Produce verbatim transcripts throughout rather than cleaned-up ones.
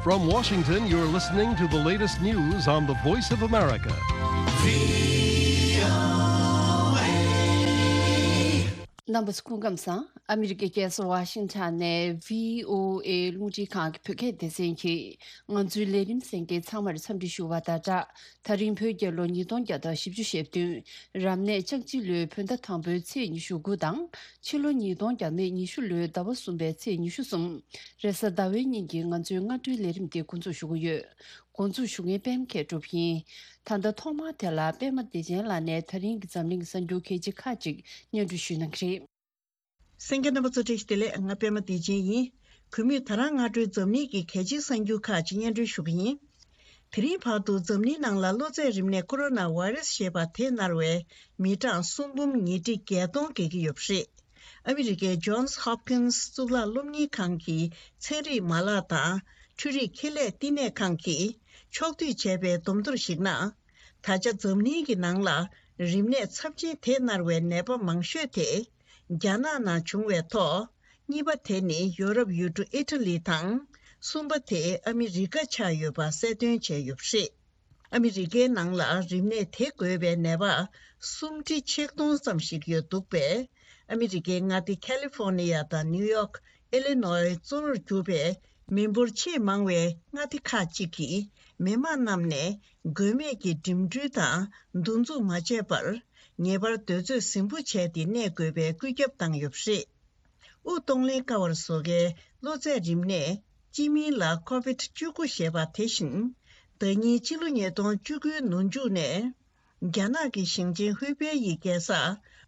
From Washington, you're listening to the latest news on the Voice of America. རྣམ་པ་ཚོ་སྐུ་ཁམས་བཟང་། ཨ་མི་རི་ཀའི་རྒྱལ་ས་ཝ་ཤིང་ཊོན་ནས་བྷི་ཨོ་ཨེ་རླུང་འཕྲིན་ཁང་གི་བོད་སྐད་སྡེ་ཚན་གྱིས་ང་ཚོའི་ལས་རིམ་གསན་མཁན་ཚང་མར་འཚམས་འདྲི་ཞུ་བ་དང་སྦྲགས། ད་རིང་བོད་རྒྱལ་ལོ་ཉིས་སྟོང་བརྒྱ་དང་བཞི་བཅུ་ཞེ་བདུན། རབ་གནས་ལྕགས་བྱི་ལོའི་བོད་ཟླ་དང་པོའི་ཚེས་ཉི་ཤུ་དགུ་དང་། ཕྱི་ལོ་ཉིས་སྟོང་བརྒྱ་མེད་ཉི་ཤུ་ལོའི་ཟླ་བ་གསུམ་པའི་ཚེས་ཉི་ཤུ་གསུམ། རེས་གཟའ་ཟླ་བའི་ཉིན་གྱི་ང་ཚོའི་སྔ་དྲོའི་ལས་རིམ་འདི་འགོ་འཛུགས་ཞུ་གི་ཡོད། འགོ་འཛུགས་ཞུ་མཁན་པད་མ་མཁས་གྲུབ་ཡིན། ད་ལྟ་ཐོག་མར་དེ་ལ་པད་མ་བདེ་ཆེན་ལགས་ནས་ད་རིང་གི་འཛམ་གླིང་གི་གསར་འགྱུར་གལ་ཆེ་ཁག་ཅིག་སྙན་སྒྲོན་ཞུ་གནང་གི་རེད། གསན་མཁན་རྣམ་པ་ཚོ་བཀྲ་ཤིས་བདེ་ལེགས། ང་པད་མ་བདེ་ཆེན་ཡིན། གུས་མོས་ད་རང་སྔ་དྲོའི་འཛམ་གླིང་གི་གལ་ཆེའི་གསར་འགྱུར་ཁག་ཅིག་སྙན་སྒྲོན་ཞུ་གི་ཡིན། དེ་རིང་བར་དུ་འཛམ་གླིང་ནང་ལ་གློ་ཚད་རིམས་ནད་ཀོ་རོ་ན་ཝེ་རེ་སི་ཞེས་པ་དེ་མནར་བའི་མི་གྲངས་སུམ་འབུམ་ཉིས་ཁྲི་བརྒྱད་སྟོང་བརྒལ་གྱི་ཡོད་པ་རེད། ཨ་མི་རི་ཀའི་Johns Hopkins་གཙུག་ལག་སློབ་གཉེར་ཁང་གི་ཚན་རིག་མ་ལག་དང་འཕྲུལ་རིག་ཁེ་ལས་བསྟི་གནས་ཁང་གིས་ཕྱོགས་བསྡུས་བྱས་པའི་བསྡོམས་ཐོར་ཞིག་ནང་། ད་ཆ་འཛམ་གླིང་གི་ནང་ལ་རིམས་ནད་ཚབས་ཆེན་དེ་མནར་བའི་ནད་པ་མང་ཤོས་དེ། རྒྱ་ནག་ནང་བྱུང་བའི་ཐོག་གཉིས་པ་དེ་ནི་ཡོ་རོབ་ཡུལ་གྲུ་ཨི་ཊ་ལི་དང་། གསུམ་པ་དེ་ཨ་མི་རི་ཀ་ཆགས་ཡོད་པ་གསལ་སྟོན་བྱས་ཡོད་པ་རེད། ཨ་མི་རི་ཀའི་ནང་ལ་རིམས་ནད་དེ་འགོས་པའི་ནད་པ་སུམ་ཁྲི་ཆིག་སྟོང་ཙམ་ཞིག་ཡོད་འདུག་པས། ཨ་མི་རི་ཀའི་མངའ་སྡེ་ཁ་ལི་ཧྥོ་ནི་ཡ་དང་ནིའུ་ཡོག་ཨི་ལི་ནོའི་གཙོ་བོར་གྱུར་པའི་མི་འབོར་ཆེས་མང་བའི་མངའ་སྡེ་ཁག་ཅིག་གིས་མི་མང་རྣམས་ནས་དགོས་མེད་ཀྱི་འགྲིམ་འགྲུལ་དང་འདུ་འཛོམས་མ་བྱས་པར། ངེས་པར་དུས་ཚོད་ཟིང་པོ་བྱས་ཏེ་གནས་དགོས་པའི་བཀོད་ཁྱབ་བཏང་ཡོད་པ་རེད། དབུགས་གཏོང་ལེན་དཀའ་བར་བཟོ་མཁན་གློ་ཚད་རིམས་ནད་སྤྱི་མིང་ལ་ཀོ་བིད་བཅུ་དགུ་ཞེས་པ་དེ་བཞིན། ཟླ་ཉིན་ཕྱི་ལོ་ཉིས་སྟོང་བཅུ་དགུའི་ནོན་མཇུག་ནས། རྒྱ་ནག་གི་ཞིང་ཆེན་ཧུའུ་པེ་ཡི་རྒྱལ་ས་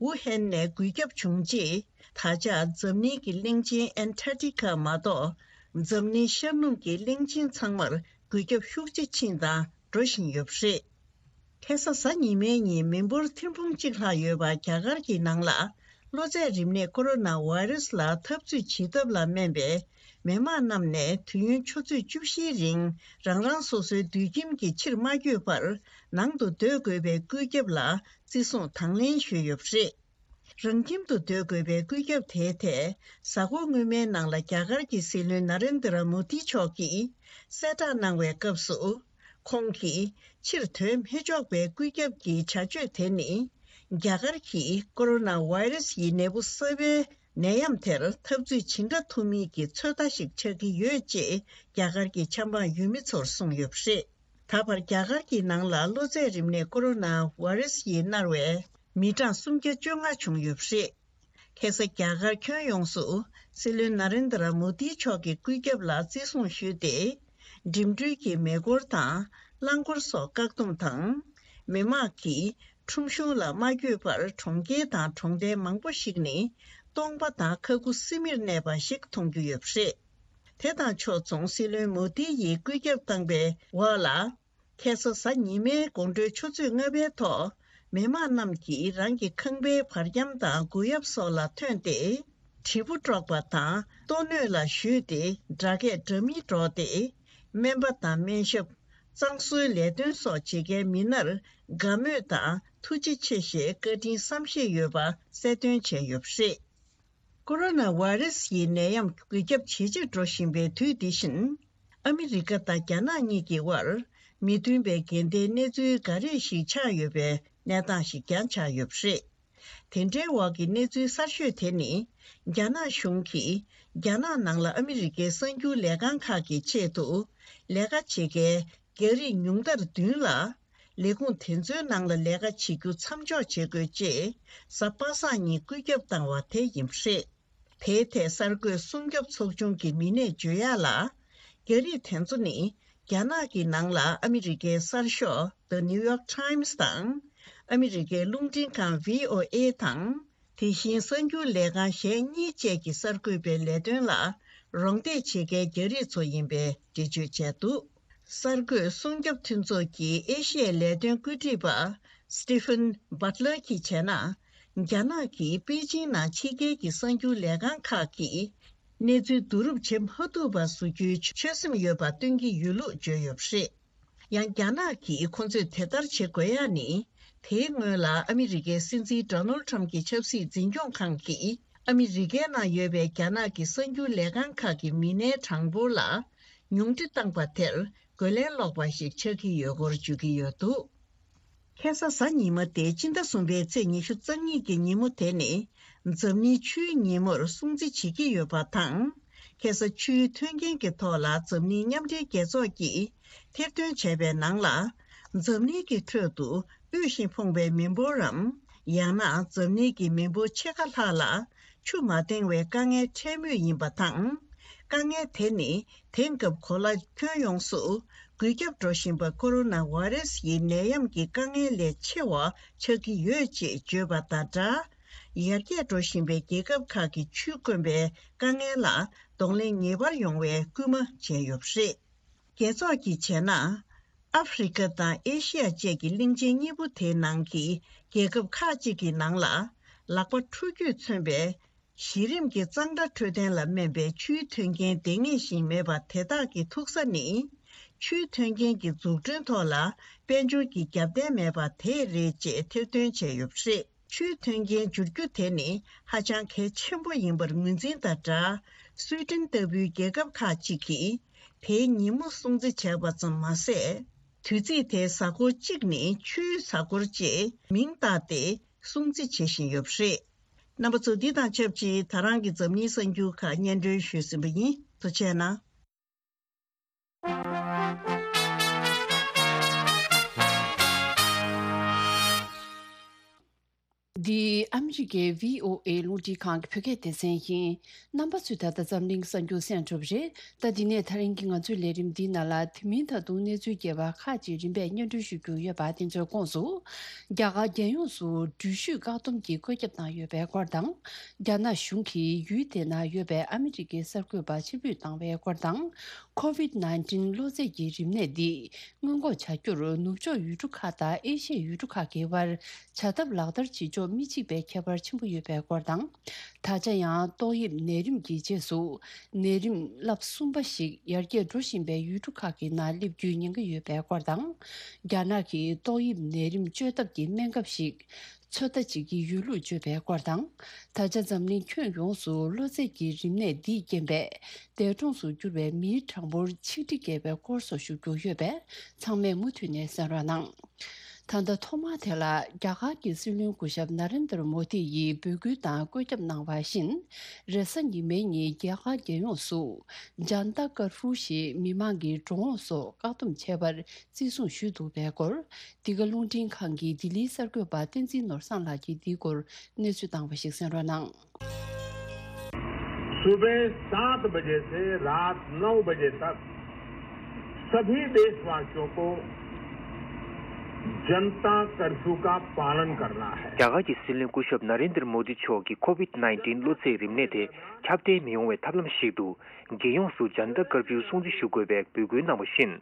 ཝུ་ཧན་ནས་འགོས་ཁྱབ་བྱུང་རྗེས། ད་ཆ་འཛམ་གླིང་གི་གླིང་ཆེན་ཨན་ཊར་ཀི་ཀ་མ་གཏོགས། འཛམ་གླིང་ཤར་ནུབ་ཀྱི་གླིང་ཆེན་ཚང་མར་འགོས་ཁྱབ་ཤུགས་ཆེ་ཕྱིན་དང་འགྲོ་བཞིན་ཡོད་པ་རེད། ཁ་སང་གཟའ་ཉི་མའི་ཉིན་མི་འབོར་ཐེར་འབུམ་གཅིག་ལྷག་ཡོད་པ་རྒྱ་གར་གྱི་ནང་ལ། གློ་ཚད་རིམས་ནད་ཀོ་རོ་ན་ཝེ་རེ་སི་ལ་འཐབ་རྩོད་བྱེད་ཐབས་ལ་སྨན་པའི་མི་མང་རྣམས་ནས་དུས་ཡུན་ཆུ་ཚོད་བཅུ་བཞིའི་རིང་རང་རང་སོ་སོའི་སྡོད་ཁྱིམ་གྱི་ཕྱིར་མ་བསྐྱོད་པར་ནང་དུ་སྡོད་དགོས་པའི་བཀོད་ཁྱབ་ལ་བརྩི་སྲུང་དང་ལེན་ཞུས་ཡོད་པ་རེད། རང་ཁྱིམ་དུ་སྡོད་དགོས་པའི་བཀོད་ཁྱབ་དེའི་ཐད། གཟའ་འཁོར་སྔོན་མའི་ནང་ལ་རྒྱ་གར་གྱི་སྲིད་བློན་ན་རེན་དྲ་མོ་དི་མཆོག་གིས་གསལ་བསྒྲགས་གནང་བའི་སྐབས་སུ། ཁོང་གིས་ཕྱིར་ཐོན་མི་ཆོག་པའི་བཀོད་ཁྱབ་ཀྱི་བྱ་སྤྱོད་དེ་ནི། རྒྱ་གར་གྱིས་ཀོ་རོ་ན་ཝེ་རེ་སི་ཡི་ནད་འབུ་གསར་པའི་ནད་ཡམས་དེར་འཐབ་རྩོད་ཇི་འདྲ་ཐུབ་མིན་གྱི་ཚོད་ལྟ་ཞིག་ཆགས་ཀྱི་ཡོད་ཅེས་རྒྱ་གར་གྱི་ཆབ་འབངས་ཡུལ་མི་ཚོར་གསུངས་ཡོད་པ་རེད། ད་བར་རྒྱ་གར་གྱི་ནང་ལ་གློ་ཚད་རིམས་ནད་ཀོ་རོ་ན་ཝེ་རེ་སི་ཡིས་མནར་བའི་མི་གྲངས་སུམ་བརྒྱ་བཅོ་ལྔ་བྱུང་ཡོད་པ་རེད། ཁ་སང་རྒྱ་གར་ཁྱོན་ཡོངས་སུ་སྲིད་བློན་ན་རེན་དྲ་མོ་དི་མཆོག་གི་བཀོད་ཁྱབ་ལ་བརྩི་སྲུང་ཞུས་ཏེ། འགྲིམ་འགྲུལ་གྱི་མེ་འཁོར་དང་རླངས་འཁོར་སོགས་བཀག་སྡོམ་དང་། མི་མང་གིས་ཁྲོམ་གཞུང་ལ་མ་བསྐྱོད་པར་གྲོང་ཁྱེར་དང་གྲོང་རྡལ་མང་པོ་ཞིག་ནི་སྟོང་པ་དང་ཁ་ཁུ་སིམ་མེར་གནས་པ་ཞིག་མཐོང་རྒྱུ་ཡོད་པ་རེད། དེ་དང་ཕྱོགས་མཚུངས་སྲིད་བློན་མོ་དི་ཡིས་བཀོད་ཁྱབ་བཏང་པའི་འོག་ལ། ཁ་སང་གཟའ་ཉི་མའི་དགོང་དྲོའི་ཆུ་ཚོད་ལྔ་པའི་ཐོག་མི་མང་རྣམས་ཀྱིས་རང་གི་ཁང་པའི་བར་འཁྱམ་དང་སྒོ་ཡབ་སོགས་ལ་ཐོན་ཏེ། དྲིལ་བུ་དཀྲོགས་པ་དང་ལྟོ་སྣོད་ལ་གཞུས་ཏེ་སྒྲ་སྐད་འདྲ་མིན་སྒྲོག་སྟེ། སྨན་པ་དང་སྨན་ཞབས། གཙང་བཟོའི་ལས་དོན་སོགས་བྱེད་མཁན་མི་སྣར་དགའ་མོས་དང་ཐུགས་རྗེ་ཆེ་ཞེས་བཀའ་དྲིན་བསམ་ཤེས་ཡོད་པ་གསལ་སྟོན་བྱས་ཡོད་པ་རེད། ཀོ་རོ་ན་ཝེ་རེ་སི་ཡི་ནད་ཡམས་འགོས་ཁྱབ་ཇེ་ཆེར་འགྲོ་བཞིན་པའི་དུས་འདི་བཞིན། ཨ་མི་རི་ཀ་དང་རྒྱ་ནག་གཉིས་ཀྱི་དབར་མི་མཐུན་པའི་འགལ་ཟླའི་གནས་ཚུལ་འགའ་རེ་ཞིག་ཆགས་ཡོད་པའི་གནས་སྟངས་ཤིག་ཀྱང་ཆགས་ཡོད་པ་རེད། དེ་འདྲའི་འོག་གི་གནས་ཚུལ་གསར་ཤོས་དེ་ནི། རྒྱ་ནག་གཞུང་གིས་རྒྱ་ནག་ནང་ལ་ཨ་མི་རི་ཀའི་གསར་འགྱུར་ལས་ཁང་ཁག་གི་ཆེད་དུ་ལས་ཀ་བྱེད་མཁན་རྒྱ་རིགས་ཉུང་མཐར་བདུན་ལ། ལས་ཁུངས་དེ་ཚོའི་ནང་ལ་ལས་ཀ་བྱེད་རྒྱུ་མཚམས་འཇོག་བྱེད་དགོས་ཅེས་གཟའ་པ་སངས་ཉིན་བཀོད་ཁྱབ་བཏང་བ་དེ་ཡིན་པ་རེད། དེའི་ཐད་གསར་འགོད་སྲུང་སྐྱོབ་ཚོགས་ཆུང་གི་མི་སྣས་བརྗོད་ཡག་ལ། རྒྱ་རིགས་དེ་ཚོ་ནི་རྒྱ་ནག་གི་ནང་ལ་ཨ་མི་རི་ཀའི་གསར་ཤོག་The New York Times་དང་། ཨ་མི་རི་ཀའི་རླུང་འཕྲིན་ཁང་V O A་དང་། དེ་བཞིན་གསར་འགྱུར་ལས་ཁང་གཞན་གཉིས་བཅས་ཀྱིས་གསར་འགོད་པའི་ལས་དོན་ལ་རོགས་འདེགས་བྱེད་མཁན་རྒྱ་རིགས་ཚོ་ཡིན་པའི་འགྲེལ་བརྗོད་བྱས་འདུག་གསར་འགོད་སྲུང་སྐྱོབ་མཐུན་ཚོགས་ཀྱི་ཨེ་ཤི་ཡའི་ལས་དོན་བཀོད་སྒྲིག་པ་Stephen Butler་གྱིས་བྱས་ན། རྒྱ་ནག་གིས་པེ་ཅིང་ནང་ཕྱི་རྒྱལ་གྱི་གསར་འགྱུར་ལས་ཁང་ཁག་གིས་གནས་ཚུལ་བསྡུ་རུབ་བྱེད་མ་ཐུབ་པ་བཟོ་རྒྱུའི་ཆོད་སེམས་ཡོད་པ་སྟོན་གྱི་ཡོད་ལུགས་བརྗོད་ཡོད་པ་རེད། ཡང་རྒྱ་ནག་གིས་ཁོ་ཚོས་དེ་ལྟར་བྱེད་དགོས་ཡ་ནི། དེའི་སྔོན་ལ་ཨ་མི་རི་ཀའི་སྲིད་འཛིན་Donald Trump་གྱི་ཆབ་སྲིད་འཛིན་སྐྱོང་ཁང་གིས་ཨ་མི་རི་ཀའི་ནང་ཡོད་པའི་རྒྱ་ནག་གི་གསར་འགྱུར་ལས་ཁང་ཁག་གི་མི་སྣའི་གྲངས་འབོར་ལ་ ཉུང་འཕྲི་བཏང་པ་དེར་རྒོལ་ལན་སློག་པ་ཞིག་ཆགས་ཀྱི་ཡོད་སྐོར་བརྗོད་ཀྱི་ཡོད་འདུག་ཁ་སང་གཟའ་ཉི་མ་སྟེ་སྤྱི་ཟླ་གསུམ་པའི་ཚེས་ཉི་ཤུ་རྩ་གཉིས་ཀྱི་ཉིན་མོ་དེ་ནི་འཛམ་གླིང་ཆུའི་ཉིན་མོར་སྲུང་བརྩི་བྱེད་ཀྱི་ཡོད་པ་དང་། ཁ་སང་ཆུའི་མཐུན་རྐྱེན་གྱི་ཐོག་ལ་འཛམ་གླིང་མཉམ་འབྲེལ་རྒྱལ་ཚོགས་ཀྱིས་ཐེར་འདོན་བྱས་པའི་ནང་ལ། འཛམ་གླིང་གི་ཁྲོད་དུ་དབུལ་ཞིང་ཕོངས་པའི་མི་འབོར་རམ། ཡང་ན་འཛམ་གླིང་གི་མི་འབོར་ཕྱེད་ཀ་ལྷག་ལ་ཆུ་མ་འདང་བའི་དཀའ་ངལ་འཕྲད་མུས་ཡིན་པ་དང་། དཀའ་ངལ་དེ་ནི་དེང་སྐབས་གོ་ལ་ཁྱོན་ཡོངས་སུ་འགོས་ཁྱབ་འགྲོ་བཞིན་པ་ཀོ་རོ་ན་བྷ་རེ་སི་ཡི་ནད་ཡམས་ཀྱི་དཀའ་ངལ་ལས་ཆེ་བ་ཆགས་ཀྱི་ཡོད་ཅེས་བརྗོད་པ་དང་སྦྲགས། ཡར་རྒྱས་འགྲོ་བཞིན་པའི་རྒྱལ་ཁབ་ཁག་གིས་ཆུས་དཀོན་པའི་དཀའ་ངལ་ལ་གདོང་ལེན་ངེས་པར་ཡོང་བའི་སྐུལ་མ་བྱས་ཡོད་པ་རེད། རྒྱལ་ཚོགས་ཀྱིས་བྱས་ན། ཨ་ཧྥེ་རི་ཁ་དང་ཨེ་ཤི་ཡ་བཅས་ཀྱི་གླིང་ཆེན་གཉིས་པོ་དེའི་ནང་གི་རྒྱལ་ཁབ་ཁག་ཅིག་གི་ནང་ལ། ལག་པ་འཁྲུ་རྒྱུས་མཚོན་པའི་གཞི་རིམ་གྱི་གཙང་སྦྲ་འཕྲོད་བསྟེན་ལ་སྨན་པའི་ཆུའི་མཐུན་རྐྱེན་ལྡེང་ངེས་ཤིང་མེད་པ་དེ་དག་གི་ཐུག་ས་ནི། ཆུའི་མཐུན་རྐྱེན་གྱི་འཛུགས་སྐྲུན་ཐོག་ལ་དཔལ་འབྱོར་གྱི་རྒྱབ་རྟེན་མེད་པ་དེ་རེད་ཅེས་ཐེར་འདོན་བྱས་ཡོད་པ་རེད། ཆུའི་མཐུན་རྐྱེན་འབྱོར་རྒྱུ་དེ་ནི་ཧ་ཅང་གལ་ཆེན་པོ་ཡིན་པར་ངོས་འཛིན་དང་སྦྲགས། སུའེ་ཏེན་ལྟ་བུའི་རྒྱལ་ཁབ་ཁག་ཅིག་གིས་དེའི་ཉིན་མོ་སྲུང་བརྩི་བྱས་པ་ཙམ་མ་ཟད། དུས་ཚིགས་དེའི་གཟའ་འཁོར་གཅིག་ནི་ཆུའི་གཟའ་འཁོར་ཅེས་མིང་བཏགས་ཏེ་སྲུང་བརྩི་བྱེད་བཞིན་ཡོད་པ་རེད། རྣམ་པ་ཚོ། འདི་དང་ཆབས་ཅིག་ད་རང་གི་འཛམ་གླིང་གསར་འགྱུར་ཁག་སྙན་སྒྲོན་ཞུས་ཟིན་པ་ཡིན། ཐུགས་རྗེ་གནང་། འདི་ཨ་མི་རི་ཀའི་བྷི་ཨོ་ཨེ་རླུང་འཕྲིན་ཁང་གི་བོད་སྐད་སྡེ་ཚན་ཡིན། རྣམ་པ་ཚོས་ད་ལྟ་འཛམ་གླིང་གསར་འགྱུར་གསན་གྲུབ་རེད། ད་འདི་ནས་ད་རིང་གི་ང་ཚོའི་ལས་རིམ་འདིའི་ནང་ལ་དེ་མིན་ད་དུང་གནས་ཚུལ་རྒྱས་པ་ཁག་ཅིག་རིམ་པས་སྙན་སྒྲོན་ཞུ་རྒྱུ་ཡོད་པ་དེ་ཚོའི་ཁོངས་སུ། རྒྱ་གར་རྒྱལ་ཡོངས་སུ་འགྲུལ་བཞུད་བཀག་སྡོམ་གྱི་བཀོད་ཁྱབ་བཏང་ཡོད་པའི་སྐོར་དང་། རྒྱ་ནག་གཞུང་གིས་ཡུལ་དེ་ན་ཡོད་པའི་ཨ་མི་རི་ཀའི་གསར་འགོད་པ་ཕྱིར་འབུད་བཏང་བའི་སྐོར་དང་། ཁོ་ཝིད་ནའིན་ཊིན་གློ་ཚད་ཀྱི་རིམས་ནད་འདི་སྔོན་འགོག་བྱ་རྒྱུར་ནུབ་ཕྱོགས་ཡུལ་གྲུ་ཁག་དང་ཨེ་ཤི་ཡའི་ཡུལ་གྲུ་ཁག་གི་དབར་བྱ་ཐབས་ལག་བསྟར་བྱེད་ཕྱོགས་མི་གཅིག་པའི་ཁྱད་པར་ཆེན་པོ་ཡོད་པའི་སྐོར་དང་། ད་ཆ་ཡང་ཏོག་དབྱིབས་ནད་རིམས་ཀྱི་རྗེས་སུ་ནད་རིམས་ལྷ་གསུམ་པ་ཞིག་ཡར་རྒྱས་འགྲོ་བཞིན་པའི་ཡུལ་གྲུ་ཁག་གི་ནང་སླེབས་རྒྱུའི་ཉེན་ཁ་ཡོད་པའི་སྐོར་དང་། རྒྱ་ནག་གིས་ཏོག་དབྱིབས་ནད་རིམས་བཅོས་ཐབས་ཀྱི་སྨན་ཁབ་ཞིག་ཚོད་ལྟ་བྱེད་ཀྱི་ཡོད་ལུགས་བརྗོད་པའི་སྐོར་དང་། ད་ཆ་འཛམ་གླིང་ཁྱོན་ཡོངས་སུ་གློ་ཚད་ཀྱི་རིམས་ནད་འདིས་རྐྱེན་པས་འདས་གྲོངས་སུ་གྱུར་བའི་མིའི་གྲངས་འབོར་ཆིག་ཁྲི་བརྒལ་བའི་སྐོར་སོགས་ཞུ་རྒྱུ་ཡོད་པས་ཚང་མས་མུ་མཐུད་ནས་གསན་རོགས་གནང་། ད་ལྟ་ཐོག་མར་དེ་ལ་རྒྱ་གར་གྱི་སྲིད་བློན་སྐུ་ཞབས་ན་རེན་དར་མོ་དི་ཡིས་འབོད་སྐུལ་དང་བཀོད་ཁྱབ་གནང་བ་བཞིན། རེས་གཟའ་ཉི་མའི་ཉིན་རྒྱ་གར་རྒྱལ་ཡོངས་སུ་ཇན་ཏ་ཀར་ཧྥུ་ཞེས་མི་མང་གི་འགྲོ་འོང་སོགས་བཀག་སྡོམ་བྱས་པར་བརྩི་སྲུང་ཞུས་འདུག་པའི་སྐོར། འདི་ག་རླུང་འཕྲིན་ཁང་གི་ལྡི་ལིའི་གསར་འགོད་པ་བསྟན་འཛིན་ནོར་བཟང་ལགས་ཀྱིས་འདིའི་སྐོར་གནས་ཚུལ་བཏང་བ་ཞིག་གསན་རོགས་གནང་། सुबह सात बजे से रात नौ बजे तक सभी देशवासियों को जनता कर्फ्यू का पालन करना है। རྒྱ་གར་གྱི་སྲིད་བློན་སྐུ་ཞབས་ན་རེན་དར་མོ་དི་མཆོག་གིས་ཁོ་ཝིད་ནའིན་ཊིན་གློ་ཚད་རིམས་ནད་དེ་ཁྱབ་གདལ་མི་ཡོང་བའི་ཐབས་ལམ་ཞིག་ཏུ། རྒྱལ་ཡོངས་སུ་ཇན་ཏ་ཀར་ཕིའུ་སྲུང་བརྩི་ཞུ་དགོས་པའི་འབོད་སྐུལ་གནང་བ་བཞིན།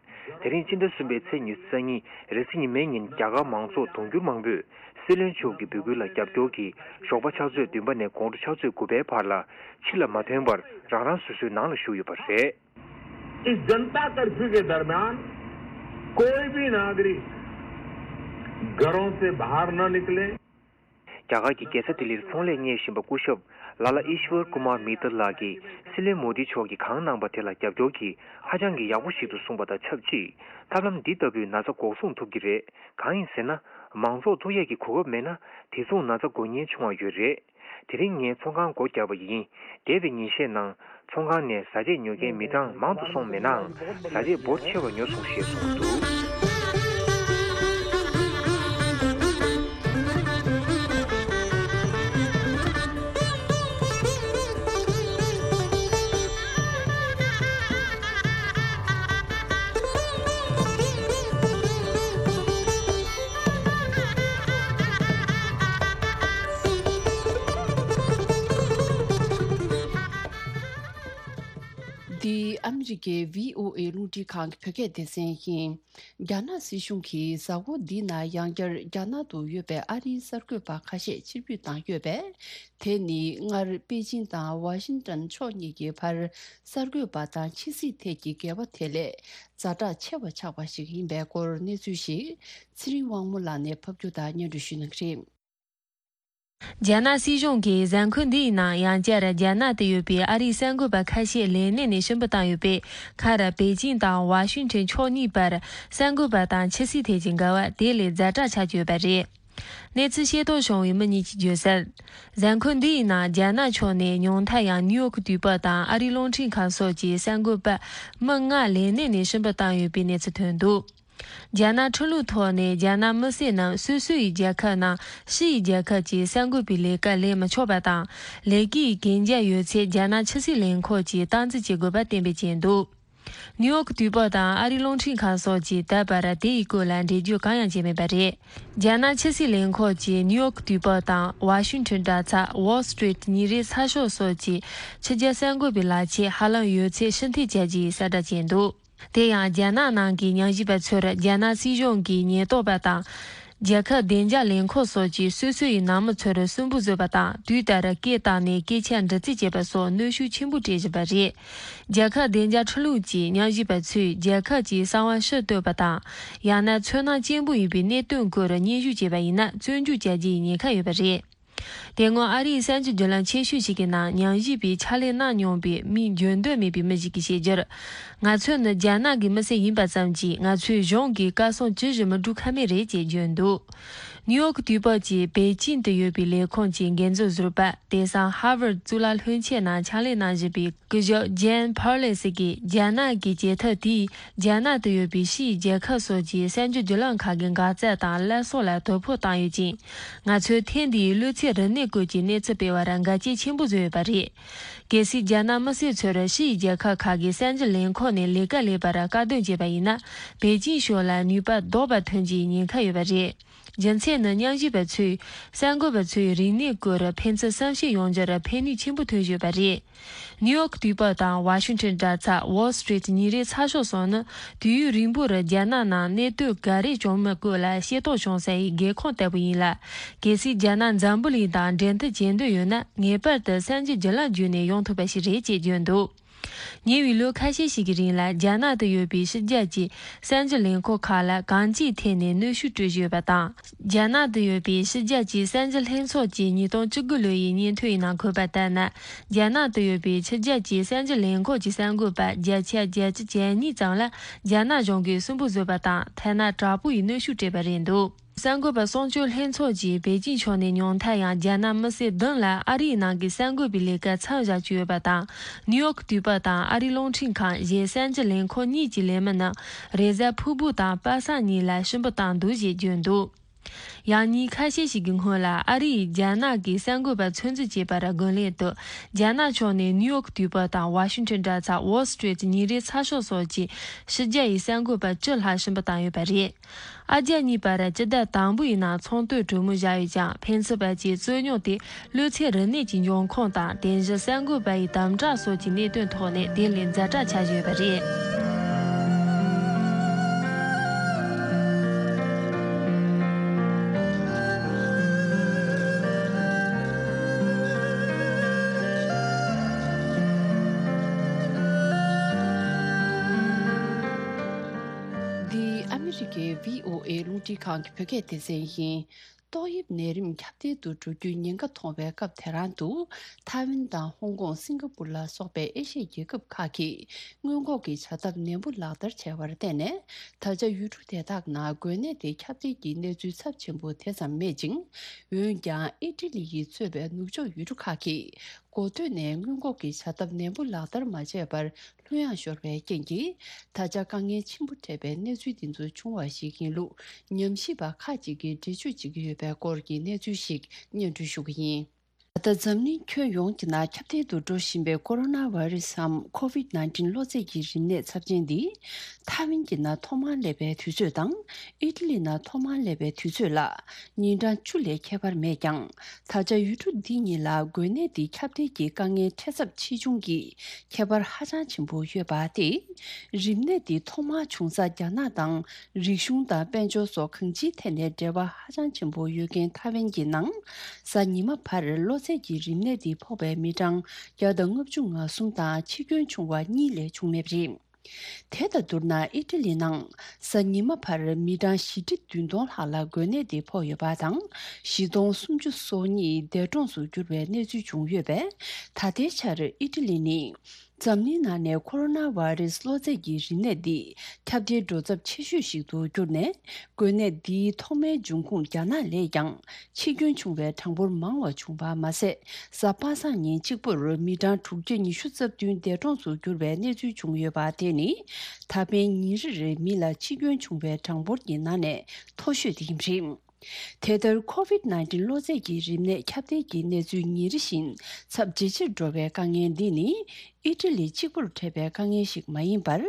དེ་རིང་སྤྱི་ཟླ་གསུམ་པའི་ཚེས་ཉི་ཤུ་རྩ་གཉིས་རེས་གཟའ་ཉི་མའི་ཉིན་རྒྱ་གར་མང་ཚོགས་དུང་ཕྱུར་མང་པོས་སྲིད་བློན་མཆོག་གི་འབོད་སྐུལ་ལ་རྒྱབ་སྐྱོར་གྱིས་ཞོགས་པ་ཕྱག་ཚོད་བདུན་པ་ནས་དགོང་དྲོ་ཕྱག་ཚོད་དགུ་པའི་བར་ལ་ཕྱི་ལ་མ་ཐོན་པར་རང་རང་སོ་སོའི་ནང་ལ་བཞུགས་ཡོད་པ་རེད། इस जनता कर्फ्यू के दरमियान कोई भी नागरिक घरों से बाहर न निकले। རྒྱ་གར་གྱི་རྒྱལ་ས་ལྡི་ལིར་ཚོང་ལས་གཉེར་བཞིན་པ་སྐུ་ཞབས་ལ་ལ་ཨིཤ་ཝར་ཀུ་མར་མི་ཏར་ལགས་ཀྱིས་སྲིད་བློན་མོ་དི་མཆོག་གིས་གང་གནང་པ་དེ་ལ་རྒྱབ་སྐྱོར་གྱིས་ཧ་ཅང་གི་ཡག་པོ་ཞིག་ཏུ་གསུངས་པ་དང་ཆབས་ཅིག་ཐབས་ལམ་འདི་ལྟ་བུས་ན་ཚ་འགོག་སྲུང་ཐུབ་ཀྱི་རེད། གང་ཡིན་ཟེར་ན། མང་ཚོགས་ཐུག་ཡས་ཀྱི་གོ་སྐབས་མེད་ན་དེ་མཚུངས་ན་ཚ་འགོག་ཉེན་ཆུང་བ་ཡོད་རེད། དེ་རིང་ངས་ཚོང་ཁང་སྒོ་བརྒྱབ་པ་ཡིན། འདས་པའི་ཉིན་ཤས་ནང་། ཚོང་ཁང་ནས་བཟའ་ཆས་ཉོ་མཁན་མི་གྲངས་མང་དུ་སོང་མེད་ནའང་། བཟའ་ཆས་འབོར་ཆེ་བ་ཉོ་སོང་ཞེས་གསུངས་འདུག་འདི་ཨ་མི་རི་ཀའི་བྷི་ཨོ་ཨེ་རླུང་འཕྲིན་ཁང་གི་བོད་སྐད་སྡེ་ཚན་ཡིན། རྒྱ་ནག་སྲིད་གཞུང་གིས་གཟའ་འཁོར་འདིའི་ནང་ཡང་བསྐྱར་རྒྱ་ནག་ཏུ་ཡོད་པའི་ཨ་རིའི་གསར་འགོད་པ་ཁ་ཤས་ཕྱིར་འབུད་བཏང་ཡོད་པས། དེ་ནི་སྔར་པེ་ཅིན་དང་ཝ་ཤིང་ཏན་ཕྱོགས་གཉིས་ཀྱི་བར་གསར་འགོད་པ་དང་ཕྱི་སྲིད་ཐད་ཀྱི་འགལ་བ་དེ་ལས་ཛ་དྲག་ཆེ་བ་ཆགས་པ་ཞིག་ཡིན་པའི་སྐོར་གནས་ཚུལ་ཞིག་ཚེ་རིང་དབང་མོ་ལགས་ནས་ཕབ་སྒྱུར་དང་སྙན་སྒྲོན་ཞུ་གནང་གི་རེད། རྒྱ་ནག་སྲིད་གཞུང་གིས་གཟའ་འཁོར་འདིའི་ནང་ཡང་བསྐྱར་རྒྱ་ནག་ཏུ་ཡོད་པའི་ཨ་རིའི་གསར་འགོད་པ་ཁ་ཤས་ལས་གནས་ནས་ཕྱིར་འབུད་བཏང་ཡོད་པས། ཁ་ར་པེ་ཅིང་དང་ཝ་ཤིང་ཊོན་ཕྱོགས་གཉིས་བར་གསར་འགོད་པ་དང་ཕྱི་སྲིད་ཐད་ཀྱི་འགལ་བ་དེ་ལས་ཛ་དྲག་ཆགས་ཀྱི་ཡོད་པ་རེད། གནས་ཚུལ་ཤེས་རྟོགས་བྱུང་བའི་མི་གཉིས་ཀྱིས་བརྗོད་གསལ། གཟའ་འཁོར་འདིའི་ནང་རྒྱ་ནག་ཕྱོགས་ནས་ཉུང་མཐའ་ཡང་ནིའུ་ཡོག་དུས་བབ་དང་ཨ་རིའི་རླུང་འཕྲིན་ཁང་སོགས་ཀྱི་གསར་འགོད་པ་མི་ལྔ་ལས་གནས་ནས་ཕྱིར་འབུད་བཏང་ཡོད་པའི་གནས་ཚུལ་ཐོན་འདུག་རྒྱ་ནག་ཁྲིམས་ལུགས་ཐོག་ནས་རྒྱ་ནག་མི་སེར་རྣམས་སོ་སོ་ཡི་རྒྱལ་ཁབ་ནང་ཕྱི་ཡི་རྒྱལ་ཁབ་ཀྱི་གསར་འགོད་པའི་ལས་ཀ་ལས་མི་ཆོག་པ་དང་། ལས་ཀའི་གན་རྒྱ་ཡོད་ཚེ་རྒྱ་ནག་ཕྱི་སྲིད་ལས་ཁུངས་ཀྱིས་སྟངས་འཛིན་བྱེད་དགོས་པ་གཏན་འབེབས་བྱས་འདུག་ནིའུ་ཡོག་དུས་བབ་དང་ཨ་རིའི་རླུང་འཕྲིན་ཁང་སོགས་ཀྱིས་ད་བར་དེའི་སྐོར་ལ་འགྲེལ་བརྗོད་གང་ཡང་བྱས་མེད་པ་རེད། རྒྱ་ནག་ཕྱི་སྲིད་ལས་ཁུངས་ཀྱིས་ནིའུ་ཡོག་དུས་བབ་དང་ཝ་ཤིང་ཊོན་དྲ་ཚགས། Wall Street ཉིན་རེའི་ཚགས་ཤོག་སོགས་ཀྱི་ཕྱི་རྒྱལ་གསར་འགོད་པའི་ལག་ཁྱེར་ཧ་ལམ་ཡོད་ཚད་ཕྱིར་འཐེན་བྱ་རྒྱུའི་གསལ་བསྒྲགས་བྱས་འདུག་དེ་ཡང་རྒྱ་ནག་ནང་གི་ཉམས་ཞིབ་པ་ཚོར་རྒྱ་ནག་སྲིད་གཞུང་གི་ཉེན་རྟོག་པ་དང་། རྒྱལ་ཁབ་བདེ་འཇགས་ལས་ཁུངས་སོགས་ཀྱིས་སོ་སོ་ཡི་ནང་མི་ཚོར་སུན་པོ་བཟོས་པ་དང་། དུས་ལྟར་སྐད་བཏང་ནས་སྐད་ཆ་འདྲི་རྩད་བྱེད་པ་སོགས་གནོན་ཤུགས་ཆེན་པོ་སྤྲད་བཞིན་པ་རེད། རྒྱལ་ཁབ་བདེ་འཇགས་ཁྲིམས་ལུགས་ཀྱིས་ཉམས་ཞིབ་པ་ཚོས་རྒྱལ་ཁབ་ཀྱི་གསང་བ་ཕྱིར་གཏོད་པ་དང་། ཡང་ན་ཚོར་སྣང་སྐྱེན་པོ་ཡིན་པའི་གནད་དོན་སྐོར་སྙན་ཞུ་བྱས་པ་ཡིན་ན་བཙོན་འཇུག་བྱ་རྒྱུའི་ཉེན་ཁ་ཡོད་པ་རེད། དེ་སྔོན་ཨ་རིའི་གསར་འགྱུར་བརྒྱུད་ལམ་ཆེ་ཤོས་ཤིག་གི་ནང་ཉམས་ཞིབ་པའི་ཕྱག་ལས་གནང་མྱོང་པའི་མིང་བརྗོད་འདོད་མེད་པའི་མི་ཞིག་གིས་བཤད་རྒྱུར། ང་ཚོ་ནི་རྒྱ་ནག་གི་མི་སེར་ཡིན་པ་ཙམ་གྱིས་ང་ཚོའི་གཞུང་གི་བཀའ་གསུང་ཇི་བཞིན་མི་སྒྲུབ་ཁ་མེད་རེད་ཅེས་བརྗོད་འདུག་ནིའུ་ཡོག་དུས་བབ་ཀྱིས་པེ་ཅིན་དུ་ཡོད་པའི་ལས་ཁུངས་ཀྱི་འགན་འཛིན་ཟུར་པ། དེང་སང་ཧར་ཝར་གཙུག་ལག་ལྷན་ཁྱེར་ནང་ཕྱག་ལས་གནང་བཞིན་པའི་སྐུ་ཞབས་ཇན་ཕར་ལེ་སི་ཀྱིས། རྒྱ་ནག་གི་བྱེད་ཐབས་དེས་རྒྱ་ནག་ཏུ་ཡོད་པའི་ཕྱིའི་རྒྱལ་ཁབ་སོགས་ཀྱི་གསར་འགྱུར་བརྒྱུད་ལམ་ཁག་གི་འགག་རྩ་དང་སླར་གསོ་ལ་དོ་ཕོག་བཏང་ཡོད་ཅིང་། ང་ཚོས་ཐེངས་འདིའི་གློད་ཚད་རིམས་ནད་སྐོར་གྱི་གནས་ཚུལ་སྤེལ་བར་འགལ་རྐྱེན་ཆེན་པོ་བཟོས་ཡོད་པ་རེད། གལ་སྲིད་རྒྱ་ནག་མི་སེར་ཚོར་ཕྱིའི་རྒྱལ་ཁབ་ཁག་གི་གསར་འགྱུར་ལས་ཁུངས་ནས་ལས་ཀ་ལས་པར་བཀག་སྡོམ་བྱས་པ་ཡིན་ན། པེ་ཅིན་ཕྱོགས་ལ་ནུས་པ་ལྡོག་པ་ཐོན་རྒྱུའི་ཉེན་ཁ་ཡོད་པ་རེད། རྒྱུ་མཚན་ནི། ཉམས་ཞིབ་པ་ཚོས་གསར་འགོད་པ་ཚོའི་རིག་གནས་སྐོར་ཕན་ཚུན་བསམ་ཤེས་ཡོང་རྒྱུར་ཕན་ནུས་ཆེན་པོ་ཐོན་བཞིན་ཡོད་པ་རེད། ནིའུ་ཡོག་དུས་བབ་དང་ཝ་ཤིང་ཊོན་དྲ་ཚགས། Wall Street ཉིན་རེའི་ཚགས་ཤོག་སོགས་ནི་དུས་ཡུན་རིང་པོར་རྒྱ་ནག་ནང་གནད་དོན་ག་རེ་བྱུང་མིན་སྐོར་ལ་ཤེས་རྟོགས་བྱུང་ས་ཡི་སྒེའུ་ཁུང་ལྟ་བུ་ཡིན་ལ། གལ་སྲིད་རྒྱ་ནག་འཛམ་བུ་གླིང་དང་འབྲེལ་མཐུད་བྱེད་འདོད་ཡོད་ན། ངེས་པར་དུ་གསར་འགྱུར་བརྒྱུད་ལམ་བརྒྱུད་ནས་ཡོང་ཐུབ་པ་ཞིག་རེད་ཅེས་བརྗོད་འདུག་ཉེ་བའི་ལོ་ཁ་ཤས་ཤིག་གི་རིང་ལ་རྒྱ་ནག་ཏུ་ཡོད་པའི་ཕྱི་རྒྱལ་གྱི་གསར་འགྱུར་ལས་ཁུངས་ཁག་ལ་གང་ཅིའི་ཐད་ནས་གནོན་ཤུགས་སྤྲོད་བཞིན་ཡོད་པ་དང་། རྒྱ་ནག་ཏུ་ཡོད་པའི་ཕྱི་རྒྱལ་གྱི་གསར་འགྱུར་ལྷན་ཚོགས་ཀྱི་ཉིས་སྟོང་བཅུ་དགུ་ལོའི་སྙན་ཐོའི་ནང་འཁོད་པ་ལྟར་ན། རྒྱ་ནག་ཏུ་ཡོད་པའི་ཕྱི་རྒྱལ་གྱི་གསར་འགྱུར་ལས་ཁུངས་ཀྱི་གསར་འགོད་པ་བརྒྱ་ཆ་བརྒྱད་ཅུ་གྱ་གཉིས་ཙམ་ལ་རྒྱ་ནག་གཞུང་གིས་སུན་པོ་བཟོས་པ་དང་། ཐ་ན་དྲག་པོ་ཡི་གནོན་ཤུགས་སྤྲད་པ་རེད་འདུག་གསར་འགོད་པ་སྲུང་སྐྱོབ་ལྷན་ཚོགས་ཀྱིས་པེ་ཅིན་ཕྱོགས་ནས་ཉུང་མཐའ་ཡང་རྒྱ་ནག་མི་སེར་བདུན་ལ་ཨ་རིའི་ནང་གི་གསར་འགོད་པའི་ལས་ཀར་མཚམས་བཞག་བཅུག་ཡོད་པ་དང་། ནིའུ་ཡོག་དུས་བབ་དང་ཨ་རིའི་རླུང་འཕྲིན་ཁང་། གཞན་གསར་འགྱུར་ལས་ཁུངས་གཉིས་ཀྱི་ལས་མི་རྣམས་རེས་གཟའ་ཕུར་བུ་དང་པ་སངས་གཉིས་ལ་ཕྱིར་འབུད་བཏང་འདུག་ཅེས་བརྗོད་འདུག་ཡང་ཉིན་ཁ་ཤས་ཤིག་གི་སྔོན་ལ་ཨ་རི་ཡིས་རྒྱ་ནག་གི་གསར་འགོད་པ་ཚོད་འཛིན་བྱས་པར་རྒོལ་ལན་དུ། རྒྱ་ནག་ཕྱོགས་ནས་ནིའུ་ཡོག་དུས་བབ་དང་ཝ་ཤིང་ཊོན་དྲ་ཚགས། Wall Street ཉིན་རེའི་ཚགས་ཤོག་སོགས་ཀྱི་ཕྱི་རྒྱལ་ཡི་གསར་འགོད་པ་བཅུ་ལྷག་ཕྱིར་འབུད་བཏང་ཡོད་པ་རེད། ཨ་རྒྱ་གཉིས་བར་སྤྱི་ཟླ་དང་པོ་ཡི་ནང་ཚོང་དོན་གྲོས་མོལ་བཞག་ཡོད་ཀྱང་། ཕན་ཚུན་བར་གྱི་རྩོད་རྙོག་དེ་གློད་ཚད་རིམས་ནད་ཀྱི་འབྱུང་ཁུངས་དང་། དེ་བཞིན་གསར་འགོད་པ་ཡི་དམ་དྲག་སོགས་ཀྱི་གནད་དོན་ཐོག་ནས་དེ་ལས་ཛ་དྲག་ཆགས་བཞིན་ཡོད་པ་རེད། འདི་ཨ་མི་རི་ཀའི་བྷི་ཨོ་ཨེ་རླུང་འཕྲིན་ཁང་གི་བོད་སྐད་སྡེ་ཚན་ཡིན། ཏོག་དབྱིབས་ནད་རིམས་ཁྱབ་གདལ་དུ་འགྲོ་རྒྱུའི་ཉེན་ཁ་མཐོང་བའི་སྐབས་དེ་རང་དུ། ཐའེ་ཝན་དང་ཧོང་ཀོང་། སིང་ག་པུར་ལ་སོགས་པའི་ཨེ་ཤི་ཡའི་རྒྱལ་ཁབ་ཁག་གིས་སྔོན་འགོག་གི་བྱ་ཐབས་ནན་པོ་ལག་བསྟར་བྱས་པར་བརྟེན་ནས། ད་ཆ་ཡུལ་གྲུ་དེ་དག་ནང་འགོས་ནད་དེ་ཁྱབ་གདལ་གྱི་གནས་ཚུལ་ཚབས་ཆེན་པོ་དེ་ཙམ་མེད་ཅིང་། འོན་ཀྱང་ཨི་ཊ་ལི་ཡིས་གཙོས་པའི་ནུབ་ཕྱོགས་ཡུལ་གྲུ་ཁག་གིས་འགོ་སྟོད་ནས་སྔོན་འགོག་གི་བྱ་ཐབས་ནན་པོ་ལག་བསྟར་མ་བྱས་པར་ལྷོད་ཡངས་ཤོར་བའི་རྐྱེན་གྱིས། ད་ཆ་དཀའ་ངལ་ཆེན་པོ་འཕྲད་པའི་གནས་ཚུལ་འདི་ཚོ་བྱུང་བ་ཞིག་ཡིན་ལུགས་ཉམས་ཞིབ་པ་ཁག་ཅིག་གིས་འགྲེལ་བརྗོད་བྱེད་ཀྱི་ཡོད་པའི་སྐོར་གྱི་གནས་ཚུལ་ཞིག་སྙན་སྒྲོན་ཞུ་གི་ཡིན། ད་ལྟ་འཛམ་གླིང་ཁྱོན་ཡོངས་ཀྱི་ནང་ཁྱབ་གདལ་དུ་འགྲོ་བཞིན་པའི་ཀོ་རོ་ན་བྷ་རི་སི་འམ་ཁོ་ཝིད་ནའིན་ཊིན་གློ་ཚད་ཀྱི་རིམས་ནད་ཚབས་ཆེན་འདི། ཐའེ་ཝན་གྱི་ནང་ཐོག་མར་སླེབས་པའི་དུས་ཚོད་དང་། ཨི་ཊ་ལི་ནང་ཐོག་མར་སླེབས་པའི་དུས་ཚོད་ལ། ཉིན་གྲངས་བཅུ་ལས་ཁྱད་པར་མེད་ཀྱང་། ད་ཆ་ཡུལ་གྲུ་འདི་གཉིས་ལ་འགོས་ནད་འདི་ཁྱབ་གདལ་གྱི་དཀའ་ངལ་འཕྲད་ཚབས་ཆེ་ཆུང་གི་ཁྱད་པར་ཧ་ཅང་ཆེན་པོ་ཡོད་པ་སྟེ། རིམས་ནད་འདི་ཐོག་མར་བྱུང་ས་རྒྱ་ནག་དང་། རིག་གཞུང་དང་དཔལ་འབྱོར་སོགས་གང་ཅིའི་ཐད་ནས་འབྲེལ་བ་ཧ་ཅང་ཆེན་པོ་ཡོད་མཁན་ཐའེ་ཝན་གྱི་ནང་། གཟའ་ཉི་མ་བར་གློ་ཚད་ཀྱི་རིམས་ནད་འདི་ཕོག་པའི་མི་གྲངས་བརྒྱ་དང་ལྔ་བཅུ་ང་གསུམ་དང་། འཆི་སྐྱོན་བྱུང་བ་གཉིས་ལས་བྱུང་མེད་པ་རེད། དེ་དང་བསྡུར་ན། ཨི་ཊ་ལི་ནང་གཟའ་ཉི་མ་བར་མི་གྲངས་བཞི་ཁྲི་བདུན་སྟོང་ལྷག་ལ་འགོས་ནད་དེ་ཕོག་ཡོད་པ་དང་། བཞི་སྟོང་སུམ་ཅུ་སོ་གཉིས་འདས་གྲོངས་སུ་གྱུར་བའི་གནས་ཚུལ་བྱུང་ཡོད་པས། ད་ལྟའི་ཆར་ཨི་ཊ་ལི་ནི་འཛམ་གླིང་ནང་ནས་ཁོ་རོ་ན་བྷ་རེ་སི་གློ་ཚད་ཀྱི་རིམས་ནད་འདི་ཁྱབ་གདལ་འགྲོ་ཚབས་ཆེ་ཤོས་ཤིག་ཏུ་གྱུར་ནས། འགོས་ནད་འདིའི་ཐོག་མའི་འབྱུང་ཁུངས་རྒྱ་ནག་ལས་ཀྱང་འཆི་སྐྱོན་བྱུང་བའི་གྲངས་འབོར་མང་བ་བྱུང་བ་མ་ཟད། གཟའ་པ་སངས་ཉིན་གཅིག་པུར་མི་གྲངས་དྲུག་བརྒྱ་ཉི་ཤུ་རྩ་བདུན་འདས་གྲོངས་སུ་གྱུར་བའི་གནས་ཚུལ་བྱུང་ཡོད་པ་དེ་ནི། ད་ཕན་ཉིན་རེར་མི་ལ་འཆི་སྐྱོན་བྱུང་བའི་གྲངས་འབོར་གྱི་ནང་ནས་མཐོ་ཤོས་དེ་ཡིན་པ་རེད། དེ་ལྟར་ཁོ་ཝིད་ནའིན་ཊིན་གློ་ཚད་ཀྱི་རིམས་ནད་ཁྱབ་གདལ་གྱི་གནས་ཚུལ་ཉིན་རེ་བཞིན་ཚབས་ཇེ་ཆེར་འགྲོ་བའི་དཀའ་ངལ་འདི་ནི། ཨི་ཊ་ལི་གཅིག་པུར་འཕྲད་པའི་དཀའ་ངལ་ཞིག་མ་ཡིན་པར།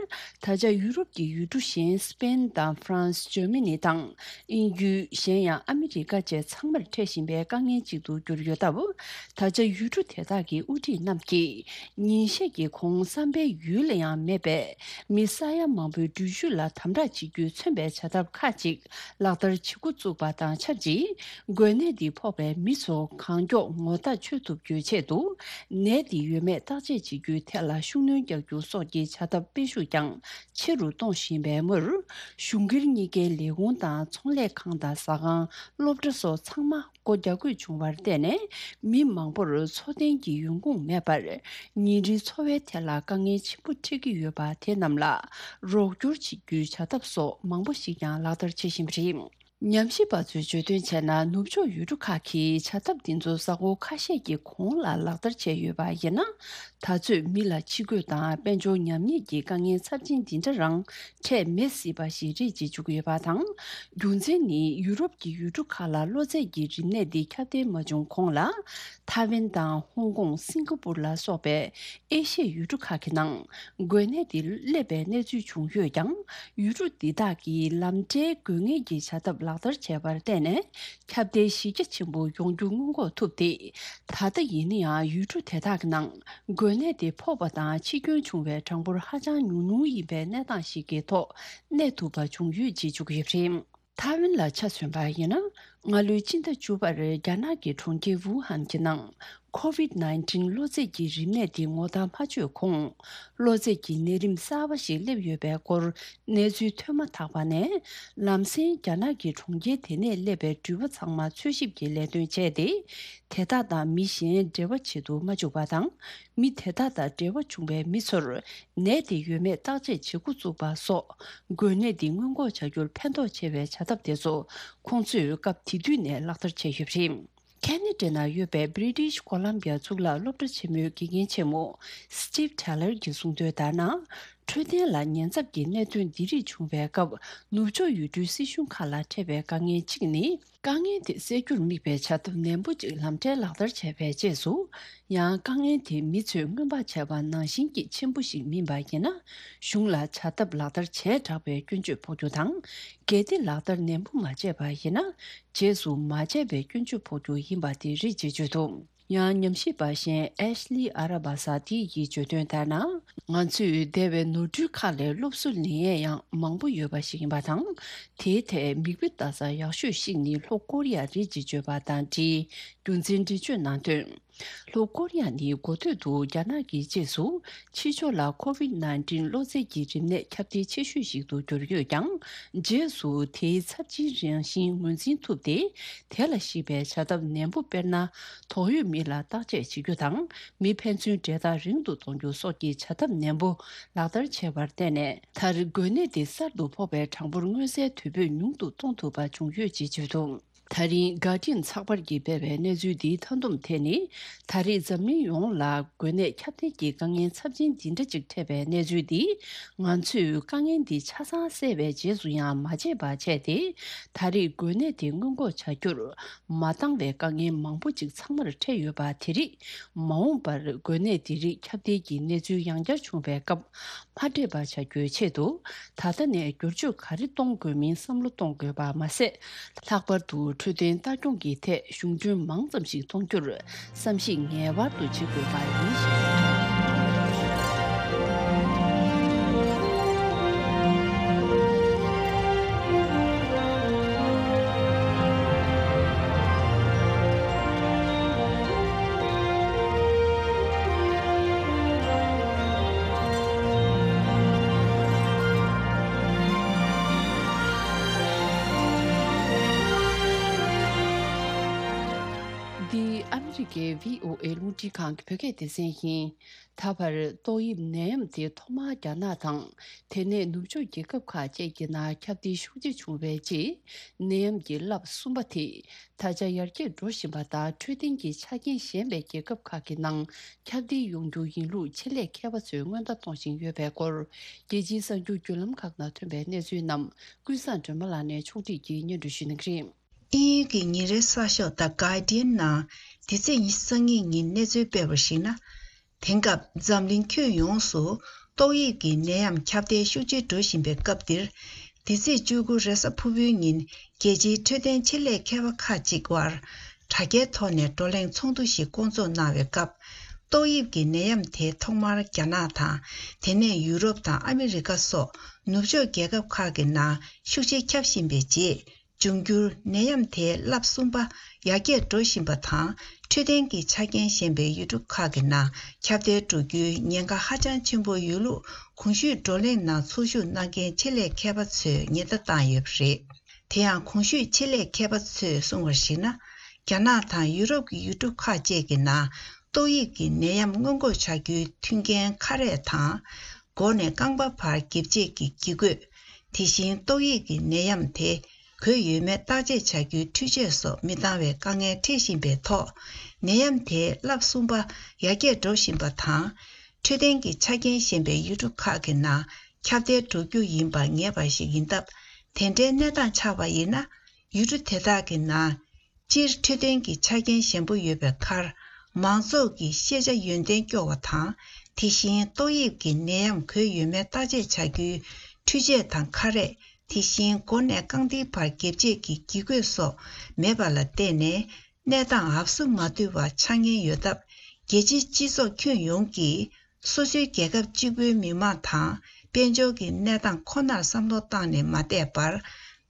ད་ཆ་ཡུ་རོབ་ཀྱི་ཡུལ་གྲུ་གཞན་སི་པེན་དང་ཧྥ་རན་སི། ཇར་མ་ནི་དང་དབྱིན་ཡུལ། གཞན་ཡང་ཨ་མི་རི་ཀ་བཅས་ཚང་མར་འཕྲད་བཞིན་པའི་དཀའ་ངལ་ཅིག་ཏུ་གྱུར་ཡོད་སྟབས། ད་ཆ་ཡུལ་གྲུ་དེ་དག་གི་དབུ་ཁྲིད་རྣམས་ཀྱིས་ཉིན་ཤས་ཀྱི་གོང་བསམ་པའི་ཡུལ་ལ་ཡང་མེད་པའི་མི་ས་ཡ་མང་པོའི་འགྲུལ་བཞུད་ལ་དམ་དྲག་བྱེད་རྒྱུས་མཚོན་པའི་བྱ་ཐབས་ཁག་ཅིག་ལག་བསྟར་བྱེད་འགོ་བཙུགས་པ་དང་ཆབས་ཅིག་འགོས་ནད་འདི་ཕོག་པའི་མི་ཚོ་གང་མགྱོགས་ངོ་ཐག་ཆོད་ཐུབ་རྒྱུའི་ཆེད་དུ། ནད་འདི་ཡོད་མེད་བརྟག་དཔྱད་བྱེད་རྒྱུའི་ཐད་ལ་ཤུགས་སྣོན་རྒྱག་རྒྱུ་སོགས་ཀྱི་བྱ་ཐབས་སྤེལ་ཤུགས་ཀྱང་ཆེ་རུ་གཏོང་བཞིན་པའི་མུར། གཞུང་སྒེར་གཉིས་ཀའི་ལས་ཁུངས་དང་ཚོང་ལས་ཁང་དང་ཟ་ཁང་། སློབ་གྲྭ་སོགས་ཚང་མ་སྒོ་རྒྱག་དགོས་བྱུང་བར་བརྟེན་ནས། མི་མང་པོར་འཚོ་རྟེན་གྱི་ཡོང་ཁུངས་མེད་པར། ཉིན་རེའི་འཚོ་བའི་ཐད་ལ་དཀའ་ངལ་ཆེན་པོ་འཕྲད་ཀྱི་ཡོད་པ་དེ་རྣམས་ལ་རོགས་སྐྱོར་བྱེད་རྒྱུའི་བྱ་ཐབས་སོགས་མང་པོ་ཞིག་ཀྱང་ལག་བསྟར་བྱེད་བཞིན་པ་རེད། ཉམས་ཞིབ་པ་ཚོས་བརྗོད་དོན་བྱས་ན། ནུབ་ཕྱོགས་ཡུལ་གྲུ་ཁག་གིས་བྱ་ཐབས་འདི་ཚོ་གཟའ་འཁོར་ཁ་ཤས་ཀྱི་གོང་ལ་ལག་བསྟར་བྱས་ཡོད་པ་ཡིན་ན། ད་ཚོད་མི་ལ་འཆི་འགོས་དང་དཔལ་འབྱོར་ཉམས་ཉེས་ཀྱི་དཀའ་ངལ་ཚབས་ཆེན་འདི་འདྲ་རང་འཕྲད་མེད་སྲིད་པ་ཞིག་རེད་ཅེས་བརྗོད་ཀྱི་ཡོད་པ་དང་། རྒྱུ་མཚན་ནི་ཡུ་རོབ་ཀྱི་ཡུལ་གྲུ་ཁག་ལ་གློ་ཚད་ཀྱི་རིམས་ནད་འདི་ཁྱབ་གདལ་མ་བྱུང་གོང་ལ། ཐའེ་ཝན་དང་ཧོང་ཀོང་། སིང་ག་པུར་ལ་སོགས་པའི་ཨེ་ཤི་ཡའི་ཡུལ་གྲུ་ཁག་གི་ནང་འགོས་ནད་དེ་སླེབས་པའི་གནས་ཚུལ་བྱུང་ཡོད་ཀྱང་། ཡུལ་གྲུ་འདི་དག་གིས་ལམ་འཕྲལ་འགོས་ངེས་ཀྱི་བྱ་ཐབས་ལག་བསྟར་བྱས་པར་བརྟེན་ནས། ཁྱབ་གདལ་གཞི་རྒྱ་ཆེན་པོ་ཡོང་རྒྱུ་སྔོན་འགོག་ཐུབ་སྟེ། ད་ལྟ་ཡིན་ན་ཡང་ཡུལ་གྲུ་དེ་དག་གི་ནང་འགོས་ནད་དེ་ཕོག་པ་དང་འཆི་སྐྱོན་བྱུང་བའི་གྲངས་འབོར་ཧ་ཅང་ཉུང་ཉུང་ཡིན་པའི་གནས་སྟངས་ཤིག་གི་ཐོག་གནས་ཐུབ་པ་བྱུང་ཡོད་ཅེས་བརྗོད་ཀྱི་ཡོད་པ་རེད། ཐའེ་ཝན་ལ་ཆ་མཚོན་པ་ཡིན་ན། སྔ་ལོའི་སྤྱི་ཟླ་བཅུ་པར་རྒྱ་ནག་གི་གྲོང་ཁྱེར་ཝུ་ཧན་གྱི་ནང་ཁོ་ཝིད་ནའིན་ཊིན་གློ་ཚད་ཀྱི་རིམས་ནད་འདི་ངོ་མཚར་མ་བྱུང་གོང་། གློ་ཚད་ཀྱི་ནད་རིམས་གསར་པ་ཞིག་སླེབས་ཡོད་པའི་སྐོར་གནས་ཚུལ་ཐོན་མ་ཐག་པ་ནས། ལམ་སེང་རྒྱ་ནག་གི་གྲོང་ཁྱེར་དེ་ནས་སླེབས་པའི་འགྲུལ་པ་ཚང་མ་འཚོལ་ཞིབ་ཀྱི་ལས་དོན་བྱས་ཏེ། དེ་དག་དང་མི་གཞན་འབྲེལ་བ་བྱེད་དུ་མ་བཅུག་པ་དང་། མི་དེ་དག་དང་འབྲེལ་བ་བྱུང་བའི་མི་ཚོར་ནད་དེ་ཡོད་མེད་བརྟག་དཔྱད་བྱེད་འགོ་བཙུགས་པ་སོགས། འགོས་ནད་འདི་སྔོན་འགོག་བྱ་རྒྱུར་ཕན་ཐོགས་ཆེ་བའི་བྱ་ཐབས་དེ་ཚོ་ཁོང་ཚོས་སྐབས་དེ་དུས་ནས་ལག་བསྟར་བྱས་ཡོད་པ་རེད། ཁེ་ན་ཌ་ནང་ཡོད་པའི་British Columbia་གཙུག་ལག་སློབ་གྲྭ་ཆེན་མོའི་དགེ་རྒན་ཆེན་མོ་Steve Taylor་གྱིས་གསུངས་དོན་ལྟར་ན། འཕྲོད་བསྟེན་ལ་ཉེན་ཚབས་ཀྱི་གནད་དོན་འདི་རིགས་བྱུང་བའི་སྐབས། ནུབ་ཕྱོགས་ཡུལ་གྲུའི་སྲིད་གཞུང་ཁག་ལ་འཕྲད་པའི་དཀའ་ངལ་གཅིག་ནི། དཀའ་ངལ་དེ་སེལ་རྒྱུར་དམིགས་པའི་བྱ་ཐབས་ནན་པོ་གཅིག་ལམ་འཕྲལ་ལག་བསྟར་བྱས་པའི་རྗེས་སུ། ཡང་དཀའ་ངལ་དེ་མི་ཚོས་སྔོན་དཔག་བྱས་པ་ནང་བཞིན་གྱི་ཆེན་པོ་ཞིག་མིན་པ་ཡིན་ན། གཞུང་ལ་བྱ་ཐབས་ལག་བསྟར་བྱས་དྲགས་པའི་སྐྱོན་བརྗོད་ཕོག་རྒྱུ་དང་། གལ་ཏེ་ལག་བསྟར་ནན་པོ་མ་བྱས་པ་ཡིན་ན། རྗེས་སུ་མ་བྱས་པའི་སྐྱོན་བརྗོད་ཕོག་རྒྱུ་ཡིན་པ་དེ་རེད་ཅེས་བརྗོད་འདུག་ཡང་ཉམས་ཞིབ་པ་གཞན་Ashley Arabasadi་ཡིས་བརྗོད་དོན་ལྟར་ན། ང་ཚོས་འདས་པའི་ནོར་འཁྲུལ་ཁག་ལས་སློབ་གསོ་ལེན་ཡས་ཡང་མང་པོ་ཡོད་པ་ཞིག་ཡིན་པ་དང་། དེའི་ཐད་མིག་དཔེ་ལྟ་ས་ཡག་ཤོས་ཤིག་ནི་ལྷོ་ཀོ་རི་ཡ་རེད་ཅེས་བརྗོད་པ་དང་འབྲེལ་རྒྱུ་མཚན་འགྲེལ་བརྗོད་གནང་དོན། ལྷོ་ཀོ་རི་ཡ་ནི་འགོ་སྟོད་དུ་རྒྱ་ནག་གི་རྗེས་སུ་ཕྱི་ཕྱོགས་ལ་ཁོ་ཝིད་ནའིན་ཊིན་གློ་ཚད་ཀྱི་རིམས་ནད་ཁྱབ་གདལ་ཆེ་ཤོས་ཤིག་ཏུ་གྱུར་ཡོད་ཀྱང་། རྗེས་སུ་དེའི་ཚབས་ཆེའི་རང་བཞིན་ངོས་འཛིན་ཐུབ་སྟེ། དེ་ལ་གཞིགས་པའི་བྱ་ཐབས་ནན་པོ། དཔེར་ན། དོགས་ཡོད་མི་ལ་བརྟག་དཔྱད་བྱེད་རྒྱུ་དང་། མི་ཕན་ཚུན་འབྲེལ་ཐག་རིང་དུ་གཏོང་རྒྱུ་སོགས་ཀྱི་བྱ་ཐབས་ནན་པོ་ལག་བསྟར་བྱས་པར་བརྟེན་ནས། མཐར་འགོས་ནད་དེ་གསར་དུ་ཕོག་པའི་གྲངས་འབོར་མངོན་གསལ་དོད་པོས་ཉུང་དུ་གཏོང་ཐུབ་པ་བྱུང་ཡོད་ཅེས་བརྗོད་འདུག་ད་རིང་Guardian་ཚགས་པར་གྱིས་སྤེལ་བའི་གནས་ཚུལ་འདིའི་མཐའ་སྡོམ་དེ་ནི། ད་རེས་འཛམ་གླིང་ཡོངས་ལ་འགོས་ནད་ཁྱབ་གདལ་གྱི་དཀའ་ངལ་ཚབས་ཆེན་འདི་འདྲ་ཅིག་འཕྲད་པའི་གནས་ཚུལ་འདིས། ང་ཚོས་དཀའ་ངལ་འདི་ཆ་ཚང་སེལ་བའི་རྗེས་སུ་ཡང་མ་བརྗེད་པ་བྱས་ཏེ། ད་རེས་འགོས་ནད་དེ་སྔོན་འགོག་བྱ་རྒྱུར་མ་འདང་བའི་དཀའ་ངལ་མང་པོ་ཅིག་ཚང་མར་འཕྲད་ཡོད་པ་དེ་རིགས། མ་འོངས་པར་འགོས་ནད་འདི་རིགས་ཁྱབ་གདལ་གྱི་གནས་ཚུལ་ཡང་བསྐྱར་བྱུང་བའི་སྐབས། མ་འཕྲད་པ་བྱ་རྒྱུའི་ཆེད་དུ། ད་ལྟ་ནས་བསྒྱུར་བཅོས་ག་རེ་གཏོང་དགོས་མིན་བསམ་བློ་གཏོང་དགོས་པ་མ་ཟད། ལྷག་པར་དུ་འཕྲོད་བསྟེན་ལྟ་སྐྱོང་གི་ཐད་གཞུང་གྲོན་མང་ཙམ་ཞིག་གཏོང་རྒྱུར་བསམ་གཞིག་ངེས་པར་དུ་བྱེད་དགོས་པ་ཡིན་ཞེས། ཕྱི་རྒྱལ་ཝི་ཨོ་ཨེ་རླུང་འཕྲིན་ཁང་གི་བོད་སྐད་སྡེ་ཚན་ཡིན། ད་བར་ཏོག་དབྱིབས་ནད་ཡམས་དེ་ཐོག་མར་རྒྱ་ནག་དང་། དེ་ནས་ནུབ་ཕྱོགས་རྒྱལ་ཁབ་ཁག་བཅས་ཀྱི་ནང་ཁྱབ་གདལ་ཤུགས་ཆེ་བྱུང་བའི་རྗེས། ནད་ཡམས་ཀྱི་རླབས་གསུམ་པ་དེ་ད་ཆ་ཡར་རྒྱས་འགྲོ་བཞིན་པ་དང་། འཕྲོད་བསྟེན་གྱི་ཆ་རྐྱེན་ཞན་པའི་རྒྱལ་ཁབ་ཁག་གི་ནང་ཁྱབ་གདལ་ཡོང་རྒྱུ་ཡིན་ལུགས་ཆེད་ལས་མཁས་པ་ཚོས་སྔོན་བརྡ་གཏོང་བཞིན་ཡོད་པའི་སྐོར། རྒྱལ་སྤྱིའི་གསར་འགྱུར་བརྒྱུད་ལམ་ཁག་ནང་ཐོན་པའི་གནས་ཚུལ་རྣམས་ཀུན་བཟང་སྒྲོལ་མ་ལགས་ནས་ཕྱོགས་སྒྲིག་གིས་སྙན་སྒྲོན་ཞུ་གནང་གི་རེད། དབྱིན་ཡུལ་གྱི་ཉིན་རེའི་གསར་ཤོག་The Guardian ནང་འདི་ཚེས་ཉི་ཤུ་རྩ་གཉིས་ཉིན་གནས་ཚུལ་སྤེལ་བར་གཞིགས་ན། དེང་སྐབས་འཛམ་གླིང་ཁྱོན་ཡོངས་སུ་ཏོག་དབྱིབས་ཀྱི་ནད་ཡམས་ཁྱབ་གདལ་ཤུགས་ཆེ་འགྲོ་བཞིན་པའི་སྐབས་འདིར། འདི་ཚེས་བཅུ་དགུ་རེས་གཟའ་ཕུར་བུའི་ཉིན་རྒྱལ་སྤྱིའི་འཕྲོད་བསྟེན་ཆེད་ལས་མཁས་པ་ཁག་ཅིག་དབར་དྲ་རྒྱའི་ཐོག་ནས་བགྲོ་གླེང་ཚོགས་འདུ་ཞིག་བསྐོང་ཚོགས་གནང་བའི་སྐབས། ཏོག་དབྱིབས་ཀྱི་ནད་ཡམས་དེ་ཐོག་མར་རྒྱ་ནག་དང་། དེ་ནས་ཡུ་རོབ་དང་ཨ་མི་རི་ཀ་སོགས་ནུབ་ཕྱོགས་རྒྱལ་ཁབ་ཁག་གི་ནང་ཤུགས་ཆེ་ཁྱབ་བཞིན་པའི་རྗེས། འབྱུང་འགྱུར་ནད་ཡམས་དེའི་རླབས་གསུམ་པ་ཡར་རྒྱས་འགྲོ་བཞིན་པ་དང་། འཕྲོད་བསྟེན་གྱི་ཆ་རྐྱེན་ཞན་པའི་ཡུལ་གྲུ་ཁག་གི་ནང་ཁྱབ་གདལ་འགྲོ་རྒྱུའི་ཉེན་ཁ་ཧ་ཅང་ཆེན་པོ་ཡོད་ལུགས། གོང་ཞུས་བགྲོ་གླེང་ནང་ཚོགས་ཞུགས་གནང་མཁན་ཆེད་ལས་མཁས་པ་ཚོས་ཉེན་བརྡ་བཏང་ཡོད་པ་རེད། དེ་ཡང་གོང་ཞུས་ཆེད་ལས་མཁས་པ་ཚོས་གསུངས་པར་གཞིགས་ན། རྒྱ་ནག་དང་ཡུ་རོབ་ཀྱི་ཡུལ་གྲུ་ཁག་བཅས་ཀྱི་ནང་ཏོག་དབྱིབས་ཀྱི་ནད་ཡམས་སྔོན་འགོག་བྱ་རྒྱུའི་མཐུན་རྐྱེན་ཁ་རས་དང་། མགོ་ནས་རྐང་པ་བར་འགེབས་བྱེད་ཀྱི་གྱི་གོས། དེ་བཞིན་ཏོག་དབྱིབས་ཀྱི་ནད་ཡམས་དེ་འགོས་ཡོད་མེད་བརྟག་དཔྱད་བྱ་རྒྱུའི་འཕྲུལ་ཆས་སོགས་མི་འདང་བའི་དཀའ་ངལ་འཕྲད་བཞིན་པའི་ཐོག། ནད་ཡམས་དེའི་རླབས་གསུམ་པ་ཡར་རྒྱས་འགྲོ་བཞིན་པ་དང་། འཕྲོད་བསྟེན་གྱི་ཆ་རྐྱེན་ཞན་པའི་ཡུལ་གྲུ་ཁག་གི་ནང་ཁྱབ་གདལ་འགྲོ་རྒྱུ་ཡིན་པ་ངེས་པ་ཞིག་ཡིན་སྟབས། དེ་འདྲའི་གནས་སྟངས་ཆགས་པ་ཡིན་ན། ཡུལ་གྲུ་དེ་དག་གི་ནང་སྤྱིར་འཕྲོད་བསྟེན་གྱི་ཆ་རྐྱེན་ཞན་པོ་ཡོད་པའི་ཁར། མང་ཚོགས་ཀྱི་ཤེས་བྱ་ཡོན་ཏན་སྐྱོ་བ་དང་། དེ་བཞིན་ཏོག་དབྱིབས་ཀྱི་ནད་ཡམས་འགོས་ཡོད་མེད་བརྟག་དཔྱད་བྱ་རྒྱུའི་འཕྲུལ་ཆས་དང་ཁ་རས། དེ་བཞིན་མགོ་ནས་རྐང་མཐིལ་བར་འགེབས་བྱེད་ཀྱི་གྱི་གོས་སོགས་མེད་པ་ལ་བརྟེན་ནས། གནས་སྟངས་འབབ་སུ་མ་ཐུབ་པ་ཆགས་ཉེན་ཡོད་སྟབས། རྒྱལ་སྤྱིའི་སྤྱི་ཚོགས་ཁྱོན་ཡོངས་ཀྱིས། སོ་སོའི་རྒྱལ་ཁབ་གཅིག་པུའི་མི་དམངས་དང་། དཔལ་འབྱོར་གྱི་གནས་སྟངས་ཁོ་ནར་བསམ་བློ་བཏང་ནས་མ་བསྡད་པར།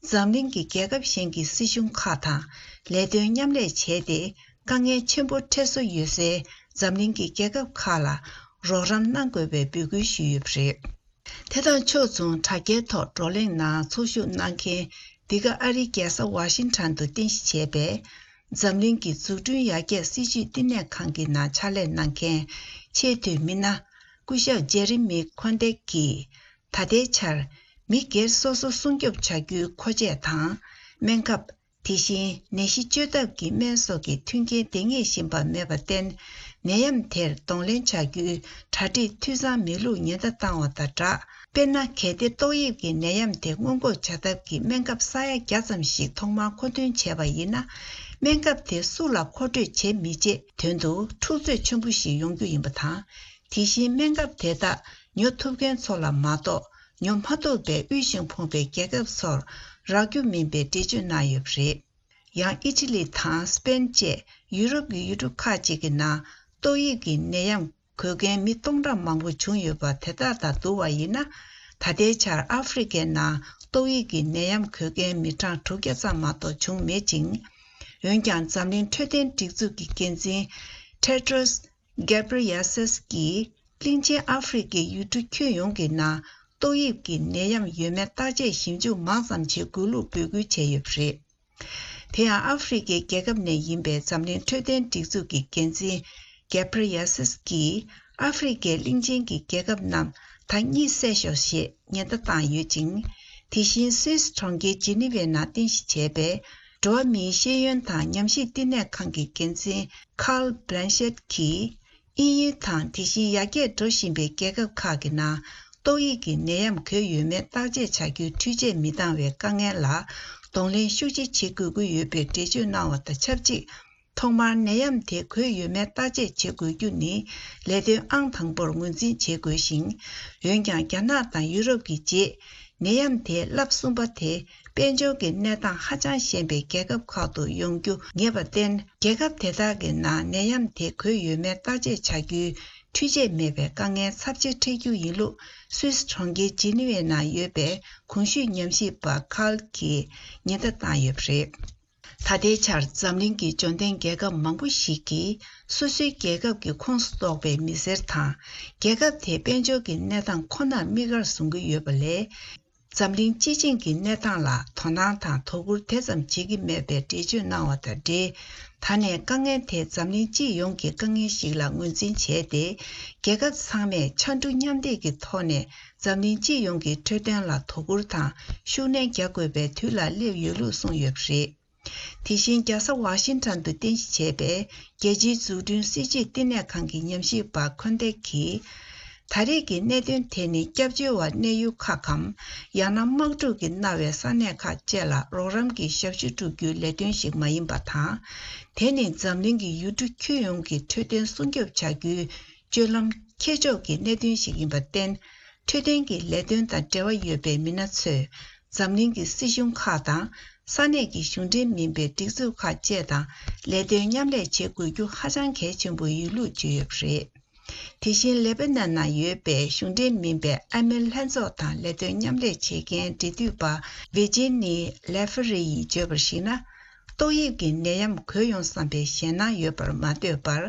འཛམ་གླིང་གི་རྒྱལ་ཁབ་གཞན་གྱི་སྲིད་གཞུང་ཁག་དང་ལས་དོན་མཉམ་ལས་བྱས་ཏེ། དཀའ་ངལ་ཆེན་པོ་འཕྲད་སྲོལ་ཡོད་སའི་འཛམ་གླིང་གི་རྒྱལ་ཁབ་ཁག་ལ་རོགས་རམ་གནང་དགོས་པའི་འབོད་སྐུལ་ཞུས་ཡོད་པ་རེད། དེ་དང་ཕྱོགས་མཚུངས། དྲ་རྒྱའི་ཐོག་བགྲོ་གླེང་ནང་ཚོགས་ཞུགས་གནང་མཁན། འདི་ག་ཨ་རིའི་རྒྱལ་ས་ཝ་ཤིང་ཊོན་དུ་རྟེན་གཞི་བྱས་པའི་འཛམ་གླིང་གི་འཛུགས་སྐྲུན་ཡར་རྒྱས་སྲིད་ཇུས་བསྟི་གནས་ཁང་གི་ནང་ཕྱག་ལས་གནང་མཁན་ཆེས་མཐོའི་མི་སྣ་སྐུ་ཞབས་ཇེ་རི་མི་ཁོན་ཏེག་གིས། ད་ལྟའི་ཆར་མི་སྒེར་སོ་སོ་སྲུང་སྐྱོབ་བྱ་རྒྱུའི་མཁོ་ཆས་དང་། སྨན་ཁབ། དེ་བཞིན་ནད་གཞི་བཅོས་ཐབས་ཀྱི་སྨན་སོགས་ཀྱི་མཐུན་རྐྱེན་འདང་ངེས་བཞིན་པ་མེད་པར་བརྟེན། ནད་ཡམས་དེར་གདོང་ལེན་བྱ་རྒྱུའི་གྲ་སྒྲིག་འཐུས་ཚང་མེད་ལུགས་ཉེན་བརྡ་བཏང་བ་དང་སྦྲགས། དཔེར་ན། གལ་ཏེ་ཏོག་དབྱིབས་ཀྱི་ནད་ཡམས་དེ་སྔོན་འགོག་བྱ་ཐབས་ཀྱི་སྨན་ཁབ་ས་ཡ་བརྒྱ་ཙམ་ཞིག་ཐོག་མར་མཁོ་འདོན་བྱས་པ་ཡིན་ན། སྨན་ཁབ་དེ་སུ་ལ་མཁོ་སྤྲོད་བྱེད་མི་བྱེད་དོན་དུ་འཁྲུག་རྩོད་ཆེན་པོ་ཞིག་ཡོང་རྒྱུ་ཡིན་པ་དང་། དེ་བཞིན་སྨན་ཁབ་དེ་དག་ཉོ་ཐུབ་མཁན་ཚོ་ལ་མ་གཏོགས། ཉོ་མ་ཐུབ་པའི་དབུལ་ཞིང་ཕོངས་པའི་རྒྱལ་ཁབ་ཚོར་རག་རྒྱུ་མིན་པའི་འགྲེལ་བརྗོད་གནང་ཡོད་པ་རེད། ཡང་ཨི་ཊ་ལི་དང་སི་པེན་བཅས་ཡུ་རོབ་ཀྱི་ཡུལ་གྲུ་ཁག་ཅིག་གི་ནང་ཏོག་དབྱིབས་ཀྱི་ནད་ཡམས་འགོས་མཁན་མི་སྟོང་ཕྲག་མང་པོ་བྱུང་ཡོད་པ་དེ་དག་དང་བསྡུར་བ་ཡིན་ན། ད་ལྟའི་ཆར་ཨ་ཧྥེ་རི་ཁའི་ནང་ཏོག་དབྱིབས་ཀྱི་ནད་ཡམས་འགོས་མཁན་མི་གྲངས་དྲུག་བརྒྱ་ཙམ་མ་གཏོགས་བྱུང་མེད་ཅིང་། འོན་ཀྱང་འཛམ་གླིང་འཕྲོད་བསྟེན་སྒྲིག་འཛུགས་ཀྱི་འགན་འཛིན་ཊེ་ཏྲོས་གྷེ་བྷི་རི་ཡེ་སུས་ཀྱིས། གླིང་ཆེན་ཨ་ཧྥེ་རི་ཁའི་ཡུལ་གྲུ་ཁྱོན་ཡོངས་ཀྱི་ནང་ཏོག་དབྱིབས་ཀྱི་ནད་ཡམས་ཡོད་མེད་བརྟག་དཔྱད་ཞིབ་འཇུག་མང་ཙམ་བྱེད་དགོས་ལུགས་འབོད་སྐུལ་བྱས་ཡོད་པ་རེད། དེ་ཡང་ཨ་ཧྥེ་རི་ཁའི་རྒྱལ་ཁབ་ནས་ཡིན་པའི་འཛམ་གླིང་འཕྲོད་བསྟེན་སྒྲིག་འཛུགས་ཀྱི་འགན་འཛིན་གྷེ་བྷི་རི་ཡེ་སུས་ཀྱིས། ཨ་ཧྥེ་རི་ཁའི་གླིང་ཆེན་གྱི་རྒྱལ་ཁབ་རྣམས་ད་གཉིད་སད་ཤོག་ཞེས་ཉེན་བརྡ་བཏང་ཡོད་ཅིང་། དེ་བཞིན་སུད་སི་གྲོང་ཁྱེར་ཇི་ནི་ཝའི་ནང་རྟེན་གཞི་བྱས་པའི་འགྲོ་བ་མིའི་ཤེས་ཡོན་དང་ཉམས་ཞིབ་བསྟི་གནས་ཁང་གི་འགན་འཛིན་ཁཱརལ་བྷི་ལན་ཤེད་ཀྱིས། དབྱིན་ཡུལ་དང་དེ་བཞིན་ཡར་རྒྱས་འགྲོ་བཞིན་པའི་རྒྱལ་ཁབ་ཁག་གི་ནང་ཏོག་དབྱིབས་ཀྱི་ནད་ཡམས་འགོས་ཡོད་མེད་བརྟག་དཔྱད་བྱ་རྒྱུའི་འཕྲུལ་ཆས་མི་འདང་བའི་དཀའ་ངལ་ལ་གདོང་ལེན་ཤུགས་ཆེ་བྱེད་དགོས་ཀྱི་ཡོད་པའི་འགྲེལ་བརྗོད་གནང་བ་དང་ཆབས་ཅིག། ཐོག་མར་ནད་ཡམས་དེ་འགོས་ཡོད་མེད་བརྟག་དཔྱད་བྱེད་དགོས་རྒྱུ་ནི་ལས་དོན་ཨང་དང་པོར་ངོས་འཛིན་བྱེད་དགོས་ཤིང་། འོན་ཀྱང་རྒྱ་ནག་དང་ཡུ་རོབ་ཀྱི་རྗེས། ནད་ཡམས་དེའི་རླབས་གསུམ་པ་དེ་དཔལ་འབྱོར་གྱི་གནས་སྟངས་ཧ་ཅང་ཞན་པའི་རྒྱལ་ཁབ་ཁག་ཏུ་ཡོང་རྒྱུ་ངེས་པར་བརྟེན། རྒྱལ་ཁབ་དེ་དག་གི་ནང་ནད་ཡམས་དེ་འགོས་ཡོད་མེད་བརྟག་དཔྱད་བྱ་རྒྱུའི་འཕྲུལ་ཆས་མེད་པའི་དཀའ་ངལ་ཚབས་ཆེ་འཕྲད་རྒྱུ་ཡིན་ལུགས་སུད་སི་གྲོང་ཁྱེར་ཇི་ནི་ཝའི་ནང་ཡོད་པའི་གོང་ཞུས་ཉམས་ཞིབ་པ་ཁཱརལ་གྱིས་ཉེན་བརྡ་བཏང་ཡོད་པ་རེད། ད་ལྟའི་ཆར་འཛམ་གླིང་གི་འབྱོར་ལྡན་རྒྱལ་ཁབ་མང་པོ་ཞིག་གིས་སོ་སོའི་རྒྱལ་ཁབ་ཀྱི་ཁོངས་སུ་གཏོགས་པའི་མི་སེར་དང་། རྒྱལ་ཁབ་དེའི་དཔལ་འབྱོར་གྱི་གནས་སྟངས་ཁོ་ནར་དམིགས་བཀར་བཟུང་གི་ཡོད་པ་ལས། འཛམ་གླིང་སྤྱི་བྱིངས་ཀྱི་གནས་སྟངས་ལ་དོ་སྣང་དང་དོ་ཁུར་དེ་ཙམ་བྱེད་ཀྱི་མེད་པའི་འགྲེལ་བརྗོད་གནང་བ་དང་འབྲེལ། ད་ནས་དཀའ་ངལ་དེ་འཛམ་གླིང་སྤྱི་ཡོངས་ཀྱི་དཀའ་ངལ་ཞིག་ལ་ངོས་འཛིན་བྱས་ཏེ། རྒྱལ་ཁབ་ཚང་མས་ཕྱར་གྲུ་མཉམ་འདེགས་ཀྱི་ཐོག་ནས་འཛམ་གླིང་སྤྱི་ཡོངས་ཀྱི་འཕྲོད་བསྟེན་ལ་དོ་ཁུར་དང་ཤུགས་སྣོན་རྒྱག་དགོས་པའི་དུས་ལ་སླེབས་ཡོད་ལུགས་གསུངས་ཡོད་པ་རེད། དེ་བཞིན་རྒྱལ་ས་ཝ་ཤིང་ཊོན་དུ་རྟེན་གཞི་བྱས་པའི་རྒྱལ་སྤྱིའི་འཛུགས་སྐྲུན་སྲིད་ཇུས་བསྟི་གནས་ཁང་གི་ཉམས་ཞིབ་པ་ཁོན་ཏེ་གིས། ད་རེས་ཀྱི་གནད་དོན་དེ་ནི་སྐྱབས་བཅོལ་བ་གནས་ཡུལ་ཁག་གམ། ཡང་ན་དམག་འཁྲུག་གིས་མནར་བའི་ས་གནས་ཁག་བཅས་ལ་རོགས་རམ་གྱི་ཞབས་ཞུ་སྒྲུབ་རྒྱུའི་ལས་དོན་ཞིག་མ་ཡིན་པ་དང་། དེ་ནི་འཛམ་གླིང་གི་ཡུལ་གྲུ་ཁྱོན་ཡོངས་ཀྱི་འཕྲོད་བསྟེན་སྲུང་སྐྱོབ་བྱ་རྒྱུའི་སྤྱོད་ལམ་ཁྱེར་ཕྱོགས་ཀྱི་གནད་དོན་ཞིག་ཡིན་པར་བརྟེན། འཕྲོད་བསྟེན་གྱི་ལས་དོན་དང་འབྲེལ་བ་ཡོད་པའི་མི་སྣ་ཚོས། འཛམ་གླིང་གི་སྲིད་གཞུང་ཁག་དང་། ས་གནས་ཀྱི་གཞུང་འབྲེལ་མིན་པའི་སྒྲིག་འཛུགས་ཁག་བཅས་དང་ལས་དོན་མཉམ་ལས་བྱེད་དགོས་རྒྱུ་ཧ་ཅང་གལ་ཆེན་པོ་ཡིན་ལུགས་བརྗོད་ཡོད་པ་རེད། དེ་བཞིན་ལེ་པ་ནན་ནང་ཡོད་པའི་གཞུང་འབྲེལ་མིན་པའི་ཨ་མེ་ལྷན་ཚོགས་དང་ལས་དོན་མཉམ་ལས་བྱེད་མཁན་འབྲེལ་མཐུད་པ་ཝི་ཇི་ནི་ལེ་ཧྥེ་རི་ཡིས་བརྗོད་པར་གཞིགས་ན། ཏོག་དབྱིབས་ཀྱི་ནད་ཡམས་འགོས་ཡོང་བསམ་པའི་ཞེད་སྣང་ཡོད་པར་མ་ལྟོས་པར།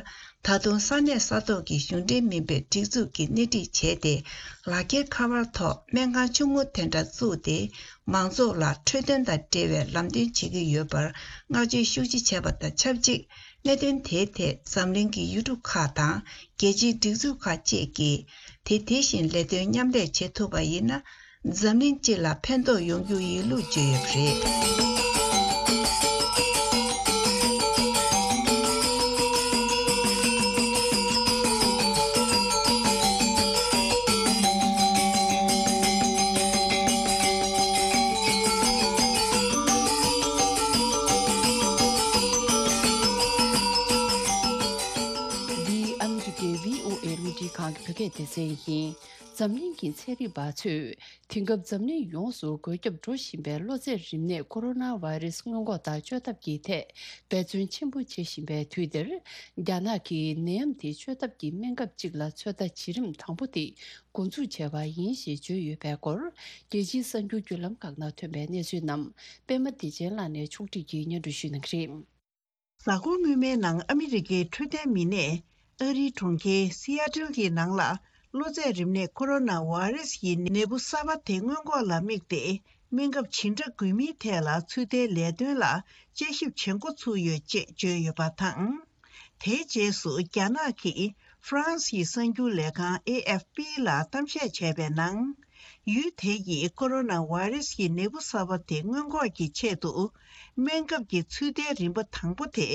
ད་དུང་ས་གནས་ས་ཐོག་གི་གཞུང་འབྲེལ་མིན་པའི་སྒྲིག་འཛུགས་ཀྱིས་སྣེ་ཁྲིད་བྱས་ཏེ། ལག་འཁྱེར་ཁ་པར་ཐོག་སྨན་ཁང་ཆུང་ངུ་དེ་འདྲ་བཙུགས་ཏེ། མང་ཚོགས་ལ་འཕྲོད་བསྟེན་དང་འབྲེལ་བའི་ལམ་སྟོན་བྱེད་ཀྱི་ཡོད་པར་བསྔགས་བརྗོད་ཤུགས་ཆེ་བྱས་པ་དང་ཆབས་ཅིག་གནད་དོན་དེའི་ཐད་འཛམ་གླིང་གི་ཡུལ་གྲུ་ཁག་དང་རྒྱལ་སྤྱིའི་སྒྲིག་འཛུགས་ཁག་བཅས་ཀྱིས་དེ་དེ་བཞིན་ལས་དོན་མཉམ་ལས་བྱེད་ཐུབ་པ་ཡིན་ན། འཛམ་གླིང་སྤྱི་ལ་ཕན་ཐོགས་ཡོང་རྒྱུ་ཡིན་ལུགས་བརྗོད་ཡོད་པ་རེད། འདི་ཨ་མི་རི་ཀའི་བྷི་ཨོ་ཨེ་རླུང་འཕྲིན་ཁང་གི་བོད་སྐད་སྡེ་ཚན་ཡིན། འཛམ་གླིང་གི་ཚན་རིག་པ་ཚོས། དེང་སྐབས་འཛམ་གླིང་ཡོངས་སུ་འགོས་ཁྱབ་འགྲོ་བཞིན་པའི་གློ་ཚད་རིམས་ནད་ཀོ་རོ་ན་བྷ་རེ་སི་སྔོན་འགོག་དང་བཅོས་ཐབས་ཀྱི་ཐད་འབད་བརྩོན་ཆེན་པོ་བྱེད་བཞིན་པའི་དུས་འདིར། རྒྱ་ནག་གིས་ནད་ཡམས་དེ་བཅོས་ཐབས་ཀྱི་སྨན་ཁབ་ཅིག་ལ་ཚོད་ལྟ་བྱེད་རིམ་དང་པོ་དེ་འགོ་འཛུགས་བྱས་པ་ཡིན་ཞེས་བརྗོད་ཡོད་པའི་སྐོར། རྒྱལ་སྤྱིའི་གསར་འགྱུར་བརྒྱུད་ལམ་ཁག་ནང་ཐོན་པའི་གནས་ཚུལ་རྣམས་པད་མ་བདེ་ཆེན་ལགས་ནས་ཕྱོགས་སྒྲིག་གིས་སྙན་སྒྲོན་ཞུ་གནང་གི་རེད། གཟའ་འཁོར་སྔོན་མའི་ནང་ཨ་མི་རི་ཀའི་འཕྲོད་བསྟེན་མི་སྣས་ཨ་རིའི་གྲོང་ཁྱེར་སི་ཨ་ཏིལ་གྱི་ནང་ལ་གློ་ཚད་རིམས་ནད་ཀོ་རོ་ན་བྷ་རེ་སི་ཡི་ནད་འབུ་གསར་པ་དེ་སྔོན་འགོག་ལ་དམིགས་ཏེ་སྨན་ཁབ་ཇི་འདྲ་དགོས་མིན་ཐད་ལ་ཚོད་ལྟའི་ལས་དོན་ལ་དཔྱད་ཞིབ་བྱེད་འགོ་ཚུགས་ཡོད་ཅེས་བརྗོད་ཡོད་པ་དང་། དེའི་རྗེས་སུ་རྒྱ་ནག་གིས་ཧྥ་རན་སིའི་གསར་འགྱུར་ལས་ཁང་ཨེ་ཨེཕ་པི་ལ་གཏམ་བཤད་བྱས་པའི་ནང་། ཡུལ་དེ་ཡིས་ཀོ་རོ་ན་བྷ་རེ་སི་ཡི་ནད་འབུ་གསར་པ་དེ་སྔོན་འགོག་གི་ཆེད་དུ། སྨན་ཁབ་ཀྱི་ཚོད་ལྟའི་རིམ་པ་དང་པོ་དེ་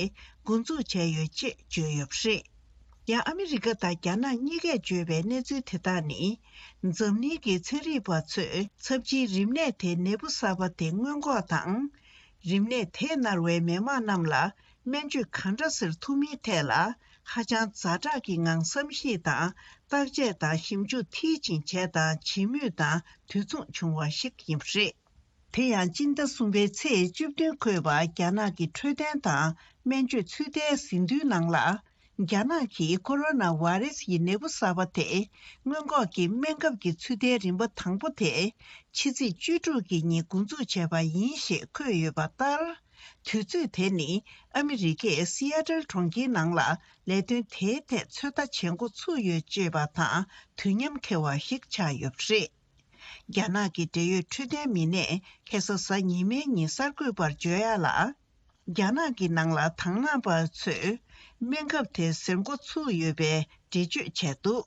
འགོ་འཛུགས་བྱས་ཡོད་ཅེས་བརྗོད་ཡོད་པ་རེད། ཡང་ཨ་མི་རི་ཀ་དང་རྒྱ་ནག་གཉིས་ཀས་བརྗོད་པའི་གནས་ཚུལ་དེ་དག་ནི། འཛམ་གླིང་གི་ཚན་རིག་པ་ཚོས་ཚབས་ཆེའི་རིམས་ནད་དེ་ནད་འབུ་གསར་པ་དེ་སྔོན་འགོག་དང་། རིམས་ནད་དེས་མནར་བའི་མི་དམངས་རྣམས་ལ། སྨན་བཅོས་གང་འདྲ་ཟེར་ཐུབ་མིན་ཐད་ལ་ཧ་ཅང་ཛ་དྲག་གི་ངང་བསམ་གཞིག་དང་བརྟག་དཔྱད་དང་ཞིབ་འཇུག་མཐིལ་ཕྱིན་བྱས་དང་བྱེད་མུས་དང་དུས་མཚུངས་བྱུང་བ་ཞིག་ཡིན་པ་རེད། དེ་ཡང་སྤྱི་ཟླ་གསུམ་པའི་ཚེས་བཅུ་བདུན་འཁོད་པར་རྒྱ་ནག་གི་འཕྲོད་བསྟེན་དང་སྨན་བཅོས་ཚོད་ལྟའི་ཟིན་ཐོའི་ནང་ལ། རྒྱ་ནག་གིས་ཀོ་རོ་ན་བྷ་རེ་སི་ཡི་ནད་འབུ་གསར་པ་དེ་སྔོན་འགོག་གི་སྨན་ཁབ་ཀྱི་ཚོད་ལྟའི་རིམ་པ་དང་པོ་དེ་ཕྱི་ཚེས་བཅུ་དྲུག་གི་ཉིན་འགོ་འཛུགས་བྱས་པ་ཡིན་ཞེས་འཁོད་ཡོད་པ་ལྟར། དུས་ཚོད་དེ་ནི་ཨ་མི་རི་ཀའི་སི་ཨ་ཏལ་གྲོང་ཁྱེར་ནང་ལ་ལས་དོན་དེའི་ཐད་ཚོད་ལྟ་བྱེད་འགོ་ཚུགས་ཡོད་ཅེས་པ་དང་དུས་མཉམ་འཁེལ་བ་ཞིག་ཆགས་ཡོད་པ་རེད། རྒྱ་ནག་གི་འབྲེལ་ཡོད་འཕྲོད་བསྟེན་མི་སྣས་ཁ་སང་གཟའ་ཉི་མའི་ཉིན་གསར་འགོད་པར་བརྗོད་ཡག་ལ། རྒྱ་ནག་གི་ནང་ལ་དང་བླངས་པ་ཚོས་སྨན་ཁབ་དེ་ཟེར་འགོ་ཚུགས་ཡོད་པའི་འགྲེལ་བརྗོད་བྱས་འདུག་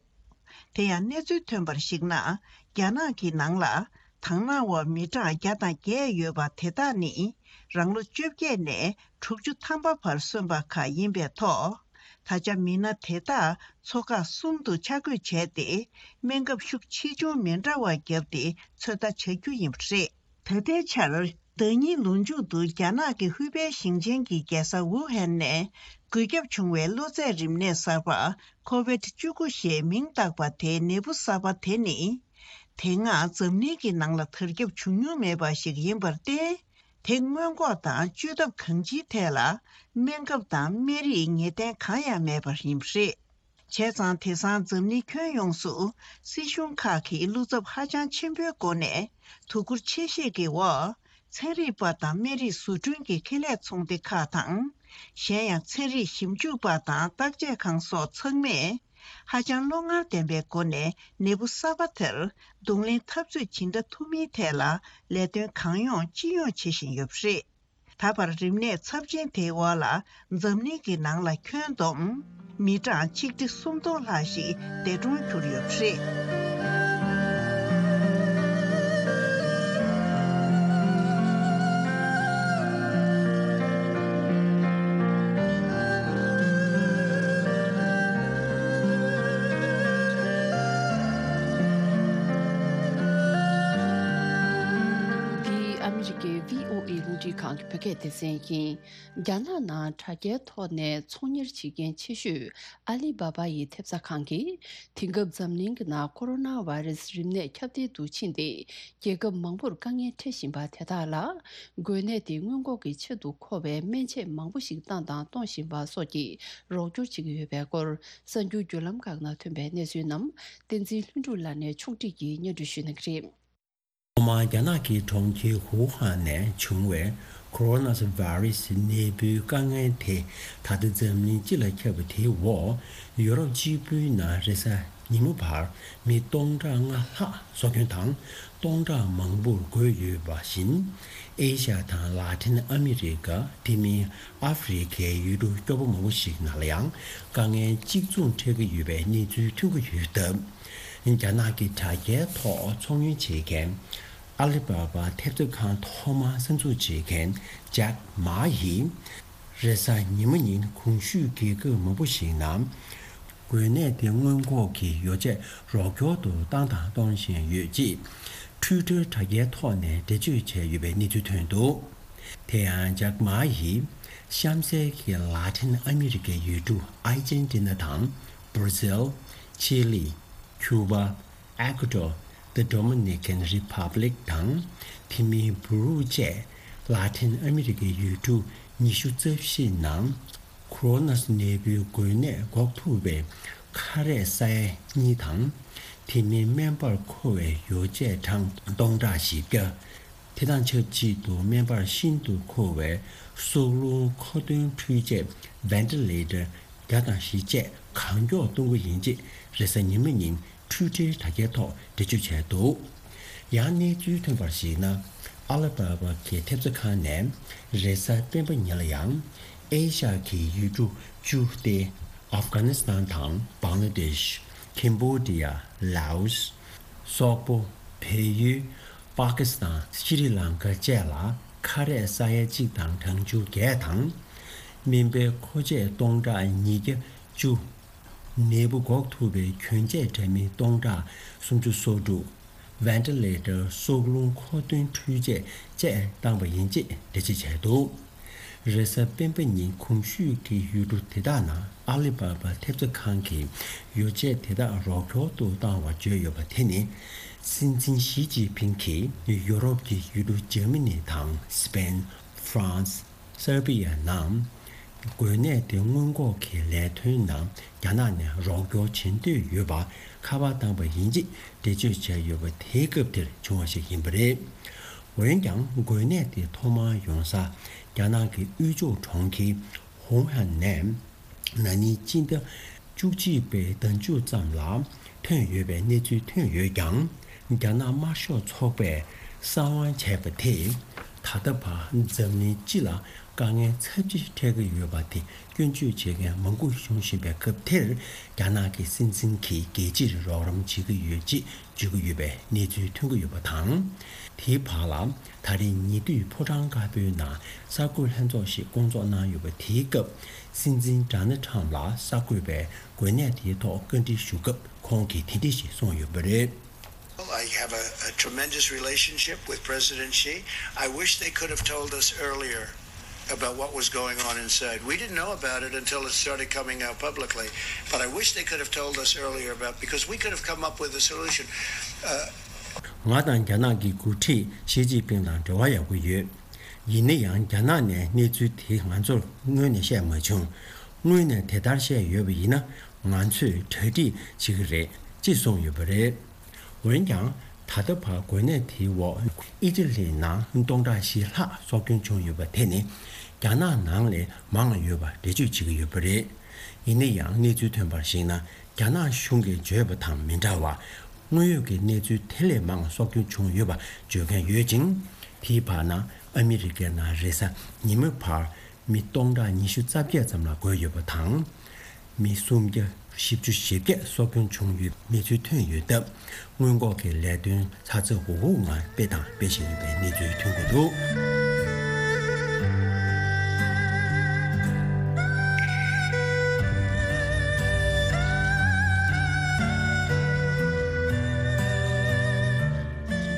དེ་ཡང་གནས་ཚུལ་ཐོན་པར་གཞིགས་ན། རྒྱ་ནག་གི་ནང་ལ་དང་བླངས་པ་མི་གྲངས་བརྒྱ་དང་བརྒྱད་ཡོད་པ་དེ་དག་ནི་རང་ལོ་བཅོ་བརྒྱད་ནས་དྲུག་ཅུ་ཐམ་པ་བར་སོན་པ་ཁག་ཡིན་པའི་ཐོག་ད་ཆ་མི་སྣ་དེ་དག་ཚོ་ཁག་གསུམ་དུ་ཆ་བགོས་བྱས་ཏེ། སྨན་ཁབ་ཤུགས་ཆེ་ཆུང་མི་འདྲ་བ་བརྒྱབ་སྟེ་ཚོད་ལྟ་བྱ་རྒྱུ་ཡིན་པ་རེད། ད་ལྟའི་ཆར། ཟླ་ཉིན་ལོ་མཇུག་ཏུ་རྒྱ་ནག་གི་ཧུའུ་པེ་ཞིང་ཆེན་གྱི་རྒྱལ་ས་ཝུ་ཧན་ནས་འགོས་ཁྱབ་བྱུང་བའི་གློ་ཚད་རིམས་ནད་གསར་པ་ཁོ་ཝིད་བཅུ་དགུ་ཞེས་མིང་བཏགས་པ་དེའི་ནད་འབུ་གསར་པ་དེ་ནི། དེ་སྔ་འཛམ་གླིང་གི་ནང་ལ་དར་ཁྱབ་བྱུང་མྱོང་མེད་པ་ཞིག་ཡིན་པར་བརྟེན། དེ་སྔོན་འགོག་དང་བཅོས་ཐབས་གང་ཅིའི་ཐད་ལ་སྨན་ཁབ་དང་སྨན་རིགས་ངེས་གཏན་གང་ཡང་མེད་པ་ཡིན་པ་རེད། བྱས་ཙང་དེང་སང་འཛམ་གླིང་ཁྱོན་ཡོངས་སུ་སྲིད་གཞུང་ཁག་གིས་བློ་འཚབ་ཧ་ཅང་ཆེན་པོའི་སྒོ་ནས་དོ་ཁུར་ཆེ་བཞེས་ཀྱི་འོག་ཚན་རིག་པ་དང་སྨན་རིགས་བཟོ་སྐྲུན་གྱི་ཁེ་ལས་ཚོང་སྡེ་ཁག་དང་། གཞན་ཡང་ཚན་རིག་ཞིབ་འཇུག་པ་དང་བརྟག་དཔྱད་ཁང་སོགས་ཚང་མས་ ཧ་ཅང་བློ་ངར་ལྡན་པའི་སྒོ་ནས་ནད་འབུ་གསར་པ་དེར་གདོང་ལེན་འཐབ་རྩོད་ཇི་འདྲ་ཐུབ་མིན་ཐད་ལ་ལས་དོན་གང་ཡོང་ཅི་ཡོང་བྱེད་བཞིན་ཡོད་པ་རེད། ད་བར་རིམས་ནད་ཚབས་ཆེན་དེའི་འོག་ལ་འཛམ་གླིང་གི་ནང་ལ་ཁྱོན་བསྡོམས་མི་གྲངས་ཆིག་ཁྲི་སུམ་སྟོང་ལྷག་ཞིག་འདས་གྲོངས་གྱུར་ཡོད་པ་རེད། འདི་ཨ་མི་རི་ཀའི་བྷི་ཨོ་ཨེ་རླུང་འཕྲིན་ཁང་གི་བོད་སྐད་སྡེ་ཚན་ཡིན། རྒྱ་ནག་ནང་དྲ་རྒྱའི་ཐོག་ནས་ཚོང་གཉེར་བྱེད་མཁན་ཆེ་ཤོས་ཨ་ལི་བྷ་བྷ་ཡི་ཐེབས་རྩ་ཁང་གིས། དེང་སྐབས་འཛམ་གླིང་གི་ནང་ཀོ་རོ་ན་བྷ་རེ་སི་རིམས་ནད་ཁྱབ་གདལ་དུ་ཕྱིན་ཏེ། རྒྱལ་ཁབ་མང་པོར་དཀའ་ངལ་འཕྲད་བཞིན་པ་དེ་དག་ལ། འགོས་ནད་དེ་སྔོན་འགོག་གི་ཆེད་དུ་མཁོ་བའི་སྨན་ཆས་མང་པོ་ཞིག་བཏང་དང་གཏོང་བཞིན་པ་སོགས་ཀྱི་རོགས་སྐྱོར་བྱེད་ཀྱི་ཡོད་པའི་སྐོར། གསར་འགྱུར་བརྒྱུད་ལམ་ཁག་ནང་ཐོན་པའི་གནས་ཚུལ་རྣམས་བསྟན་འཛིན་ལྷུན་གྲུབ་ལགས་ནས་ཕྱོགས་སྒྲིག་གིས་སྙན་སྒྲོན་ཞུ་གནང་གི་རེད། ཐོག་མར་རྒྱ་ནག་གི་གྲོང་ཁྱེར་ཝུ་ཧན་ནས་བྱུང་བའི་ཁོ་རོ་ན་བྷ་རི་སི་ནད་འབུའི་དཀའ་ངལ་དེ་ད་ལྟ་འཛམ་གླིང་སྤྱི་ལ་ཁྱབ་པ་དེའི་འོག་ཡུ་རོབ་གཅིག་པུའི་ནང་རེས་གཟའ་ཉིན་མོ་བར་མི་སྟོང་ཕྲག་ལྔ་ལྷག་སྲོག་སྐྱོན་དང་སྟོང་ཕྲག་མང་པོར་འགོས་ཡོད་པ་བཞིན། ཨེ་ཤ་ཡ་དང་ལ་ཏིན་ཨ་མི་རི་ཀ། དེ་མིན་ཨ་ཧྥེ་རི་ཁའི་ཡུལ་གྲུ་སྐྱོ་པོ་མང་པོ་ཞིག་ནང་ལ་ཡང་དཀའ་ངལ་གཅིག་མཚུངས་འཕྲད་ཀྱི་ཡོད་པའི་གནས་ཚུལ་ཐོན་གྱི་ཡོད་སྟབས། རྒྱ་ནག་གི་དྲ་རྒྱའི་ཐོག་ཚོང་གཉེར་བྱེད་མཁན་ཨ་ལི་བྷ་བྷ་ཐེབས་རྩ་ཁང་ཐོག་མར་གསར་འཛུགས་བྱེད་མཁན་ཇེག་མ་ཡིས་རེས་གཟའ་ཉི་མ་ཉིན་གོང་ཞུས་རྒྱལ་ཁབ་མང་པོ་ཞིག་ནང་འགོས་ནད་དེ་སྔོན་འགོག་གི་ཡོ་བྱད་རོགས་སྐྱོར་དུ་བཏང་དང་གཏོང་བཞིན་ཡོད་ཅེས་ཊུའི་ཊར་དྲ་རྒྱའི་ཐོག་ནས་འགྲེལ་བརྗོད་བྱས་ཡོད་པའི་གནས་ཚུལ་ཐོན་འདུག་དེ་ཡང་ཇེག་མ་ཡིས་གཤམ་གསལ་གྱི་ལ་ཏིན་ཨ་མི་རི་ཀའི་ཡུལ་གྲུ་ཨར་ཇེན་ཏི་ན་དང་། བྷར་ཟིལ། ཆི་ལི། ཁྱུ་པ། ཨེ་ཀུ་ཏོར། The Dominican Republic དང་། དེ་མིན་པུ་རུ་བཅས་ལ་ཏིན་ཨ་མི་རི་ཀའི་ཡུལ་གྲུ་ཉི་ཤུ་རྩ་བཞི་ནང་ཁོ་རོ་ན་ནད་འབུའི་འགོས་ནད་འགོག་ཐུབ་པའི་ཁ་རས་ས་ཡ་གཉིས་དང་། དེ་མིན་སྨན་པར་མཁོ་བའི་ཡོ་བྱད་གྲངས་སྟོང་ཕྲག་བཞི་བརྒྱ། དེ་དང་ཆབས་ཅིག་ཏུ་སྨན་པར་ཤིན་ཏུ་མཁོ་བའི་སྲོག་རླུང་མཁོ་འདོན་འཕྲུལ་ཆས་བྷེན་ཊི་ལེ་ཊར་བརྒྱ་དང་བཞི་བཅས་གང་མགྱོགས་གཏོང་གི་ཡིན་ཅེས་རེས་གཟའ་ཉི་མ་ཉིན་ཊུའི་ཊར་དྲ་རྒྱའི་ཐོག་འགྲེལ་བརྗོད་བྱས་འདུག་ཡང་གནས་ཚུལ་ཐོན་པར་གཞིགས་ན། ཨ་ལི་བྷ་བྷ་གི་ཐེབས་རྩ་ཁང་ནས་རེས་གཟའ་སྤེན་པ་ཉིན་ལ་ཡང་ཨེ་ཤ་ཡ་གི་ཡུལ་གྲུ་བཅུ་སྟེ། ཨབ་གྷ་ནི་སི་ཐན་དང་བང་ལ་དེཤ། ཁེམ་བྷོ་ཌི་ཡ། ལའོ་སི། སོག་པོ། བལ་ཡུལ། པ་ཀི་སི་ཐན། ཤྲི་ལང་ཀ་བཅས་ལ་ཁ་རས་ས་ཡ་གཅིག་དང་གྲངས་ཆུང་བརྒྱད་དང་། སྨན་པའི་མཁོ་ཆས་སྟོང་ཕྲག་ཉིས་བརྒྱ་བཅུ། ནད་འབུ་འགོག་ཐུབ་པའི་གྱོན་ཆས་འདྲ་མིན་སྟོང་ཕྲག་སུམ་ཅུ་སོ་དྲུག་བྷེན་ཊི་ལེ་ཊར། སྲོག་རླུང་མཁོ་འདོན་འཕྲུལ་ཆས་བཅས་བཏང་པ་ཡིན་ཅེས་འགྲེལ་བརྗོད་བྱས་འདུག་རེས་གཟའ་སྤེན་པ་ཉིན་གོང་ཞུས་ཀྱི་ཡུལ་གྲུ་དེ་དག་ནང་ཨ་ལི་བྷ་བྷ་ཐེབས་རྩ་ཁང་གིས་ཡོ་བྱད་དེ་དག་རོགས་སྐྱོར་དུ་བཏང་བ་བརྗོད་ཡོད་པ་དེ་ནི། སྲིད་འཛིན་ཞི་ཅིན་ཕིང་གིས་ཡུ་རོབ་ཀྱི་ཡུལ་གྲུ་འཇར་མ་ནི་དང་སི་པེན། ཧྥ་རན་སི། སར་བྷི་ཡ་ནང་འགོས་ནད་དེ་སྔོན་འགོག་གི་ལས་དོན་ནང་རྒྱ་ནག་ནས་རོགས་སྐྱོར་བྱེད་འདོད་ཡོད་པ་ཁ་པར་བཏང་པ་ཡིན་ཅེས་འགྲེལ་བརྗོད་བྱས་ཡོད་པ་དེའི་སྐབས་དེར་བྱུང་བ་ཞིག་ཡིན་པ་རེད། འོན་ཀྱང་འགོས་ནད་དེ་ཐོག་མར་ཡོང་ས་རྒྱ་ནག་གི་དབུས་ཕྱོགས་གྲོང་ཁྱེར་ཧུའུ་ཧན་ནས་ན་ནིང་སྤྱི་ཟླ་བཅུ་གཅིག་པའི་ཟླ་མཇུག་ཙམ་ལ་ཐོན་ཡོད་པའི་གནས་ཚུལ་ཐོན་ཡོད་ཀྱང་། རྒྱ་ནག་དམར་ཤོག་ཚོགས་པས་གསང་བ་བྱས་པ་དེས་ད་ལྟ་བར་འཛམ་གླིང་སྤྱི་ལ་དཀའ་ངལ་ཚབས་ཆེ་འཕྲད་ཀྱི་ཡོད་པ་དེ་སྐྱོན་བརྗོད་བྱེད་མཁན་མང་པོ་བྱུང་བཞིན་པའི་སྐབས་དེར། རྒྱ་ནག་གི་སྲིད་འཛིན་གྱིས་རྒྱལ་སྤྱིར་རོགས་རམ་བྱེད་ཀྱི་ཡོད་ཅེས་བརྗོད་ཀྱི་ཡོད་པའི་གནས་ཚུལ་ཐོན་གྱི་ཡོད་པ་དང་། དེའི་བར་ལ་ད་རེས་ཉེ་དུས་ཕོ་བྲང་དཀར་པོའི་ནང་གསར་འགོད་ལྷན་ཚོགས་ཤིག་བསྐོང་ཚོགས་གནང་ཡོད་པ་དེའི་སྐབས། སྲིད་འཛིན་ཌོ་ནལ་ཊམ་ལ་གསར་འགོད་པས་འགོས་ནད་དེའི་ཐོག་བཀའ་འདྲི་ཞུ་སྐབས་ཁོང་གིས་དེ་འདྲ་ཞིག་གསུངས་ཡོད་པ་རེད། Well, I have a, a tremendous relationship with President Xi. I wish they could have told us earlier about what was going on inside. We didn't know about it until it started coming out publicly. But I wish they could have told us earlier about, because we could have come up with a solution. Uh, ང་དང་རྒྱ་ནག་གི་འགོ་ཁྲིད་ཞི་ཅིན་ཕིང་དང་འབྲེལ་བ་ཡག་པོ་ཡོད། ཡིན་ན་ཡང་རྒྱ་ནག་ནས་གནས་ཚུལ་དེ་ང་ཚོར་སྔོན་ནས་བཤད་མ་བྱུང་། སྔོན་ནས་དེ་ལྟར་བཤད་ཡོད་པ་ཡིན་ན་ང་ཚོས་གྲ་སྒྲིག་བྱེད་ཀྱི་རེད་ཅེས་གསུངས་ཡོད་པ་རེད། འོན་ཀྱང་། ད་ལྟ་བར་འགོས་ནད་དེའི་འོག་ཨི་ཊ་ལིའི་ནང་སྟོང་ཕྲག་བཞི་ལྷག་སྲོག་སྐྱོན་བྱུང་ཡོད་པ་དེ་ནི་རྒྱ་ནག་ནང་ལས་མང་ཡོད་པ་འགྲེལ་བརྗོད་བྱེད་ཀྱི་ཡོད་པ་རེད། ཡིན་ན་ཡང་གནས་ཚུལ་ཐོན་པར་གཞིགས་ན། རྒྱ་ནག་གཞུང་གིས་བརྗོད་པ་དང་མི་འདྲ་བར། དངོས་ཡོད་ཀྱི་གནས་ཚུལ་དེ་ལས་མང་སྲོག་སྐྱོན་བྱུང་ཡོད་པ་བརྗོད་མཁན་ཡོད་ཅིང་། དེའི་བར་ན་ཨ་མི་རི་ཀའི་ནང་རེས་གཟའ་ཉི་མའི་བར་མི་སྟོང་ཕྲག་ཉི་ཤུ་རྩ་བརྒྱད་ཙམ་ལ་འགོས་ཡོད་པ་དང་། མི་སུམ་བརྒྱ་བཞི་བཅུ་ཞེ་བརྒྱད་སྲོག་སྐྱོན་བྱུང་ཡོད་གནས་ཚུལ་ཐོན་ཡོད་སྟབས། སྔོན་འགོག་གི་ལས་དོན་ཚ་ཚ་འུར་འུར་ངང་སྤེལ་དང་སྤེལ་བཞིན་ཡོད་པའི་གནས་ཚུལ་ཐོན་གྱི་འདུག།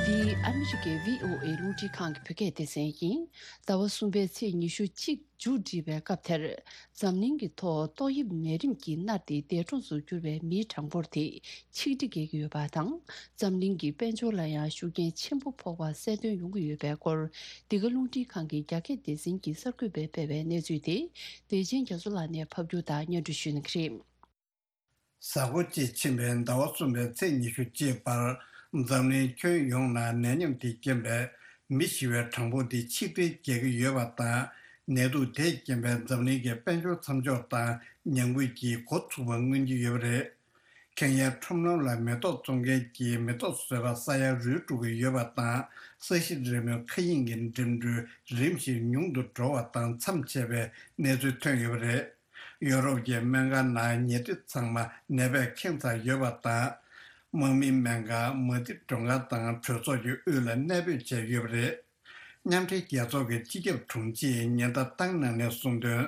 འདི་ཨ་མི་རི་ཀའི་བྷི་ཨོ་ཨེ་རླུང་འཕྲིན་ཁང་གི་བོད་སྐད་སྡེ་ཚན་ཡིན། ཟླ་བ་གསུམ་པའི་ཚེས་ཉི་ཤུ་གཅིག་མཇུག་སྒྲིལ་བའི་སྐབས་དེར། འཛམ་གླིང་གི་ཐོག་ཏོག་དབྱིབས་ནད་རིམས་ཀྱིས་མནར་ཏེ་འདས་གྲོངས་སུ་གྱུར་བའི་མིའི་གྲངས་འབོར་དེ་ཆིག་ཁྲི་བརྒལ་གྱི་ཡོད་པ་དང་། འཛམ་གླིང་གི་དཔལ་འབྱོར་ལ་ཡང་ཤུགས་རྐྱེན་ཆེན་པོ་ཕོག་པ་གསལ་སྟོན་ཡོང་གི་ཡོད་པའི་སྐོར། འདི་ག་རླུང་འཕྲིན་ཁང་གི་རྒྱ་སྐད་སྡེ་ཚན་གྱི་གསར་འགོད་པས་སྤེལ་བའི་གནས་ཚུལ་དེ། བདེ་ཆེན་རྒྱ་མཚོ་ལགས་ནས་ཕབ་སྒྱུར་དང་སྙན་སྒྲོན་ཞུ་གནང་གི་རེད། གཟའ་འཁོར་གཅིག་ཕྱིན་པའི་ཟླ་བ་གསུམ་པའི་ཚེས་ཉི་ཤུ་གཅིག་བར། འཛམ་གླིང་ཁྱོན་ཡོངས་ནང་ནད་ཉམས་དེས་རྐྱེན་པས་མི་ཤི་བའི་གྲངས་འབོར་དེ་ཆིག་ཁྲིར་བརྒལ་གྱི་ཡོད་པ་དང་། ནད་དུག་དེས་རྐྱེན་པས་འཛམ་གླིང་གི་དཔལ་འབྱོར་མཚམས་འཇོག་དང་ཉམས་རྒུད་ཀྱི་འགོ་ཚུགས་པ་མངོན་གྱི་ཡོད་པ་རེད། ཁེན་ཡའི་ཁྲོམ་ལམ་ལ་མེ་ཏོག་བཙོང་མཁན་གྱིས་མེ་ཏོག་བཟོས་པ་ཟ་ཡ་རུལ་འགྲོ་གི་ཡོད་པ་དང་། ས་གཞི་རི་མོའི་མཁའ་དབྱིངས་ཀྱི་འགྲིམ་འགྲུལ་རིམ་བཞིན་ཉུང་དུ་འགྲོ་བ་དང་མཚམས་ཆད་པའི་གནས་ཚུལ་ཐོན་ཡོད་པ་རེད། ཡོ་རོབ་ཀྱི་སྨན་ཁང་ནང་ཉལ་ཁྲི་ཚང་མ་ནད་པས་ཁེངས་ཚར་ཡོད་པ་དང་། དམག་མིའི་སྨན་ཁང་། མ་ཎི་མགྲོན་ཁང་དང་གྲོས་ཚོགས་ཀྱི་དབུས་ལ་གནས་སྤོས་བྱས་ཡོད་པ་རེད། མཉམ་འབྲེལ་རྒྱལ་ཚོགས་ཀྱི་སྤྱི་ཁྱབ་དྲུང་ཆེས་ཉེན་བརྡ་བཏང་གནང་ནས་གསུངས་དོན།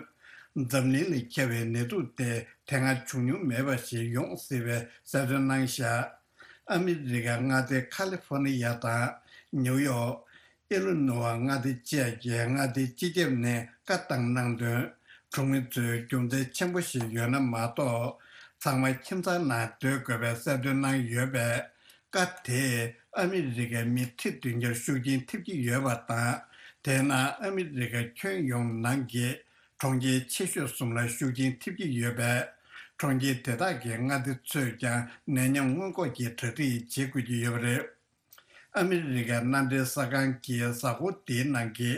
འཛམ་གླིང་ལ་ཁྱབ་པའི་ནད་དུག་དེ་དེ་སྔ་བྱུང་མྱོང་མེད་པ་ཞིག་ཡོང་སྲིད་པའི་གསལ་སྟོན་གནང་བཞག། ཨ་མི་རི་ཀའི་མངའ་སྡེ་ཁ་ལི་ཧྥོ་ནི་ཡ་དང་། ནིའུ་ཡོག། ཨི་ལི་ནོ་ཝ་མངའ་སྡེ་བཅས་ཀྱི་མངའ་སྡེའི་སྤྱི་ཁྱབ་ནས་བཀའ་བཏང་གནང་དོན། གྲོང་མི་ཚོས་རྒྱུ་མཚན་ཆེན་པོ་ཞིག་ཡོད་ན་མ་གཏོགས། ཚང་མ་ཁྱིམ་ཚང་ནང་སྡོད་དགོས་པའི་གསལ་སྟོན་གནང་ཡོད་པས། བཀའ་དེས་ཨ་མི་རི་ཀའི་མི་ཁྲི་བདུན་བརྒྱར་ཤུགས་རྐྱེན་ཐེབས་ཀྱི་ཡོད་པ་དང་། དེས་ན་ཨ་མི་རི་ཀ་ཁྱོན་ཡོངས་ནང་གི་གྲོང་ཁྱེར་ཆེ་ཤོས་གསུམ་ལ་ཤུགས་རྐྱེན་ཐེབས་ཀྱི་ཡོད་པས། གྲོང་ཁྱེར་དེ་དག་གི་མངའ་སྡེ་ཚོས་ཀྱང་ནད་ཉམས་སྔོན་འགོག་གི་གྲ་སྒྲིག་བྱེད་དགོས་ཀྱི་ཡོད་པ་རེད། ཨ་མི་རི་ཀའི་མནའ་འབྲེལ་གསར་ཁང་གིས་གཟའ་འཁོར་འདིའི་ནང་གི་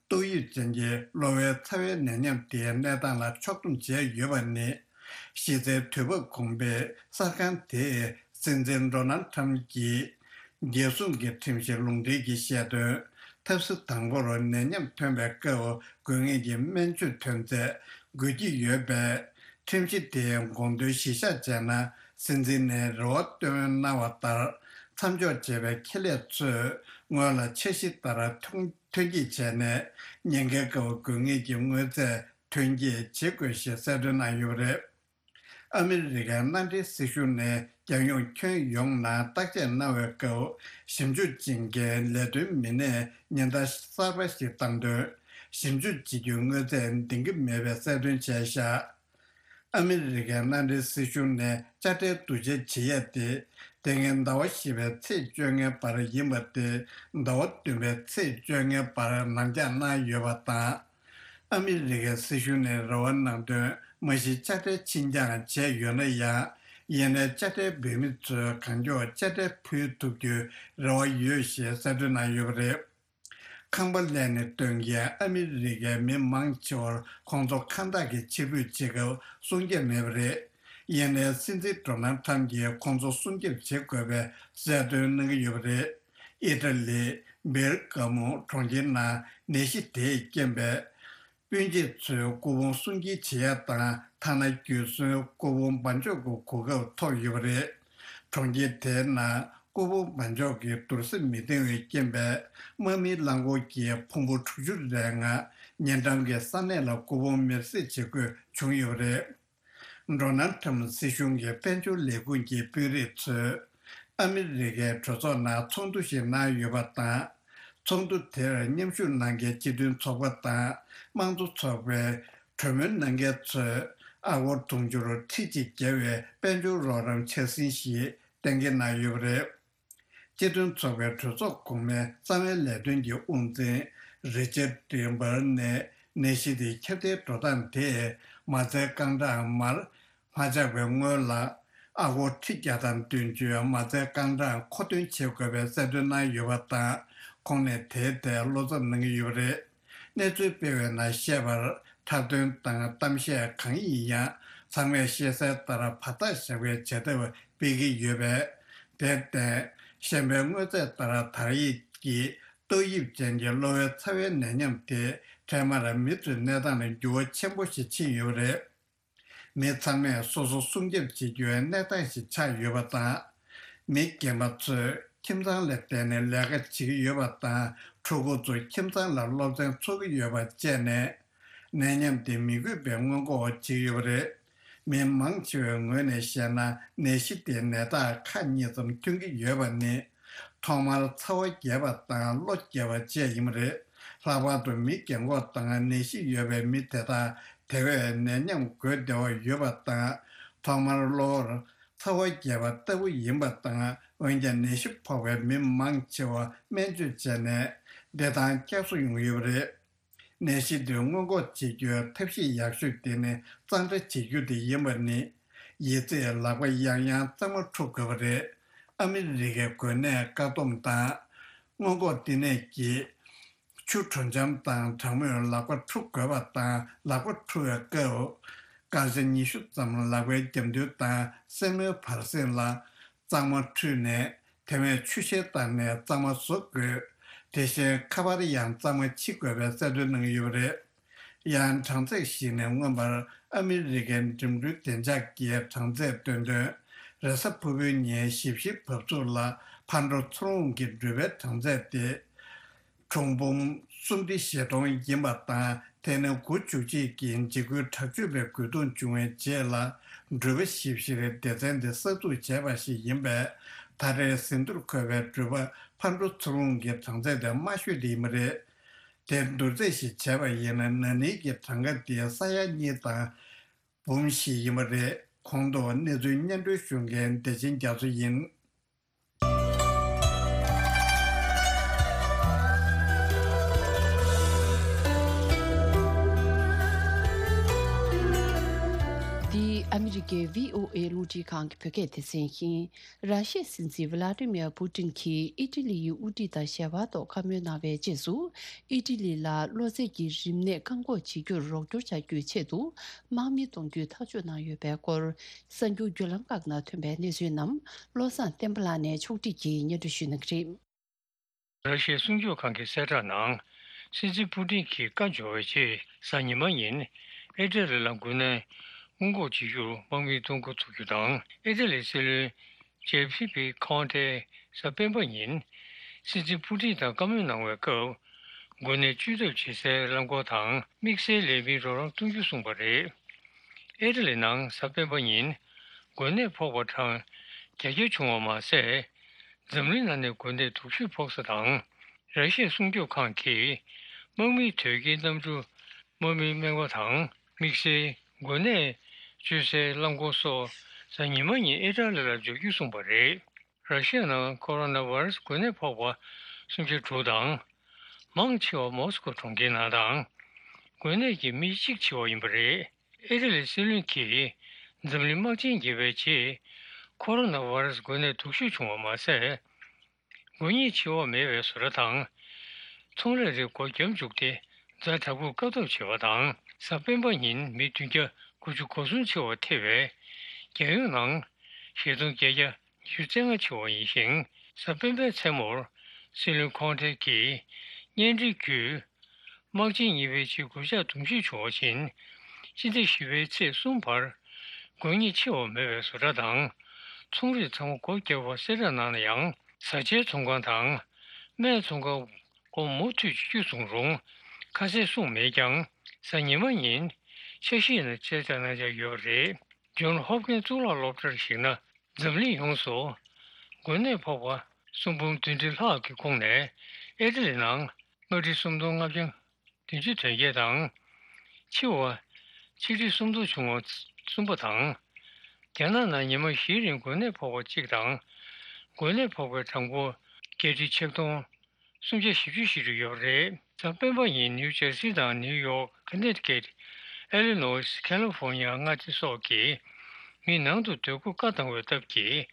ཏོག་དབྱིབས་ཅན་གྱི་གློ་བའི་ཚ་བའི་ནད་ཉམས་དེའི་གནས་སྟངས་ལ་ཕྱོགས་བསྡོམས་བྱས་ཡོད་པ་ནི། གཞི་རྩའི་དུས་བབ་གོང་འཕེལ་གསར་ཁང་དེས་སྲིད་འཛིན་ཌོ་ནལ་ཁྲམ་གྱིས་རྒྱལ་སྲུང་གི་ཁྲིམས་ཞིབ་ལུང་འདྲེན་གྱིས་བཤད་དོན། ཐབས་ཟུར་དང་པོར་ནད་ཉམས་ཐོན་པའི་སྐབས་དགོས་ངེས་ཀྱི་སྨན་བཅོས་ཐོན་རྫས་དགོས་ཀྱི་ཡོད་པས། ཁྲིམས་གཞི་དེའི་དགོངས་དོན་གཞིར་བཞག་བྱས་ན། སྲིད་འཛིན་ནས་རེ་བ་བཏོན་གནང་བ་ལྟར། མཚམས་འཇོག་བྱས་པའི་ཁེ་ལས་ཚོས་སྔོན་ལ་འཆར་གཞི་ལྟར་ཐོན་ཐོན་སྐྱེད་བྱས་ནས། ཉེན་ཁའི་སྐབས་དགོས་ངེས་ཀྱི་དངོས་རྫས་ཐོན་སྐྱེད་བྱེད་དགོས་ཞེས་གསལ་སྟོན་གནང་ཡོད་པ་རེད། ཨ་མི་རི་ཀའི་མནའ་འབྲེལ་སྲིད་གཞུང་ནས་རྒྱལ་ཡོངས་ཁྱོན་ཡོངས་ནང་བརྟག་དཔྱད་གནང་བའི་སྐབས། ཞིབ་འཇུག་བྱེད་མཁན་ལས་དོན་མི་སྣས་ཉེན་བརྡ་གསར་པ་ཞིག་བཏང་དོན། ཞིབ་འཇུག་བྱེད་རྒྱུའི་དངོས་རྫས་འདིང་གི་མེད་པའི་གསལ་སྟོན་བྱས་བཞག། ཨ་མི་རི་ཀའི་མནའ་འབྲེལ་སྲིད་གཞུང་ནས་དཔྱ་ཁྲལ་བསྡུ་བྱ་བྱེད་ཡས་དེ། དེ་སྔའི་ཟླ་བ་བཞི་པའི་ཚེས་བཅོ་ལྔའི་བར་ཡིན་པ་སྟེ། ཟླ་བ་བདུན་པའི་ཚེས་བཅོ་ལྔའི་བར་ནང་འཇགས་གནང་ཡོད་པ་དང་། ཨ་མི་རི་ཀའི་སྲིད་གཞུང་ནས་རེ་བ་གནང་དོན། མ་གཞི་དཔྱ་ཁྲལ་ཕྱིར་འགྱངས་བྱས་ཡོད་ན་ཡང་། ཡིན་ནའི་དཔྱ་ཁྲལ་འབུལ་མི་ཚོས་གང་མགྱོགས་དཔྱ་ཁྲལ་ཕུལ་ཐུབ་རྒྱུའི་རེ་བ་ཡོད་ཞེས་གསལ་སྟོན་གནང་ཡོད་པ་རེད། ཁང་པ་གླས་ནས་བཏོན་མཁན་ཨ་མི་རི་ཀའི་མི་མང་ཆེ་བར་ཁོང་ཚོ་ཁང་བདག་གིས་ཕྱིར་འབུད་བྱེད་སྐབས་སྲུང་སྐྱོབ་མེད་པ་རེད། ཡིན་ནའི་སྲིད་འཛིན་ཌོ་ནལ་ཁྲམ་གྱིས་ཁོང་ཚོ་སྲུང་སྐྱོབ་བྱེད་དགོས་པའི་གསལ་སྟོན་གནང་གི་ཡོད་པ་རེད། ཨི་ཊ་ལི། བེར་ག་མོ་གྲོང་ཁྱེར་ནང་ནད་གཞི་དེས་རྐྱེན་པས། སྤུན་མཆེད་ཚོའི་སྐུ་ཕུང་སྲུང་འགྱེད་བྱེད་ཡ་དང་། ཐ་ན་རྒྱུ་གསོན་སྐུ་ཕུང་འབག་འཇོག་གི་གོ་སྐབས་ཐོབ་ཡོད་པ་རེད། གྲོང་ཁྱེར་དེའི་ནང་སྐུ་ཕུང་འབག་འཇོག་གི་བསྡུར་ས་མི་འདང་བའི་རྐྱེན་པས། དམག་མིའི་རླངས་འཁོར་གྱིས་ཕུང་པོ་དྲུག་ཅུ་རེ་ལྔ་ཉེ་འགྲམ་གྱི་ས་གནས་ལ་སྐུ་ཕུང་མེར་སྲེག་བྱེད་དགོས་བྱུང་ཡོད་པ་རེད། ཌོ་ནལ་ཁྲམ་སྲིད་གཞུང་གི་དཔལ་འབྱོར་ལས་ཁུངས་ཀྱི་དཔོན་རིགས་ཚོས་ཨ་མི་རི་ཀའི་གྲོས་ཚོགས་ནང་ཚོགས་འདུ་ཞིག་གནང་ཡོད་པ་དང་། ཚོགས་འདུ་དེར་མཉམ་ཞུགས་གནང་མཁན་སྤྱི་མཐུན་ཚོགས་པ་དང་། དམངས་གཙོ་ཚོགས་པའི་གྲོས་མོལ་གནང་མཁན་ཚོས་ཨ་སྒོར་དུང་ཕྱུར་ཁྲི་གཅིག་བརྒལ་བའི་དཔལ་འབྱོར་རོགས་རམ་འཆར་ཟིན་ཞིག་གཏན་འཁེལ་གནང་ཡོད་པ་རེད། སྤྱི་མཐུན་ཚོགས་པའི་གྲོས་ཚོགས་གོང་མའི་རྩ་བའི་ལས་དོན་གྱི་དབུ་འཛིན་རི་ཅར་ཌི་འབར་ནས་ནད་གཞི་དེ་ཁྱབ་གདལ་འགྲོ་སྟངས་དེས་མ་རྩའི་རྐང་གྲངས་མར་མ་ཆག་པའི་སྔོན་ལ། ཨ་སྒོར་ཁྲི་བརྒྱ་དང་བདུན་ཅུའི་མ་རྩའི་རྐང་གྲངས་མཁོ་འདོན་བྱེད་དགོས་པའི་གསལ་སྟོན་གནང་ཡོད་པ་དང་། ཁོང་ནས་དེའི་ཐད་བློ་འཚབ་གནང་གི་ཡོད་པ་རེད། གནས་ཚུལ་སྤེལ་བའི་ནང་བཤད་པར། འཁྲབ་སྟོན་དང་གཏམ་བཤད་གང་ཡིན་ཡང་ ཚང་མས་ཤེས་གསལ་ལྟར་བར་ཐག་བཞག་པའི་བྱ་ཐབས་སྤེལ་གྱི་ཡོད་པས། དེར་བརྟེན། གཞན་པའི་དངོས་རྫས་ལྟར་དར་ཡིག་གི་ཏོག་དབྱིབས་ཅན་གྱི་གློ་བའི་ཚ་བའི་ནད་ཉམས་དེ་འཕྲལ་མར་མི་ཚོའི་གནས་སྟངས་ལ་འགྱུར་བ་ཆེན་པོ་ཞིག་ཕྱིན་ཡོད་པ་རེད། མི་ཚང་མས་སོ་སོ་སྲུང་སྐྱོབ་བྱེད་རྒྱུའི་གནས་སྟངས་ཤིག་ཆགས་ཡོད་པ་དང་། མི་རྒན་པ་ཚོས་ཁྱིམ་ཚང་ལ་བརྟེན་ནས་ལས་ཀ་བྱེད་ཀྱི་ཡོད་པ་དང་། ཕྲུ་གུ་ཚོ་ཁྱིམ་ཚང་ལ་སློབ་ཚན་འཚོགས་ཀྱི་ཡོད་པ་བཅས་ནས། ནད་ཉམས་དེ་མི་འགོས་པའི་སྔོན་འགོག་བྱེད་ཀྱི་ཡོད་པ་རེད། མི་མང་ཆེ་བའི་ངོས་ནས་བཤད་ན། ནད་གཞི་དེའི་ནད་རྟགས་ཁག་གཉིས་ཙམ་ཐོན་གྱི་ཡོད་པ་ནི། ཐོག་མར་ཚ་བ་རྒྱས་པ་དང་གློ་རྒྱས་པ་བཅས་ཡིན་པ་རེད། ལྷག་པར་དུ་མི་རྒན་འཁོགས་དང་ནད་གཞི་ཡོད་པའི་མི་དེ་དག་དེ་བས་ནད་ཉམས་འགོས་བདེ་བ་ཡོད་པ་དང་། ཐོག་མར་གློ་བུར་ཚ་བ་རྒྱས་པ་ལྟ་བུ་ཡིན་པ་དང་། འོན་ཀྱང་ནད་གཞི་ཕོག་པའི་མི་མང་ཆེ་བ་སྨན་བཅོས་བྱས་ནས་བདེ་ཐང་བསྐྱར་གསོ་ཡོང་གི་ཡོད་པ་རེད། ནད་གཞི་འདི་སྔོན་འགོག་བྱེད་རྒྱུའི་ཐབས་ཤེས་ཡག་ཤོས་དེ་ནི་གཙང་སྦྲ་བྱེད་རྒྱུ་དེ་ཡིན་པ་ནི། ཡི་ཙི་ལག་པ་ཡང་ཡང་གཙང་མ་འཁྲུ་དགོས་པ་རེད། ཨ་མི་རི་ཀའི་འགོས་ནད་བཀག་སྡོམ་དང་སྔོན་འགོག་བསྟི་གནས་ཀྱི་ཆུ་དྲོ་འཇམ་དང་གྲང་མོས་ལག་པ་འཁྲུ་དགོས་པ་དང་། ལག་པ་འཁྲུ་བའི་སྐབས་སྐར་ཆ་ཉི་ཤུ་ཙམ་ལག་པའི་རྒྱབ་མདུན་དང་སེན་མོའི་བར་གསེང་ལ་གཙང་མ་འཁྲུས་ནས། དེ་བས་ཆུ་ཤེལ་བཏང་ནས་གཙང་མ་བཟོ་དགོས། དེ་བཞིན་ཁ་པར་ཡང་གཙང་མ་ཕྱི་དགོས་པའི་གསལ་སྟོན་གནང་གི་ཡོད་པ་རེད། ཡང་གྲངས་ཚད་ཞིག་ནས། མངོན་པར་ཨ་མི་རི་ཀའི་འགྲིམ་འགྲུལ་བདེ་འཇགས་ཀྱི་གྲངས་ཚད་སྟོན་དོན། རེས་གཟའ་ཕུར་བུའི་ཉིན་ཞིབ་བཤེར་བབས་ཚུགས་ལ་ཕར་འགྲོ་ཚུར་འོང་གི་འགྲུལ་པའི་གྲངས་ཚད་དེ། གྲངས་འབོར་སུམ་སྟེ་བཞི་སྟོང་ཡིན་པ་དང་། དེ་ནི་འགོ་འཛུགས་རྗེས་ཀྱི་འཇིགས་སྐུལ་དྲག་སྤྱོད་པའི་རྒོལ་རྡུང་བྱུང་བའི་རྗེས་ལ། འགྲུལ་པ་ཞིབ་བཤེར་སྡེ་ཚན་དེ་གསར་འཛུགས་བྱས་པ་ཞིག་ཡིན་པས། ད་རེས་ཟིན་ཐོར་འཁོད་པའི་འགྲུལ་པ་ཕར་འགྲོ་ཚུར་འོང་གི་གྲངས་ཚད་དེ་དམའ་ཤོས་དེ་ཡིན་པ་རེད། དེ་བསྡུར་ཚད་ཞིག་བྱས་པ་ཡིན་ན། ན་ནིང་གི་གྲངས་ཀ་དེ་ས་ཡ་གཉིས་དང་འབུམ་བཞི་ཡིན་པ་རེད། གོང་དུ་གནས་ཚུལ་སྙན་སྒྲོན་ཞུ་མཁན་བདེ་ཆེན་རྒྱ་མཚོ་ཡིན། འདི་ཨ་མི་རི་ཀའི་བྷི་ཨོ་ཨེ་རླུང་འཕྲིན་ཁང་གི་བོད་སྐད་སྡེ་ཚན་ཡིན། ར་ཤི་ཡའི་སྲིད་འཛིན་ཝི་ལ་ཏི་མིར་པུ་ཏིན་གྱིས་ཨི་ཊ་ལི་ཡི་དབུ་ཁྲིད་དང་ཞལ་པར་ཐོག་བཀའ་མོལ་གནང་བའི་རྗེས་སུ། ཨི་ཊ་ལི་ལ་གློ་ཚད་ཀྱི་རིམས་ནད་བཀག་འགོག་བྱེད་རྒྱུར་རོགས་སྐྱོར་བྱ་རྒྱུའི་ཆེད་དུ། དམག་མི་གཏོང་རྒྱུའི་ཐག་གཅོད་གནང་ཡོད་པའི་སྐོར། གསར་འགྱུར་བརྒྱུད་ལམ་ཁག་ནང་ཐོན་པའི་གནས་ཚུལ་རྣམས་བློ་བཟང་བསྟན་པ་ལགས་ནས་ཕྱོགས་སྒྲིག་གིས་སྙན་སྒྲོན་ཞུ་གནང་གི་རེད། ར་ཤི་ཡའི་སྲུང་སྐྱོབ་ཁང་གི་གསལ་བསྒྲགས་ནང་། སྲིད་འཛིན་པུ་ཏིན་གྱིས་བཀའ་འབྱོར་བའི་རྗེས། གཟའ་ཉི་མ་ཉིན་ཨི་ཊ་ལི་ལ་འགོས་ནད་སྔོན་འགོག་བྱེད་རྒྱུར་དམག་མི་གཏོང་འགོ་ཚུགས་རྒྱུ་དང་། ཨི་ཊ་ལིའི་སྲིད་བློན་ཇེ་པི་པི་ཁོང་ཏེས་གཟའ་སྤེན་པ་ཉིན་སྲིད་འཛིན་པུ་ཏིན་དང་བཀའ་མོལ་གནང་བའི་སྐབས། འགོས་ནད་བཅོས་ཐབས་བྱེད་སའི་རླངས་འཁོར་དང་དམིགས་བསལ་ལས་མིའི་རོགས་རམ་གཏོང་རྒྱུ་གསུངས་པ་རེད། ཨི་ཊ་ལི་ནང་གཟའ་སྤེན་པ་ཉིན་འགོས་ནད་ཕོག་པ་གྲངས་བརྒྱད་བརྒྱ་བྱུང་བ་མ་ཟད། འཛམ་གླིང་ནང་ནས་འགོས་ནད་སྡུག་ཤོས་ཕོག་ས་དང་། ར་ཤི་ཡའི་སྲུང་སྐྱོབ་ཁང་གིས་དམག་མིའི་དོས་སྐྱེལ་གནམ་གྲུ། དམག་མིའི་སྨན་ཁང་དང་། དམིགས་བསལ་འགོས་ནད་བཅོས་སའི་རླངས་འཁོར་སོགས་གཟའ་ཉི་མ་ཉིན་ཨི་ཊ་ལི་ལ་འབྱོར་རྒྱུ་གསུངས་པ་རེད། ར་ཤི་ཡ་ནང་ཁོ་རོ་ན་བྷ་ར་སི་འགོས་ནད་ཕོག་པ་སུམ་བརྒྱ་དྲུག་དང་། མང་ཆེ་བ་མོ་སི་ཀོ་གྲོང་ཁྱེར་ནང་དང་། འགོས་ནད་ཀྱིས་མི་གཅིག་འཆི་བ་ཡིན་པ་རེད། ཨི་ཊ་ལིའི་སྲིད་བློན་གྱིས་འཛམ་གླིང་དམག་ཆེན་བརྒྱད་པའི་རྗེས། ཁོ་རོ་ན་བྷ་ར་སི་འགོས་ནད་སྡུག་ཤོས་བྱུང་བ་མ་ཟད། འགོས་ཉེན་ཆེ་བ་མེད་པའི་བཟོ་གྲྭ་དང་། ཚོང་ལས་རིགས་སྒོ་བརྒྱབ་བཅུག་སྟེ། ཛ་དྲག་པོས་བཀག་ཐབས་བྱས་པ་དང་། གཟའ་སྤེན་པ་ཉིན་མི་བདུན་བརྒྱ་དགུ་བཅུ་གོ་གསུམ་འཆི་བ་ཐེ་བས། རྒྱལ་ཡོངས་ནང་བཞི་སྟོང་བརྒྱད་བརྒྱ་ཉི་ཤུ་རྩ་ལྔ་འཆི་བ་ཡིན་ཞིང་། གཟའ་སྤེན་པའི་མཚན་མོར་སྲིད་བློན་ཁོང་ཏེ་གིས་བརྙན་འཕྲིན་བརྒྱུད། དམག་ཆེན་གཉིས་པའི་རྗེས་འགོས་ཆགས་དུམ་བཞི་བྱུང་བ་བཞིན། སྤྱི་ཟླ་བཞི་པའི་ཚེས་གསུམ་བར་འགོས་ཉེན་ཆེ་བ་མེད་པའི་བཟོ་གྲྭ་དང་ཚོང་རིགས་ཚང་མ་སྒོ་བརྒྱབ་པ་གསལ་བསྒྲགས་གནང་ན་ཡང་། བཟའ་བཅའི་ཚོང་ཁང་དང་སྨན་ཚོང་ཁང་སྒོ་མུ་མཐུད་ཕྱེ་རྒྱུ་བཟུང་རུང་ཁ་གསལ་གསུངས་མེད་ཀྱང་། གཟའ་ཉི་མ་ཉིན་འཆར་གཞིའི་ནང་གསལ་བསྒྲགས་གནང་འཆར་ཡོད་པ་རེད། ཇོན་ཧོབ་ཀིན་གཙུག་ལག་སློབ་གྲྭར་གཞིགས་ན། འཛམ་གླིང་ཡོངས་སུ་འགོས་ནད་ཕོག་པ་སུམ་འབུམ་བདུན་ཁྲི་ལྷག་གི་ཁོངས་ནས། ཨི་ཊ་ལི་ནང་ལྔ་ཁྲི་སུམ་སྟོང་ལྔ་བརྒྱ་བདུན་ཅུ་དོན་བརྒྱད་དང་། འཆི་བ་ཆིག་ཁྲི་སུམ་སྟོང་བྱུང་བ་གསུམ་པ་དང་། རྒྱ་ནག་ནང་ཉི་མ་བཞིའི་རིང་འགོས་ནད་ཕོག་པ་གཅིག་དང་། འགོས་ནད་ཕོག་པའི་གྲངས་འབོར་བརྒྱད་ཁྲི་ཆིག་སྟོང་སུམ་བརྒྱ་བཞི་བཅུ་ཞེ་དྲུག་ཡོད་པ་རེད། གཟའ་སྤེན་པ་ཉིན་ནིའུ་ཇར་སི་དང་ནིའུ་ཡོག་ཁ་ནེ་ཊི་ཀེ་ཊི། ཨེ་ལི་ནོས། ཁ་ལི་ཧྥོར་ནི་ཡ། མངའ་སྡེ་སོགས་ཀྱི་མི་ནང་དུ་སྡོད་དགོས་བཀའ་བཏང་བའི་སྟབས་ཀྱིས།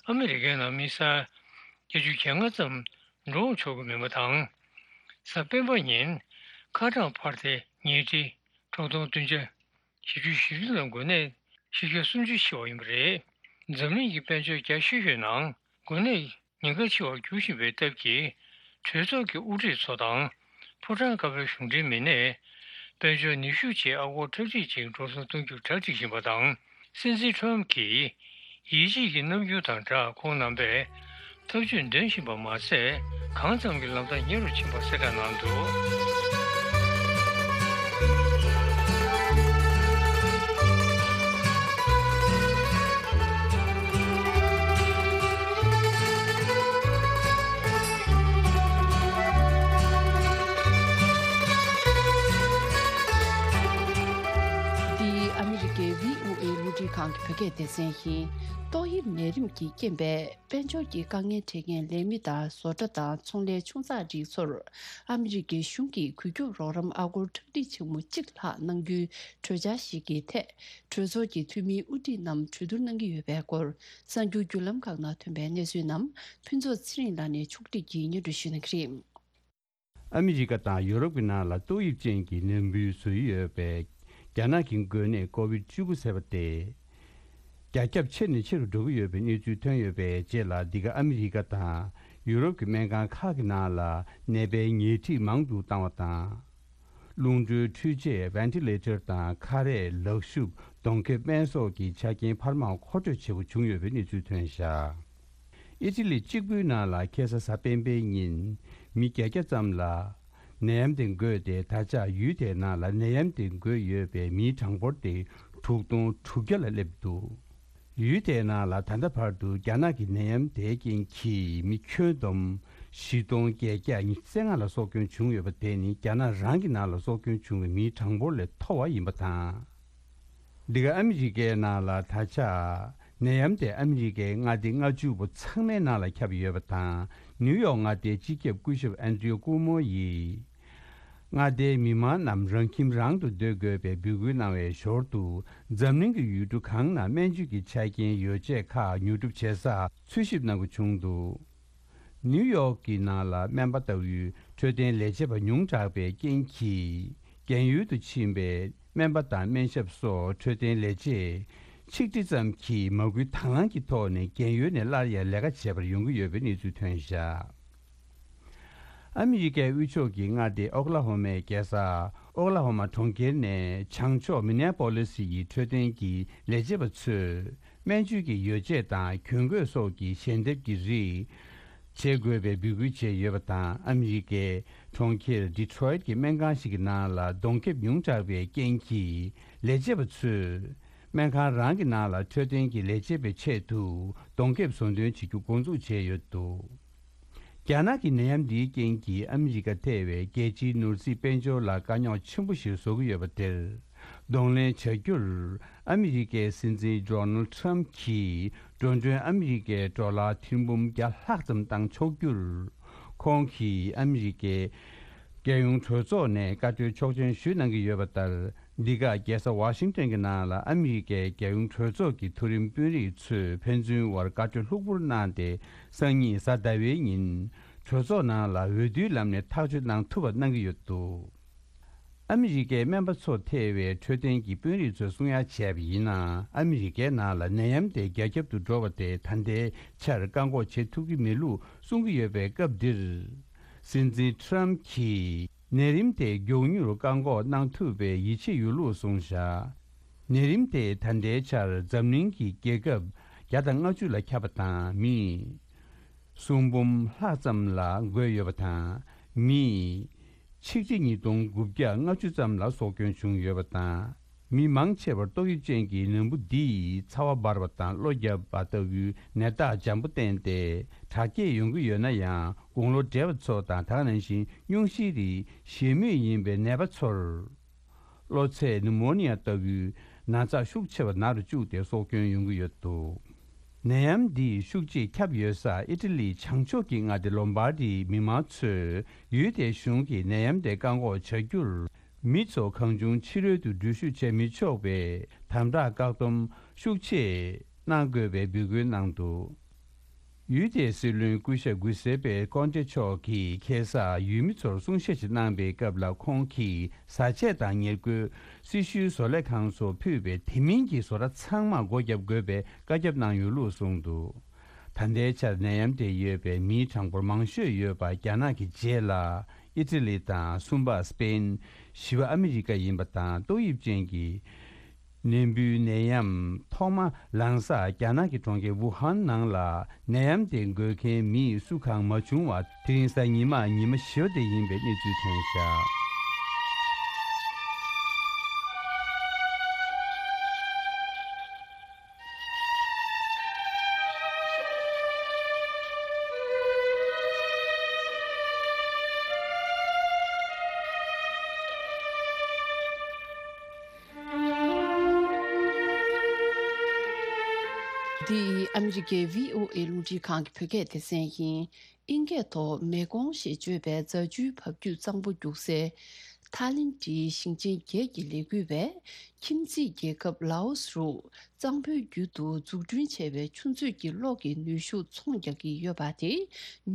ཨ་མི་རི་ཀའི་ནང་མི་ས་བརྒྱད་ཅུ་གྱ་ལྔ་ཙམ་འགྲོ་འོང་ཆོག་གི་མིན་པ་དང་། གཟའ་སྤེན་པ་ཉིན་ཁ་གྲངས་འཕར་ཏེ་ཉིས་ཁྲི་དྲུག་སྟོང་བདུན་བརྒྱ་བཞི་བཅུ་ཞེ་བདུན་ལ་འགོས་ནད་ ཕྱི་རྒྱལ་སུམ་ཅུ་ཤི་བ་ཡིན་པ་རེད། འཛམ་གླིང་གི་དཔལ་འབྱོར་རྒྱ་ཆེ་ཤོས་ནང་འགོ་ནད་ཉེན་ཁ་ཆེ་བར་འགྱུར་བཞིན་པའི་སྟབས་ཀྱིས། གྲོས་ཚོགས་ཀྱི་དབུ་ཁྲིད་ཚོ་དང་། ཕོ་བྲང་ཀ་པའི་གཞུང་འབྲེལ་མི་སྣས། དཔལ་འབྱོར་ནུས་ཤུགས་ཆེད་ཨ་སྒོར་ཁྲག་ཁྲིག་ཅིག་འགྲོ་སོང་གཏོང་རྒྱུར་གྲ་སྒྲིག་བཞིན་པ་དང་། སྲིད་འཛིན་ཁྲོམ་གྱིས་ཡིད་ཆེས་ཀྱི་རྣམ་འགྱུར་དང་སྦྲགས། ཁོང་རྣམ་པས་ཐབས་ཇུས་འདོན་བཞིན་པ་མ་ཟད། གང་ཙམ་གྱི་ལམ་ཐག་ཉེ་རུ་ཕྱིན་པ་གསལ་བསྒྲགས་གནང་འདུག། འདི་ཨ་མི་རི་ཀའི་བྷི་ཨོ་ཨེ་རླུང་འཕྲིན་ཁང་གི་བོད་སྐད་སྡེ་ཚན་ཡིན། ཏོག་དབྱིབས་ནད་རིམས་ཀྱི་རྐྱེན་པས། དཔལ་འབྱོར་གྱི་དཀའ་ངལ་འཕྲད་མཁན་ལས་མི་དང་བཟོ་གྲྭ་དང་ཚོང་ལས་ཆུང་ཚགས་རིགས་ཚོར། ཨ་མི་རི་ཀའི་གཞུང་གིས་འགུལ་སྐྱོད་རོགས་རམ་ཨ་སྒོར་ཁྲག་ཁྲིག་ཆེན་མོ་གཅིག་ལྷག་གནང་རྒྱུའི་གྲོས་འཆར་ཞིག་གི་ཐད། གྲོས་ཚོགས་ཀྱི་འཐུས་མིའི་དབུ་ཁྲིད་རྣམས་གྲོས་བསྡུར་གནང་གི་ཡོད་པའི་སྐོར། གསར་འགྱུར་བརྒྱུད་ལམ་ཁག་ནང་ཐོན་པའི་གནས་ཚུལ་རྣམས་ཕུན་ཚོགས་ཚེ་རིང་ལགས་ནས་ཕྱོགས་སྒྲིག་གིས་སྙན་སྒྲོན་ཞུ་གནང་གི་རེད། ཨ་མི་རི་ཀ་དང་ཡུ་རོབ་ཀྱི་ནང་ལ་ཏོག་དབྱིབས་ཅན་གྱི་ནད་འབུ་བཟོ་ཡི་ཡོད་པའི་རྒྱ་ནག་གི་འགོས་ནད་ཀོ་བིད་བཅུ་དགུ་ཟེར་བ་དེ། རྒྱ་ཁྱབ་ཆེ་ནས་ཆེ་རུ་འགྲོ་གི་ཡོད་པའི་གནས་ཚུལ་ཐོན་ཡོད་པའི་རྗེས་ལ། འདི་ག་ཨ་མི་རི་ཀ་དང་ཡུ་རོབ་ཀྱི་སྨན་ཁང་ཁག་གི་ནང་ལ་ནད་པའི་ཉལ་ཁྲི་མང་དུ་བཏང་བ་དང་། རླུང་འཕྲུལ་འཕྲུལ་ཆས་ཝེན་ཊི་ལེ་ཊར་དང་ཁ་རས། ལག་ཤུབས། གདོང་ཁེབས། སྨན་སོགས་ཀྱི་ཆ་རྐྱེན་འཕར་མ་མཁོ་སྤྲོད་བྱེད་དགོས་བྱུང་ཡོད་པའི་གནས་ཚུལ་ཐོན་བཞག། ཨི་ཊ་ལི་གཅིག་པུའི་ནང་ལ་ཁ་སང་གཟའ་སྤེན་པའི་ཉིན་མི་བརྒྱད་བརྒྱ་ཙམ་ལ་ནད་ཡམས་དེ་འགོས་ཏེ། ད་ཆ་ཡུལ་དེའི་ནང་ལ་ནད་ཡམས་དེ་འགོས་ཡོད་པའི་མིའི་གྲངས་འབོར་དེ་དྲུག་སྟོང་དྲུག་བརྒྱ་ལ་སླེབས་འདུག། ཡུལ་དེའི་ནང་ལ་ད་ལྟ་བར་དུ་རྒྱ་ནག་གི་ནད་ཡམས་དེའི་རྐྱེན་གྱིས་མི་ཁྱོན་བསྡོམས་བཞི་སྟོང་བརྒྱད་བརྒྱ་ཉི་ཤུ་རྩ་ལྔ་ལ་སྲོག་སྐྱོན་བྱུང་ཡོད་པ་དེ་ནི་རྒྱ་ནག་རང་གི་ནང་ལ་སྲོག་སྐྱོན་བྱུང་བའི་མིའི་གྲངས་འབོར་ལས་མཐོ་བ་ཡིན་པ་དང་། འདི་ག་ཨ་མི་རི་ཀའི་ནང་ལ་ད་ཆ་ནད་ཡམས་དེ་ཨ་མི་རི་ཀའི་མངའ་སྡེ་ལྔ་བཅུ་པོ་ཚང་མའི་ནང་ལ་ཁྱབ་ཡོད་པ་དང་། ནིའུ་ཡོག་མངའ་སྡེའི་སྤྱི་ཁྱབ་སྐུ་ཞབས་ཨན་ཏྲིའུ་ཀུ་མོ་ཡིས། མངའ་སྡེའི་མི་མང་རྣམས་རང་ཁྱིམ་རང་དུ་སྡོད་དགོས་པའི་འབོད་སྐུལ་གནང་བའི་ཞོར་དུ། འཛམ་གླིང་གི་ཡུལ་གྲུ་གང་ན་སྨན་བཅོས་ཀྱི་ཆ་རྐྱེན་ཡོ་བྱད་ཁག་ཉོ་སྒྲུབ་བྱེད་ས་འཚོལ་ཞིབ་གནང་དགོས་བྱུང་འདུག། ནིའུ་ཡོག་གི་ནང་ལ་སྨན་པ་ལྟ་བུའི་འཕྲོད་བསྟེན་ལས་བྱེད་པ་ཉུང་དྲགས་པའི་རྐྱེན་གྱིས། རྒན་ཡོལ་དུ་ཕྱིན་པའི་སྨན་པ་དང་སྨན་ཞབས་སོགས་འཕྲོད་བསྟེན་ལས་བྱེད་ཆིག་ཁྲི་ཙམ་གྱིས་མ་སྐུལ་དང་བླངས་ཀྱི་ཐོག་ནས་རྒན་ཡོལ་ནས་སླར་ཡང་ལས་ཀ་བྱེད་པར་ཡོང་གི་ཡོད་པའི་གནས་ཚུལ་ཐོན་བཞག། ཨ་མི་རི་ཀའི་དབུས་ཕྱོགས་ཀྱི་མངའ་སྡེ་ཨོ་ཀ་ལ་ཧོ་མའི་རྒྱལ་ས་ཨོ་ཀ་ལ་ཧོ་མ་གྲོང་ཁྱེར་ནས་བྱང་ཕྱོགས་མི་ནེ་པོ་ལི་སི་ཡི་འཕྲོད་བསྟེན་གྱི་ལས་བྱེད་པ་ཚོས། སྨན་བཅོས་ཀྱི་ཡོ་བྱད་དང་གྱོན་གོས་སོགས་ཀྱི་ཞལ་འདེབས་ཀྱི་རིགས་བྱེད་དགོས་པའི་འབོད་སྐུལ་བྱས་ཡོད་པ་དང་། ཨ་མི་རི་ཀའི་གྲོང་ཁྱེར་ཌི་ཊོ་རོའིཊ་ཀྱི་སྨན་ཁང་ཞིག་གི་ནང་ལ་གདོང་ཁེབས་ཉུང་དྲགས་པའི་རྐྱེན་གྱིས། ལས་བྱེད་པ་ཚོས་སྨན་ཁང་རང་གི་ནང་ལ་འཕྲོད་བསྟེན་གྱི་ལས་བྱེད་པའི་ཆེད་དུ་གདོང་ཁེབས་བཟོ་འདོན་བྱེད་རྒྱུ་འགོ་འཛུགས་བྱས་ཡོད་འདུག། རྒྱ་ནག་གི་ནད་ཡམས་འདིའི་རྐྱེན་གྱིས་ཨ་མི་རི་ཀ་ཐེ་བའི་རྒྱལ་སྤྱིའི་ནོར་སྲིད་དཔལ་འབྱོར་ལ་དཀའ་རྙོག་ཆེན་པོ་ཞིག་བཟོ་གི་ཡོད་པ་དེར་གདོང་ལེན་བྱ་རྒྱུར། ཨ་མི་རི་ཀའི་སྲིད་འཛིན་ཌོ་ནལ་ཌི་ཊརམ་གྱིས་འགྲོ་གྲོན་ཨ་མི་རི་ཀའི་ཌོ་ལར་ཐེར་འབུམ་བརྒྱ་ལྷག་ཙམ་བཏང་ཆོག་རྒྱུར། ཁོང་གིས་ཨ་མི་རི་ཀའི་རྒྱལ་ཡོངས་གྲོས་ཚོགས་ནས་བཀའ་འཁྲོལ་ཆོག་མཆན་ཞུས་གནང་གི་ཡོད་པ་ལྟར། འདི་ག་རྒྱལ་ས་ཝ་ཤིང་ཏོན་གྱི་ནང་ལ་ཨ་མི་རི་ཀའི་རྒྱལ་ཡོངས་གྲོས་ཚོགས་ཀྱི་མཐོ་རིམ་དཔོན་རིགས་ཚོས་ཕན་ཚུན་དབར་བཀའ་འཁྲོལ་ལྷུག་པོར་གནང་སྟེ། སང་ཉིན་གཟའ་ཟླ་བའི་ཉིན་གྲོས་ཚོགས་ནང་ལ་འོས་བསྡུའི་ལམ་ནས་ཐག་གཅོད་གནང་ཐུབ་པ་གནང་གི་ཡོད་འདུག། ཨ་མི་རི་ཀའི་སྨན་པ་ཚོ་ཐེ་བའི་འཕྲོད་བསྟེན་གྱི་དཔོན་རིགས་ཚོས་གསུང་ཡ་བྱས་པ་ཡིན་ན། ཨ་མི་རི་ཀའི་ནང་ལ་ནད་ཡམས་དེ་རྒྱ་ཁྱབ་ཏུ་འགྲོ་བ་དེ་ད་ལྟའི་ཆར་བཀག་འགོག་བྱེད་ཐུབ་ཀྱི་མེད་ལུགས་གསུང་གི་ཡོད་པའི་སྐབས་འདིར། སྲིད་འཛིན་ཊརམ་གྱིས་ནད་རིམས་དེ་མགྱོགས་མྱུར་བཀག་འགོག་གནང་ཐུབ་པའི་ཡིད་ཆེས་ཡོད་ལུགས་གསུངས་བཞག། ནད་རིམས་དེ་ད་ལྟའི་ཆར་འཛམ་གླིང་གི་རྒྱལ་ཁབ་བརྒྱ་དང་ལྔ་བཅུ་ལ་ཁྱབ་པ་དང་། མི་སུམ་འབུམ་ལྷག་ཙམ་ལ་འགོས་ཡོད་པ་དང་། མི་ཆིག་ཁྲི་ཉིས་སྟོང་དགུ་བརྒྱ་ལྔ་བཅུ་ཙམ་ལ་སྲོག་སྐྱོན་བྱུང་ཡོད་པ་དང་། མི་མང་ཆེ་བར་ཏོག་དབྱིབས་ཅན་གྱི་ནད་འབུ་འདིས་ཚ་བ་འབར་བ་དང་གློ་བརྒྱབ་པ་ལྟ་བུའི་ནད་རྟགས་འཇམ་པོ་བསྟན་ཏེ། དྲག་སྐྱེད་ཡོང་གི་ཡོད་ན་ཡང་། དགུང་ལོ་བགྲེས་པ་ཚོ་དང་། ད་ག་ནང་བཞིན་སྙུང་གཞིའི་རིགས་ཞེ་མུས་ཡིན་པའི་ནད་པ་ཚོར། གློ་ཚད་ནུ་མོ་ནི་ཡ་ལྟ་བུའི་ན་ཚ་ཤུགས་ཆེ་བ་ན་རུ་བཅུག་སྟེ་སྲོག་སྐྱོན་ཡོང་གི་ཡོད་འདུག། ནད་ཡམས་འདིས་ཤུགས་ཆེས་ཁྱབ་ཡོད་ས་ཨི་ཊ་ལིའི་བྱང་ཕྱོགས་ཀྱི་མངའ་སྡེ་ལོམ་བྷར་ཌིའི་མི་མང་ཚོས་ཡུལ་དེའི་གཞུང་གིས་ནད་ཡམས་དེ་བཀག་འགོག་བྱ་རྒྱུར། མི་ཚོ་གང་བྱུང་ཕྱི་རོལ་དུ་འགྲུལ་བཞུད་བྱེད་མི་ཆོག་པའི་དམ་དྲག་བཀག་སྡོམ་ཤུགས་ཆེ་གནང་དགོས་པའི་འབོད་སྐུལ་གནང་འདུག། ཡུལ་དེའི་སྲིད་བློན་སྐུ་ཞབས་གུས་སེ་པེ་ཀོན་ཏེ་མཆོག་གིས་ཁ་སང་ཡུལ་མི་ཚོར་གསུང་བཤད་ཅིག་གནང་པའི་སྐབས་ལ། ཁོང་གིས་བཟའ་ཆས་དང་ཉེར་མཁོའི་སྲི་ཞུའི་བཟོ་ལས་ཁང་སོགས་ཕུད་པའི་དེ་མིན་གྱི་བཟོ་གྲྭ་ཚང་མར་སྒོ་བརྒྱབ་དགོས་པའི་བཀའ་ཁྱབ་གནང་ཡོད་ལུགས་གསུངས་འདུག། ད་ལྟའི་ཆར་ནད་ཡམས་དེ་ཡོད་པའི་མིའི་གྲངས་འབོར་མང་ཤོས་ཡོད་པ་རྒྱ་ནག་གི་རྗེས་ལ། ཨི་ཏྲི་ལི་དང་། གསུམ་པ་སི་པེན། བཞི་པ་ཨ་མི་རི་ཀ་ཡིན་པ་དང་། ཏོག་དབྱིབས་ཅན་གྱི་ནད་འབུའི་ནད་ཡམས་ཐོག་མ་ལངས་ས་རྒྱ་ནག་གི་གྲོང་ཁྱེར་ཝུ་ཧན་ནང་ལ། ནད་ཡམས་དེ་འགོས་མཁན་མི་སུ་གང་མ་བྱུང་བར། དེ་རིང་གཟའ་ཉི་མ་ཉི་མ་བཞི་པ་དེ་ཡིན་པའི་གནས་ཚུལ་ཐོན་བཞག། འདི་ཨ་མི་རི་ཀའི་བྷི་ཨོ་ཨེ་རླུང་འཕྲིན་ཁང་གི་བོད་སྐད་སྡེ་ཚན་ཡིན། ཨིན་སྐད་ཐོག་མེ་ཀོང་ཞེས་བརྗོད་པའི་རྫ་ཆུའི་འབབ་རྒྱུད་གཙང་པོ་རྒྱུག་སའི་ཐའི་ལེན་ཌིའི་ཞིང་ཆེན་བརྒྱད་ཀྱི་ལས་འགུལ་བས། ཁྱིམ་མཚེས་རྒྱལ་ཁབ་ལའོ་སུ་རུ་གཙང་པོའི་རྒྱུད་དུ་འཛུགས་སྐྲུན་བྱས་པའི་ཆུ་མཛོད་ཀྱི་གློག་གི་ནུས་ཤུགས་ཚོང་རྒྱག་གི་ཡོད་པ་དེ་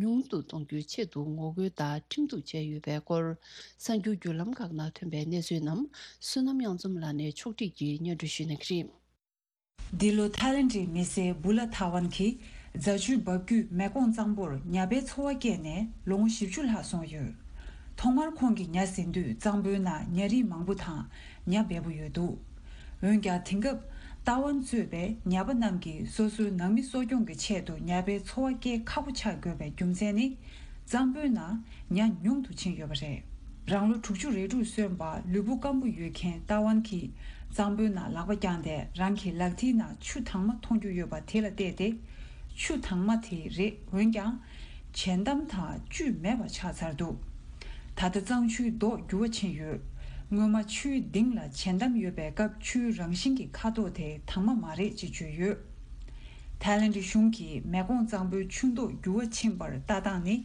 ཉུང་དུ་གཏོང་རྒྱུའི་ཆེད་དུ་ངོ་རྒོལ་དང་ཁྲིམས་གཏུག་བྱས་ཡོད་པའི་སྐོར། གསར་འགྱུར་བརྒྱུད་ལམ་ཁག་ནང་ཐོན་པའི་གནས་ཚུལ་རྣམས་བསོད་ནམས་དབྱངས་འཛོམས་ལགས་ནས་ཕྱོགས་སྒྲིག་གིས་སྙན་སྒྲོན་ཞུ་གནང་གི་རེད། འདི་ལོ་ཐའི་ལེན་ཌིའི་མི་སེར་བུ་ལ་ཐ་ཝན་གྱིས་རྫ་ཆུའི་འབབ་རྒྱུད་མེ་ཀོང་གཙང་པོར་ཉ་པའི་འཚོ་བ་སྐྱེལ་ནས་ལོ་ངོ་བཞི་བཅུ་ལྷག་སོང་ཡོད། ཐོག་མར་ཁོང་གིས་ཉ་ཟིན་དུས་གཙང་པོའི་ནང་ཉ་རིགས་མང་པོ་དང་ཉ་འབེལ་པོ་ཡོད་འདུག། འོན་ཀྱང་དེང་སྐབས་ཏཱ་ཝན་གཙོས་པའི་ཉ་པ་རྣམས་ཀྱིས་སོ་སོའི་ནང་མི་གསོ་སྐྱོང་གི་ཆེད་དུ་ཉ་པའི་འཚོ་བ་སྐྱེལ་ཁག་པོ་ཆགས་དགོས་པའི་རྒྱུ་མཚན་ནི། གཙང་པོའི་ནང་ཉ་ཉུང་དུ་ཕྱིན་ཡོད་པ་རེད། རང་ལོ་དྲུག་ཅུ་རེ་དྲུག་སོན་པ་ལུས་པོ་སྐམ་པོ་ཡོད་མཁན་ཏཱ་ཝན་གྱིས་གཙང་པོའི་ནང་ལག་པ་བརྐྱངས་ཏེ་རང་གི་ལག་མཐིལ་ནང་ཆུ་དྭངས་མ་མཐོང་རྒྱུ་ཡོད་པ་དེ་ལ་བལྟས་ཏེ། ཆུ་དྭངས་མ་དེ་རེད། འོན་ཀྱང་། བྱེ་འདམ་དང་བཅུད་མེད་པ་ཆགས་ཚར་འདུག། ད་ལྟ་གཙང་ཆུའི་མདོག་འགྱུར་བ་ཕྱིན་ཡོད། སྔོན་མ་ཆུའི་ལྡིང་ལ་བྱེ་འདམ་ཡོད་པའི་སྐབས་ཆུའི་རང་བཞིན་གྱི་ཁ་དོག་དེ་དྭངས་མ་མ་རེད་ཅེས་བརྗོད་ཡོད། ཐའི་ལེན་ཌི་གཞུང་གིས་མེ་ཀོང་གཙང་པོའི་ཆུ་མདོག་འགྱུར་བ་ཕྱིན་པར་ལྟ་སྟངས་ནི་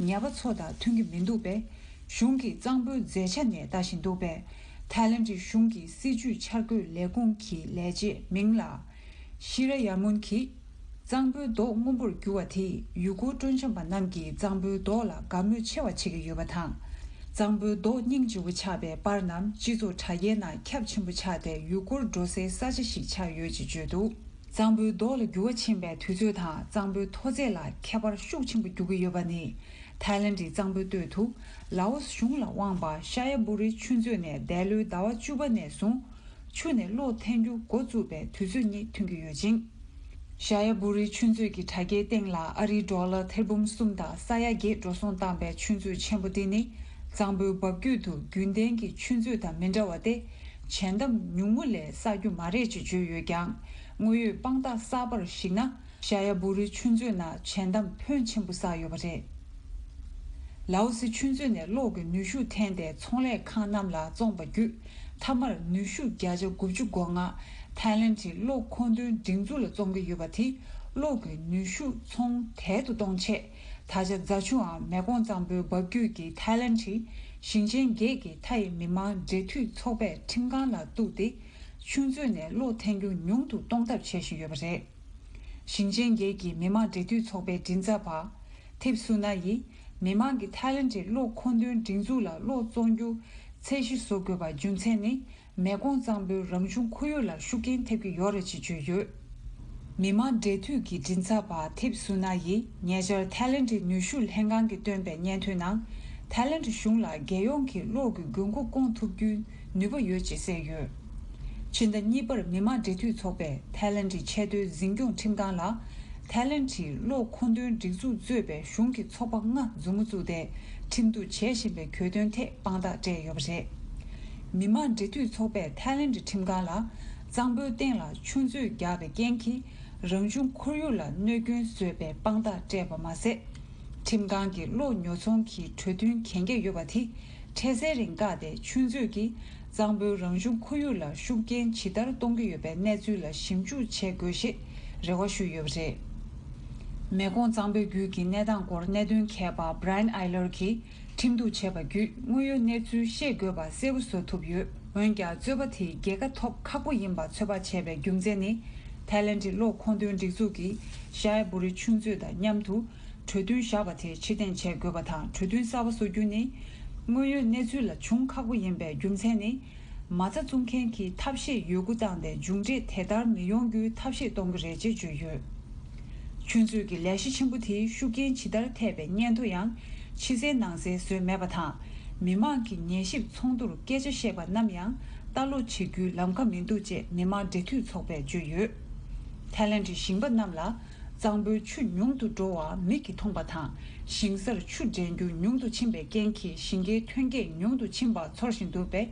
ཉ་པ་ཚོ་དང་མཐུན་གྱི་མི་འདུག་པས། གཞུང་གིས་གཙང་པོའི་མཛེས་ཆ་ནས་ལྟ་བཞིན་འདུག་པས། ཐའི་ལེན་ཌི་གཞུང་གི་སྲིད་ཇུས་འཆར་འགོད་ལས་ཁུངས་ཀྱི་ལས་བྱེད་མིང་ལ་ཤི་ར་ཡ་མུན་གྱིས། གཙང་པོའི་མདོག་སྔོན་པོར་གྱུར་བ་དེས་ཡུལ་སྐོར་སྤྲོ་འཆམ་པ་རྣམས་ཀྱིས་གཙང་པོའི་མདོག་ལ་དགའ་མོས་ཆེ་བ་བྱེད་ཀྱི་ཡོད་པ་དང་། གཙང་པོའི་མདོག་སྙིང་རྗེ་བོ་ཆགས་པའི་པར་རྣམས་སྤྱི་ཚོགས་དྲ་རྒྱའི་ནང་ཁྱབ་ཆེན་པོ་ཆགས་ཏེ་ཡུལ་སྐོར་འགྲོ་སའི་ས་ཆ་ཞིག་ཆགས་ཡོད་ཅེས་བརྗོད་འདུག། གཙང་པོའི་མདོག་ལ་འགྱུར་བ་ཕྱིན་པའི་དུས་ཚོད་དང་གཙང་པོའི་མཐོ་ཚད་ལ་ཁྱད་པར་ཤུགས་ཆེན་པོ་འགྱུར་གྱི་ཡོད་པ་ནི། ཐའི་ལེན་ཌིའི་གཙང་པོའི་སྟོད་དུ་ལའོ་སི་གཞུང་ལ་དབང་བ་ཤ་ཡ་བུ་རི་ཆུ་མཛོད་ནས་འདས་ལོའི་ཟླ་བ་བཅུ་པ་ནས་བཟུང་། ཆུ་ནས་གློག་འཐེན་རྒྱུ་འགོ་བཙུགས་པའི་དུས་ཚོད་གཉིས་ཐོན་གྱི་ཡོད་ཅིང་། ཤ་ཡ་བུ་རི་ཆུ་མཛོད་ཀྱི་དྲ་རྒྱའི་སྟེང་ལ་ཨ་རིའི་ཌོ་ལར་ཐེར་འབུམ་གསུམ་དང་ས་ཡ་བརྒྱད་འགྲོ་སོང་བཏང་པའི་ཆུ་མཛོད་ཆེན་པོ་འདི་ནི། གཙང་པོའི་འབབ་རྒྱུད་དུ་རྒྱུན་ལྡན་གྱི་ཆུ་མཛོད་དང་མི་འདྲ་བ་སྟེ། བྱེ་འདམ་ཉུང་ངུ་ལས་བསགས་རྒྱུ་མ་རེད་ཅེས་བརྗོད་ཡོད་ཀྱང་། དངོས་ཡོད་དཔང་རྟགས་གསར་པར་གཞིགས་ན། ཤ་ཡ་བུ་རི་ཆུ་མཛོད་ནང་བྱེ་འདམ་ཕོན་ཆེན་པོ་བསགས་ཡོད་པ་རེད། ལའོ་སི་ཆུ་མཛོད་ནས་གློག་གི་ནུས་ཤུགས་འཐེན་ཏེ་ཚོང་ལས་ཁང་རྣམས་ལ་བཙོངས་པ་བརྒྱུད། མཐའ་མར་ནུས་ཤུགས་བརྒྱ་ཆ་དགུ་བཅུ་གོ་ལྔ་ཐའི་ལེན་ཌིའི་གློག་མཁོ་འདོན་སྒྲིག་འཛུགས་ལ་བཙོང་གི་ཡོད་པ་དེས་གློག་གི་ནུས་ཤུགས་ཚོང་དལ་དུ་གཏོང་ཆེད། ད་ཆ་རྫ་ཆུའམ་མེ་ཀོང་གཙང་པོའི་འབབ་རྒྱུད་ཀྱི་ཐའི་ལེན་ཌིའི་ཞིང་ཆེན་བརྒྱད་ཀྱི་མཐའ་ཡི་མི་དམངས་འབྲེལ་མཐུད་ཚོགས་པས་ཁྲིམས་ཁང་ལ་གཏུགས་ཏེ། ཆུ་མཛོད་ནས་གློག་འཐེན་རྒྱུ་ཉུང་དུ་གཏོང་ཐབས་བྱེད་བཞིན་ཡོད་པ་རེད། ཞིང་ཆེན་བརྒྱད་ཀྱི་མི་དམངས་འབྲེལ་མཐུད་ཚོགས་པའི་མགྲིན་ཚབ་པ། ཐིབ་སུ་ན་ཡིས། མི་དམངས་ཀྱིས་ཐའི་ལེན་ཌིའི་གློག་མཁོ་འདོན་སྒྲིག་འཛུགས་ལ་གློག་བཙོང་རྒྱུ་ཚད་གཞི་བཟོ་དགོས་པ་རྒྱུ་མཚན་ནི། མེ་ཀོང་གཙང་པོའི་རང་བྱུང་ཁོར་ཡུག་ལ་ཤུགས་རྐྱེན་ཐེབས་ཀྱི་ཡོད་རེད་ཅེས་བརྗོད་ཡོད། མི་དམངས་འབྲེལ་མཐུད་ཀྱི་མགྲིན་ཚབ་པ་ཐིབ་སུ་ན་ཡིས་ཉེ་ཆར་ཐའི་ལེན་ཌིའི་ནུས་ཤུགས་ལྷན་ཁང་གིས་བཏོན་པའི་སྙན་ཐོའི་ནང་། ཐའི་ལེན་ཌི་གཞུང་ལ་རྒྱལ་ཡོངས་ཀྱི་གློག་གི་དགོས་མཁོ་སྐོང་ཐུབ་རྒྱུའི་ནུས་པ་ཡོད་ཅེས་གསལ་ཡོད། ཕྱི་ཟླ་གཉིས་པར་མི་དམངས་འབྲེལ་མཐུད་ཚོགས་པས་ཐའི་ལེན་ཌིའི་ཆེས་མཐོའི་འཛིན་སྐྱོང་ཁྲིམས་ཁང་ལ། ཐའི་ལེན་ཌིའི་གློག་མཁོ་འདོན་སྒྲིག་འཛུགས་གཙོས་པའི་གཞུང་གི་ཚོགས་པ་ལྔ་མཛུབ་མོ་བཙུགས་ཏེ། ཁྲིམས་གཏུག་བྱེད་བཞིན་པའི་གྱོད་དོན་ཐད་དཔང་རྟགས་སྤྲད་ཡོད་པ་རེད། མི་དམངས་འབྲེལ་མཐུད་ཚོགས་པས་ཐའི་ལེན་ཌི་ཁྲིམས་ཁང་ལ། གཙང་པོའི་སྟེང་ལ་ཆུ་མཛོད་རྒྱག་པའི་རྐྱེན་གྱིས། རང་བྱུང་ཁོར་ཡུག་ལ་གནོད་སྐྱོན་བཟོས་པའི་དཔང་རྟགས་སྤྲད་པ་མ་ཟད། ཁྲིམས་ཁང་གིས་གློག་ཉོ་ཚོང་གི་གྲོས་མཐུན་གན་རྒྱ་ཡོད་པ་དེ། འཕྲལ་སེལ་རིང་བཀག་སྟེ་ཆུ་མཛོད་ཀྱིས་གཙང་པོའི་རང་བྱུང་ཁོར་ཡུག་ལ་ཤུགས་རྐྱེན་ཇི་ལྟར་གཏོང་གི་ཡོད་པའི་གནས་ཚུལ་ལ་ཞིབ་འཇུག་བྱེད་དགོས་ཞེས་རེ་བ་ཞུས་ཡོད་པ་རེད། མེ་ཀོང་གཙང་པོའི་རྒྱུད་ཀྱི་གནས་སྟངས་སྐོར་གནད་དོན་མཁས་པ་Brian Eyler གྱིས་ཁྲིམས་གཏུག་བྱས་པ་བརྒྱུད་དངོས་ཡོད་གནས་ཚུལ་ཤེས་དགོས་པ་གསལ་པོ་བཟོ་ཐུབ་ཡོད། འོན་ཀྱང་རྩོད་པ་དེ་རྒྱལ་ཁ་ཐོབ་ཁག་པོ་ཡིན་པ་ཚོད་དཔག་བྱས་པའི་རྒྱུ་མཚན་ནི། ཐའི་ལེན་ཌི་གློག་མཁོ་འདོན་སྒྲིག་འཛུགས་ཀྱིས་ཤའེ་བུ་རི་ཆུ་མཛོད་དང་མཉམ་དུ་གྲོས་མཐུན་བཞག་པ་དེ་ཕྱིར་འཐེན་བྱེད་དགོས་པ་དང་། གྲོས་མཐུན་གསར་པ་བཟོ་རྒྱུ་ནི་དངོས་ཡོད་གནས་ཚུལ་ལ་འབྱུང་ཁག་པོ་ཡིན་པའི་རྒྱུ་མཚན་ནི། མ་རྩ་བཙུགས་མཁན་གྱིས་ཐབས་ཤེས་ཡོད་རྒུ་བཏང་སྟེ་མཇུག་འབྲས་དེ་ལྟར་མི་ཡོང་རྒྱུའི་ཐབས་ཤེས་གཏོང་གི་རེད་ཅེས་བརྗོད་ཡོད། ཆུ་མཛོད་ཀྱི་ལས་གཞི་ཆེན་པོ་དེའི་ཤུགས་རྐྱེན་ཇི་ལྟར་ཐེབས་པའི་སྙན་ཐོ་ཡང་ཕྱི་གསལ་ནང་གསལ་བཟོས་མེད་པ་དང་། མི་མང་གི་ཉན་ཞིབ་ཚོགས་འདུར་སྐད་ཆ་བཤད་པ་རྣམས་ཡང་ལྟ་ཀློག་བྱེད་རྒྱུའི་ལམ་ཁ་མི་འདུག་ཅེས་མི་དམངས་འབྲེལ་མཐུད་ཚོགས་པས་བརྗོད་ཡོད། ཐའི་ལེན་ཌིའི་ཞིང་པ་རྣམས་ལ་གཙང་པོའི་ཆུ་ཉུང་དུ་འགྲོ་བ་མིག་གིས་མཐོང་པ་དང་། ཞིང་སར་ཆུ་འདྲེན་རྒྱུ་ཉུང་དུ་ཕྱིན་པའི་རྐྱེན་གྱིས་ཞིང་ཁའི་ཐོན་སྐྱེད་ཉུང་དུ་ཕྱིན་པ་ཚོར་བཞིན་འདུག་པས།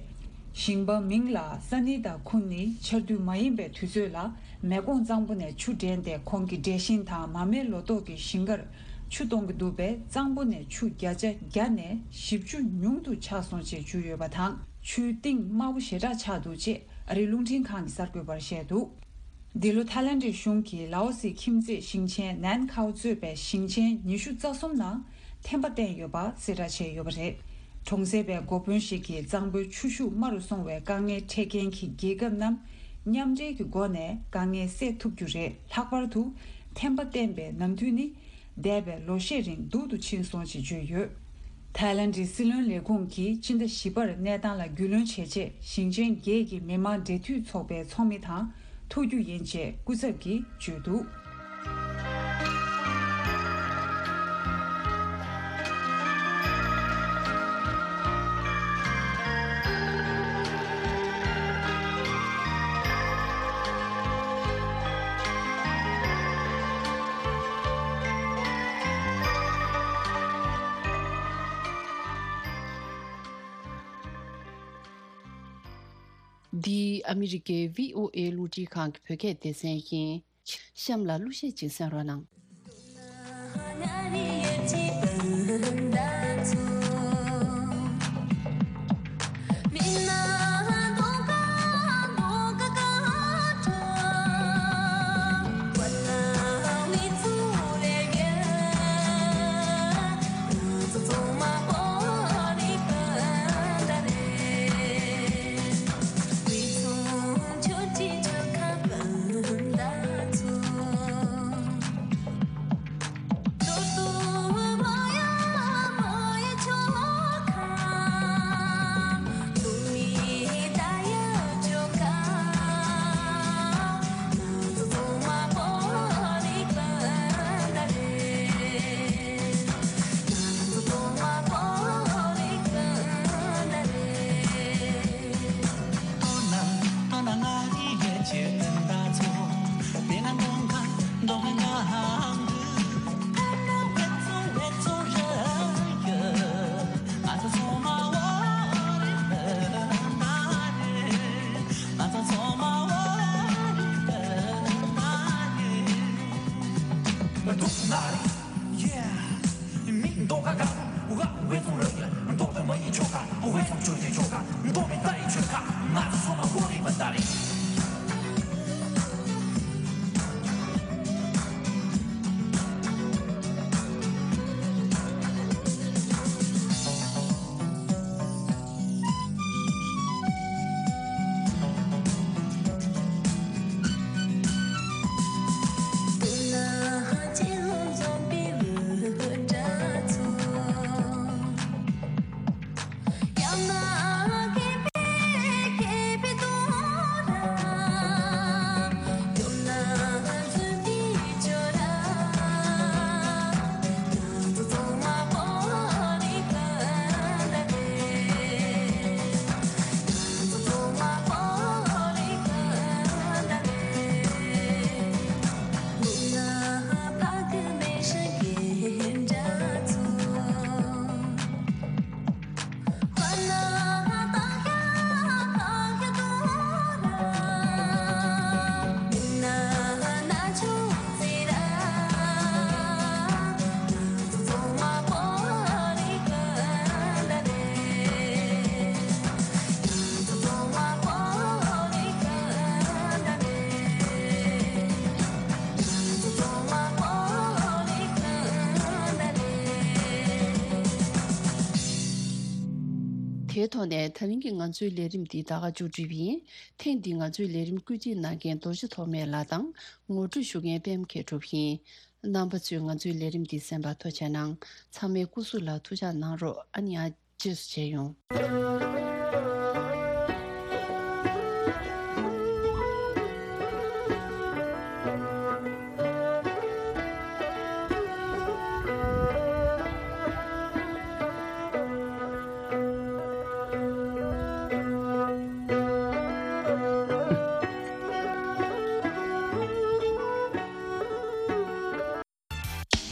ཞིང་པ་མིང་ལ་ས་ནི་དང་ཁུན་ནི་ཆར་དུས་མ་ཡིན་པའི་དུས་ཚོད་ལ་མེ་ཀོང་གཙང་པོ་ནས་ཆུ་འདྲེན་ཏེ། ཁོང་གི་འབྲས་ཞིང་དང་མ་རྨོས་ལོ་ཏོག་གི་ཞིང་ཁར་ཆུ་གཏོང་གི་འདུག་པས། གཙང་པོ་ནས་ཆུ་བརྒྱ་ཆ་བརྒྱ་ནས་བཞི་བཅུ་ཉུང་དུ་ཆག་སོང་ཅེས་བརྗོད་ཡོད་པ་དང་། ཆུའི་གཏིང་དམར་པོ་ཞེ་དྲག་ཆགས་འདུག་ཅེས་ཨ་རིའི་རླུང་འཕྲིན་ཁང་གི་གསར་འགོད་པར་བཤད་འདུག། འདི་ལོ་ཐའི་ལེན་ཌི་གཞུང་གིས་ལའོ་སི་ཁྱིམ་མཚེས་ཞིང་ཆེན་ནན་ཁའོ་གཙོས་པའི་ཞིང་ཆེན་ཉི་ཤུ་རྩ་གསུམ་ནང་ཐེམ་པ་བསྟན་ཡོད་པ་གསལ་བསྒྲགས་བྱས་ཡོད་པ་རེད། གྲོང་གསེབ་པའི་འགོ་དཔོན་ཞིག་གིས་གཙང་པོའི་ཆུ་ཤུགས་དམའ་རུ་སོང་བའི་དཀའ་ངལ་འཕྲད་མཁན་གྱི་རྒྱལ་ཁབ་རྣམས་མཉམ་འབྲེལ་གྱི་སྒོ་ནས་དཀའ་ངལ་སེལ་ཐུབ་རྒྱུ་རེད། ལྷག་པར་དུ་ཐེམ་པ་བསྟན་པའི་ནམ་དུས་ནི་འདས་པའི་ལོ་ཤས་རིང་སྡུག་ཏུ་ཕྱིན་སོང་ཞེས་བརྗོད་ཡོད། ཐའི་ལེན་ཌིའི་སྲིད་བློན་ལས་ཁུངས་ཀྱིས་སྤྱི་ཟླ་བཞི་པར་གནས་སྟངས་ལ་རྒྱུས་ལོན་བྱས་རྗེས། ཞིང་ཆེན་བརྒྱད་ཀྱི་མི་དམངས་འབྲེལ་མཐུད་ཚོགས་པའི་ཚོགས་མི་དང་ཐུག་རྒྱུ་ཡིན་ཅེས་སྐུ་ཚབ་ཀྱིས་བརྗོད་འདུག། འདི་ཨ་མི་རི་ཀའི་བྷི་ཨོ་ཨེ་རླུང་འཕྲིན་ཁང་གི་བོད་སྐད་སྡེ་ཚན་ཡིན། གཤམ་ལ་གླུ་གཞས་ཅིག་གསན་རོགས་གནང་། དེའི་ཐོག་ནས་ད་རིང་གི་ང་ཚོའི་ལས་རིམ་འདི་ད་ག་མཇུག་སྒྲིལ་བ་ཡིན། ཐེངས་འདིའི་ང་ཚོའི་ལས་རིམ་བཀོད་སྒྲིག་གནང་མཁན་རྡོ་རྗེ་ཐོགས་མེད་ལགས་དང་ངོ་སྤྲོད་ཞུ་མཁན་པད་མ་མཁས་གྲུབ་ཡིན། རྣམ་པ་ཚོས་ང་ཚོའི་ལས་རིམ་འདི་གསན་པར་ཐུགས་རྗེ་གནང་། ཚང་མས་སྐུ་གཟུགས་ལ་ཐུགས་ཅག་གནང་རོགས། ཨ་ནི་ཨ། རྗེས་སུ་མཇལ་ཡོང་།